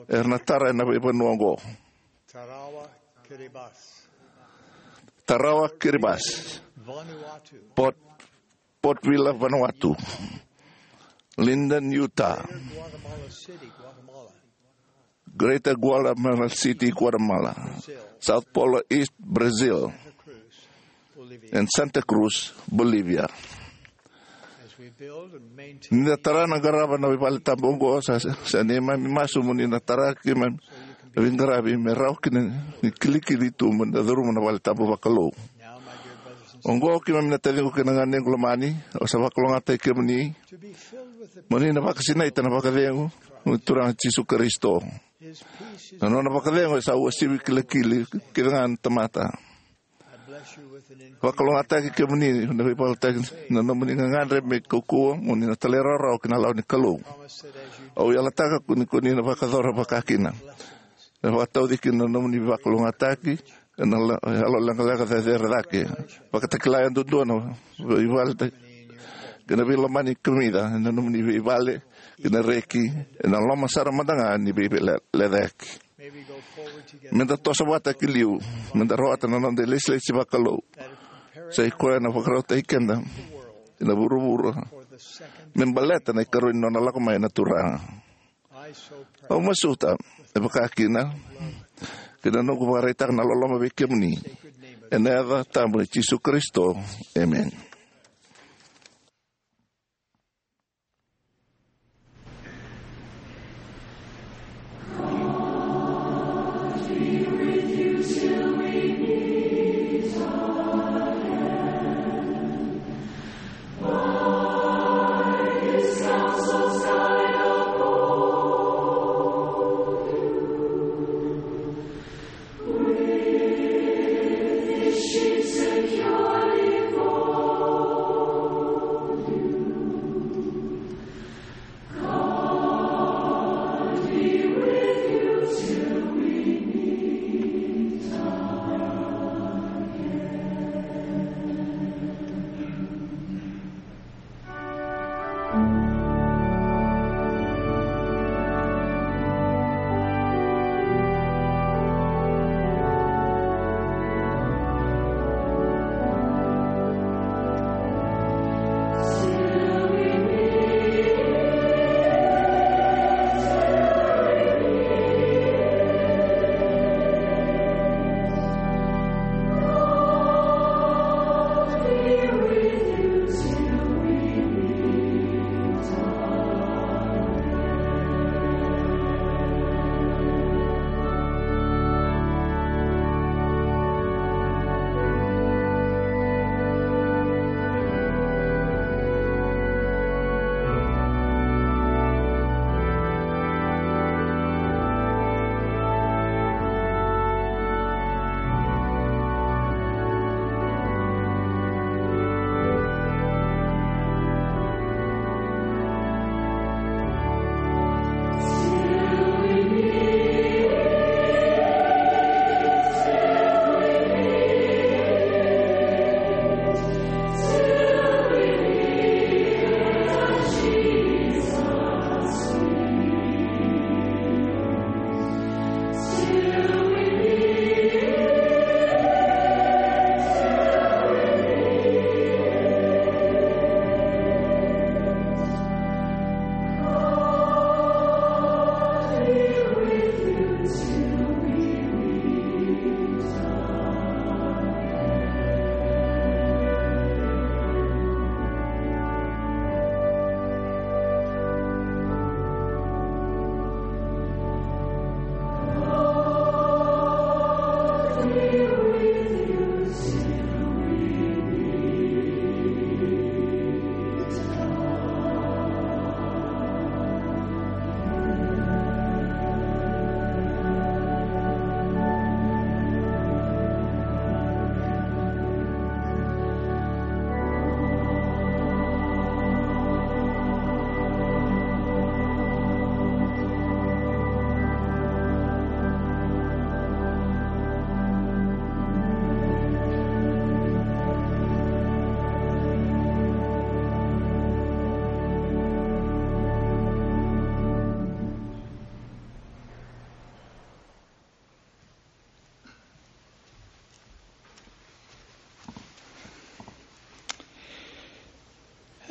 Era na tara ena veivanua oqo: Tarawa Kiribati, Port, Port Vila, Vanuatu; Linden, Utah; Greater Guatemala City, Guatemala; Sao Paulo East, Brazil; and Santa Cruz, Bolivia. Ni da tara na qarava na veivale tabu oqo, sa, sa neimami masu mo ni na tara keimami na veiqaravi me rawa kina ni kilikili tu mo ni da curuma na vale tabu vakalou. Oqo, keimami na taciqu kei na ganequ lomani, au sa vakalougatataki kemuni mo ni na vakasinaita na vakacegu ni Turaga Jisu Karisito. Na nona vakacegu e sa uasivi kilikili kece ga na tamata. Vakalougatataki kemuni na veivakalotutaki na nomuni gagadre me kaukauwa mo ni na talairawarawa ki na lawa ni Kalou. Au yalataka ko ni, ko ni na vakayacora vakakina. E vakatauci kina na nomuni vakalougatataki ena la-, yalo leqaleqa cecere cake. Vakatakila yadudua na veivale ta-, kei na veilomani kamica ena nomuni veivale kei na reki, ena loma sara mada ga ni veilecayaki. Me da toso vata ki liu, me da rawata na noda ilesilesi vakalou. Sa i koya na vakarautaki keda ena vuravura me baleta na ikarua ni nona lako mai na Turaga. Au masuta e vakakina, kei na noqu vakaraitaka na loloma vei kemuni, ena yaca tabu i Jisu Karisito. Emeni.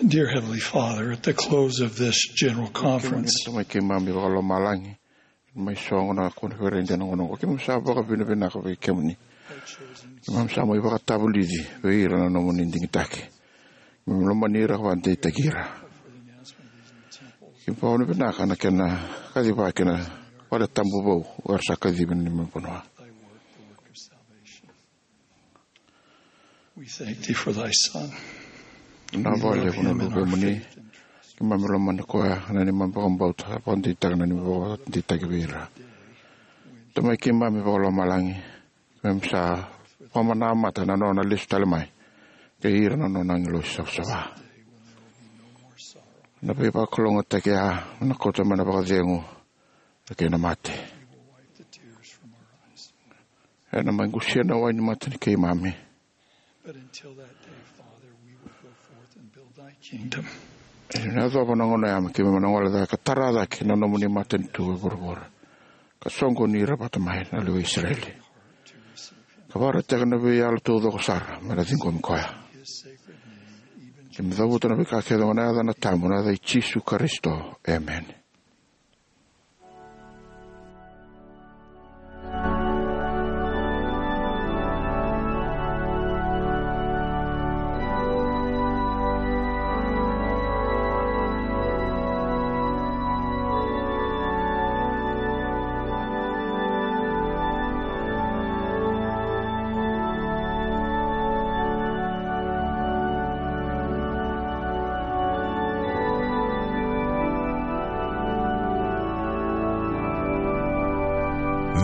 Dear Heavenly Father, at the close of this general Kemuni conference, na Tamai keimami vakalomalagi, mai sogo na koniferedi ena gauna oqo, keimami sa vakavinavinaka vei kemuni. Keimami sa mai vakatavulici vei ira na nomuni digitaki. Keimami lomani ira ka vakadeitaki ira. Keimami vakavinavinaka na kena kacivaki na vale tabu vou era sa kacivi na neimami vanua. We thank thee for thy Son. Na vale vuna luvemuni. Keimami lomani koya, na neimami vakabauta, vakadeitaka na neimami vakadeitaki vei ira. Tamai keimami vakalomalagi, keimami sa vakamanamata na nona lesu tale mai kei ira na nona agilosi savasava. Na veivakalougatataki ya na kauta mai na vakacegu kei na mate. Ena mai qusia na wai ni mata ni keimami. But until that day, Father, we will go forth and build thy kingdom. Ena yacova na gauna ya me keimami na gole cake ka tara cake na nomuni matanitu e vuravura, ka soqoni ira vata mai na lewe i Isireli, ka vakaraitaka na veiyalo taucoko sara me na ciqomi koya. Keimami cavuta na veika kece oqo ena yaca na tabu, na yaca i Jisu Karisito. Emeni.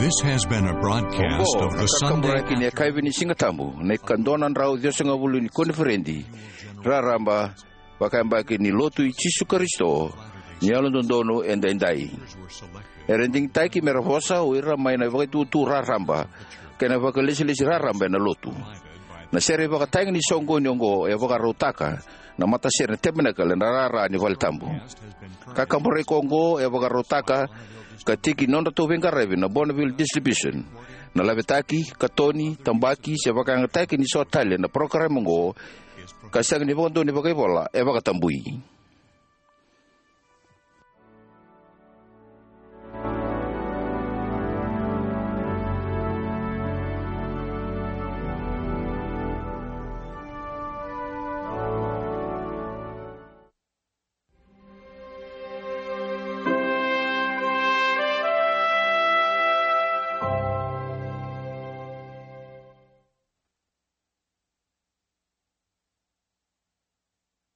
This has been a broadcast Oqo of na the Sunday kakaburaki ni yakavi ni Siga Tabu, na ikadua na drau ciwasagavulu ni koniferedi raraba vakayabaki ni Lotu i Jisu Karisito ni Yalododonu Edaidai. Era digitaki me ra vosa o ira mai na vakaitutu raraba kei na vakalesilesi raraba ena Lotu. Na sere ivakatagi ni soqoni oqo e vakarautaka na matasere na Tabernacle ena rara ni vale tabu. Kakaburaki oqo e vakarautaka ka tiki ni nodratou veiqaravi na Bonneville Distribution. Na lavetaki, katoni, tabaki se vakayagataki ni so tale na parokaramu oqo ka sega ni vakadua ni vakaivola e vakatabui.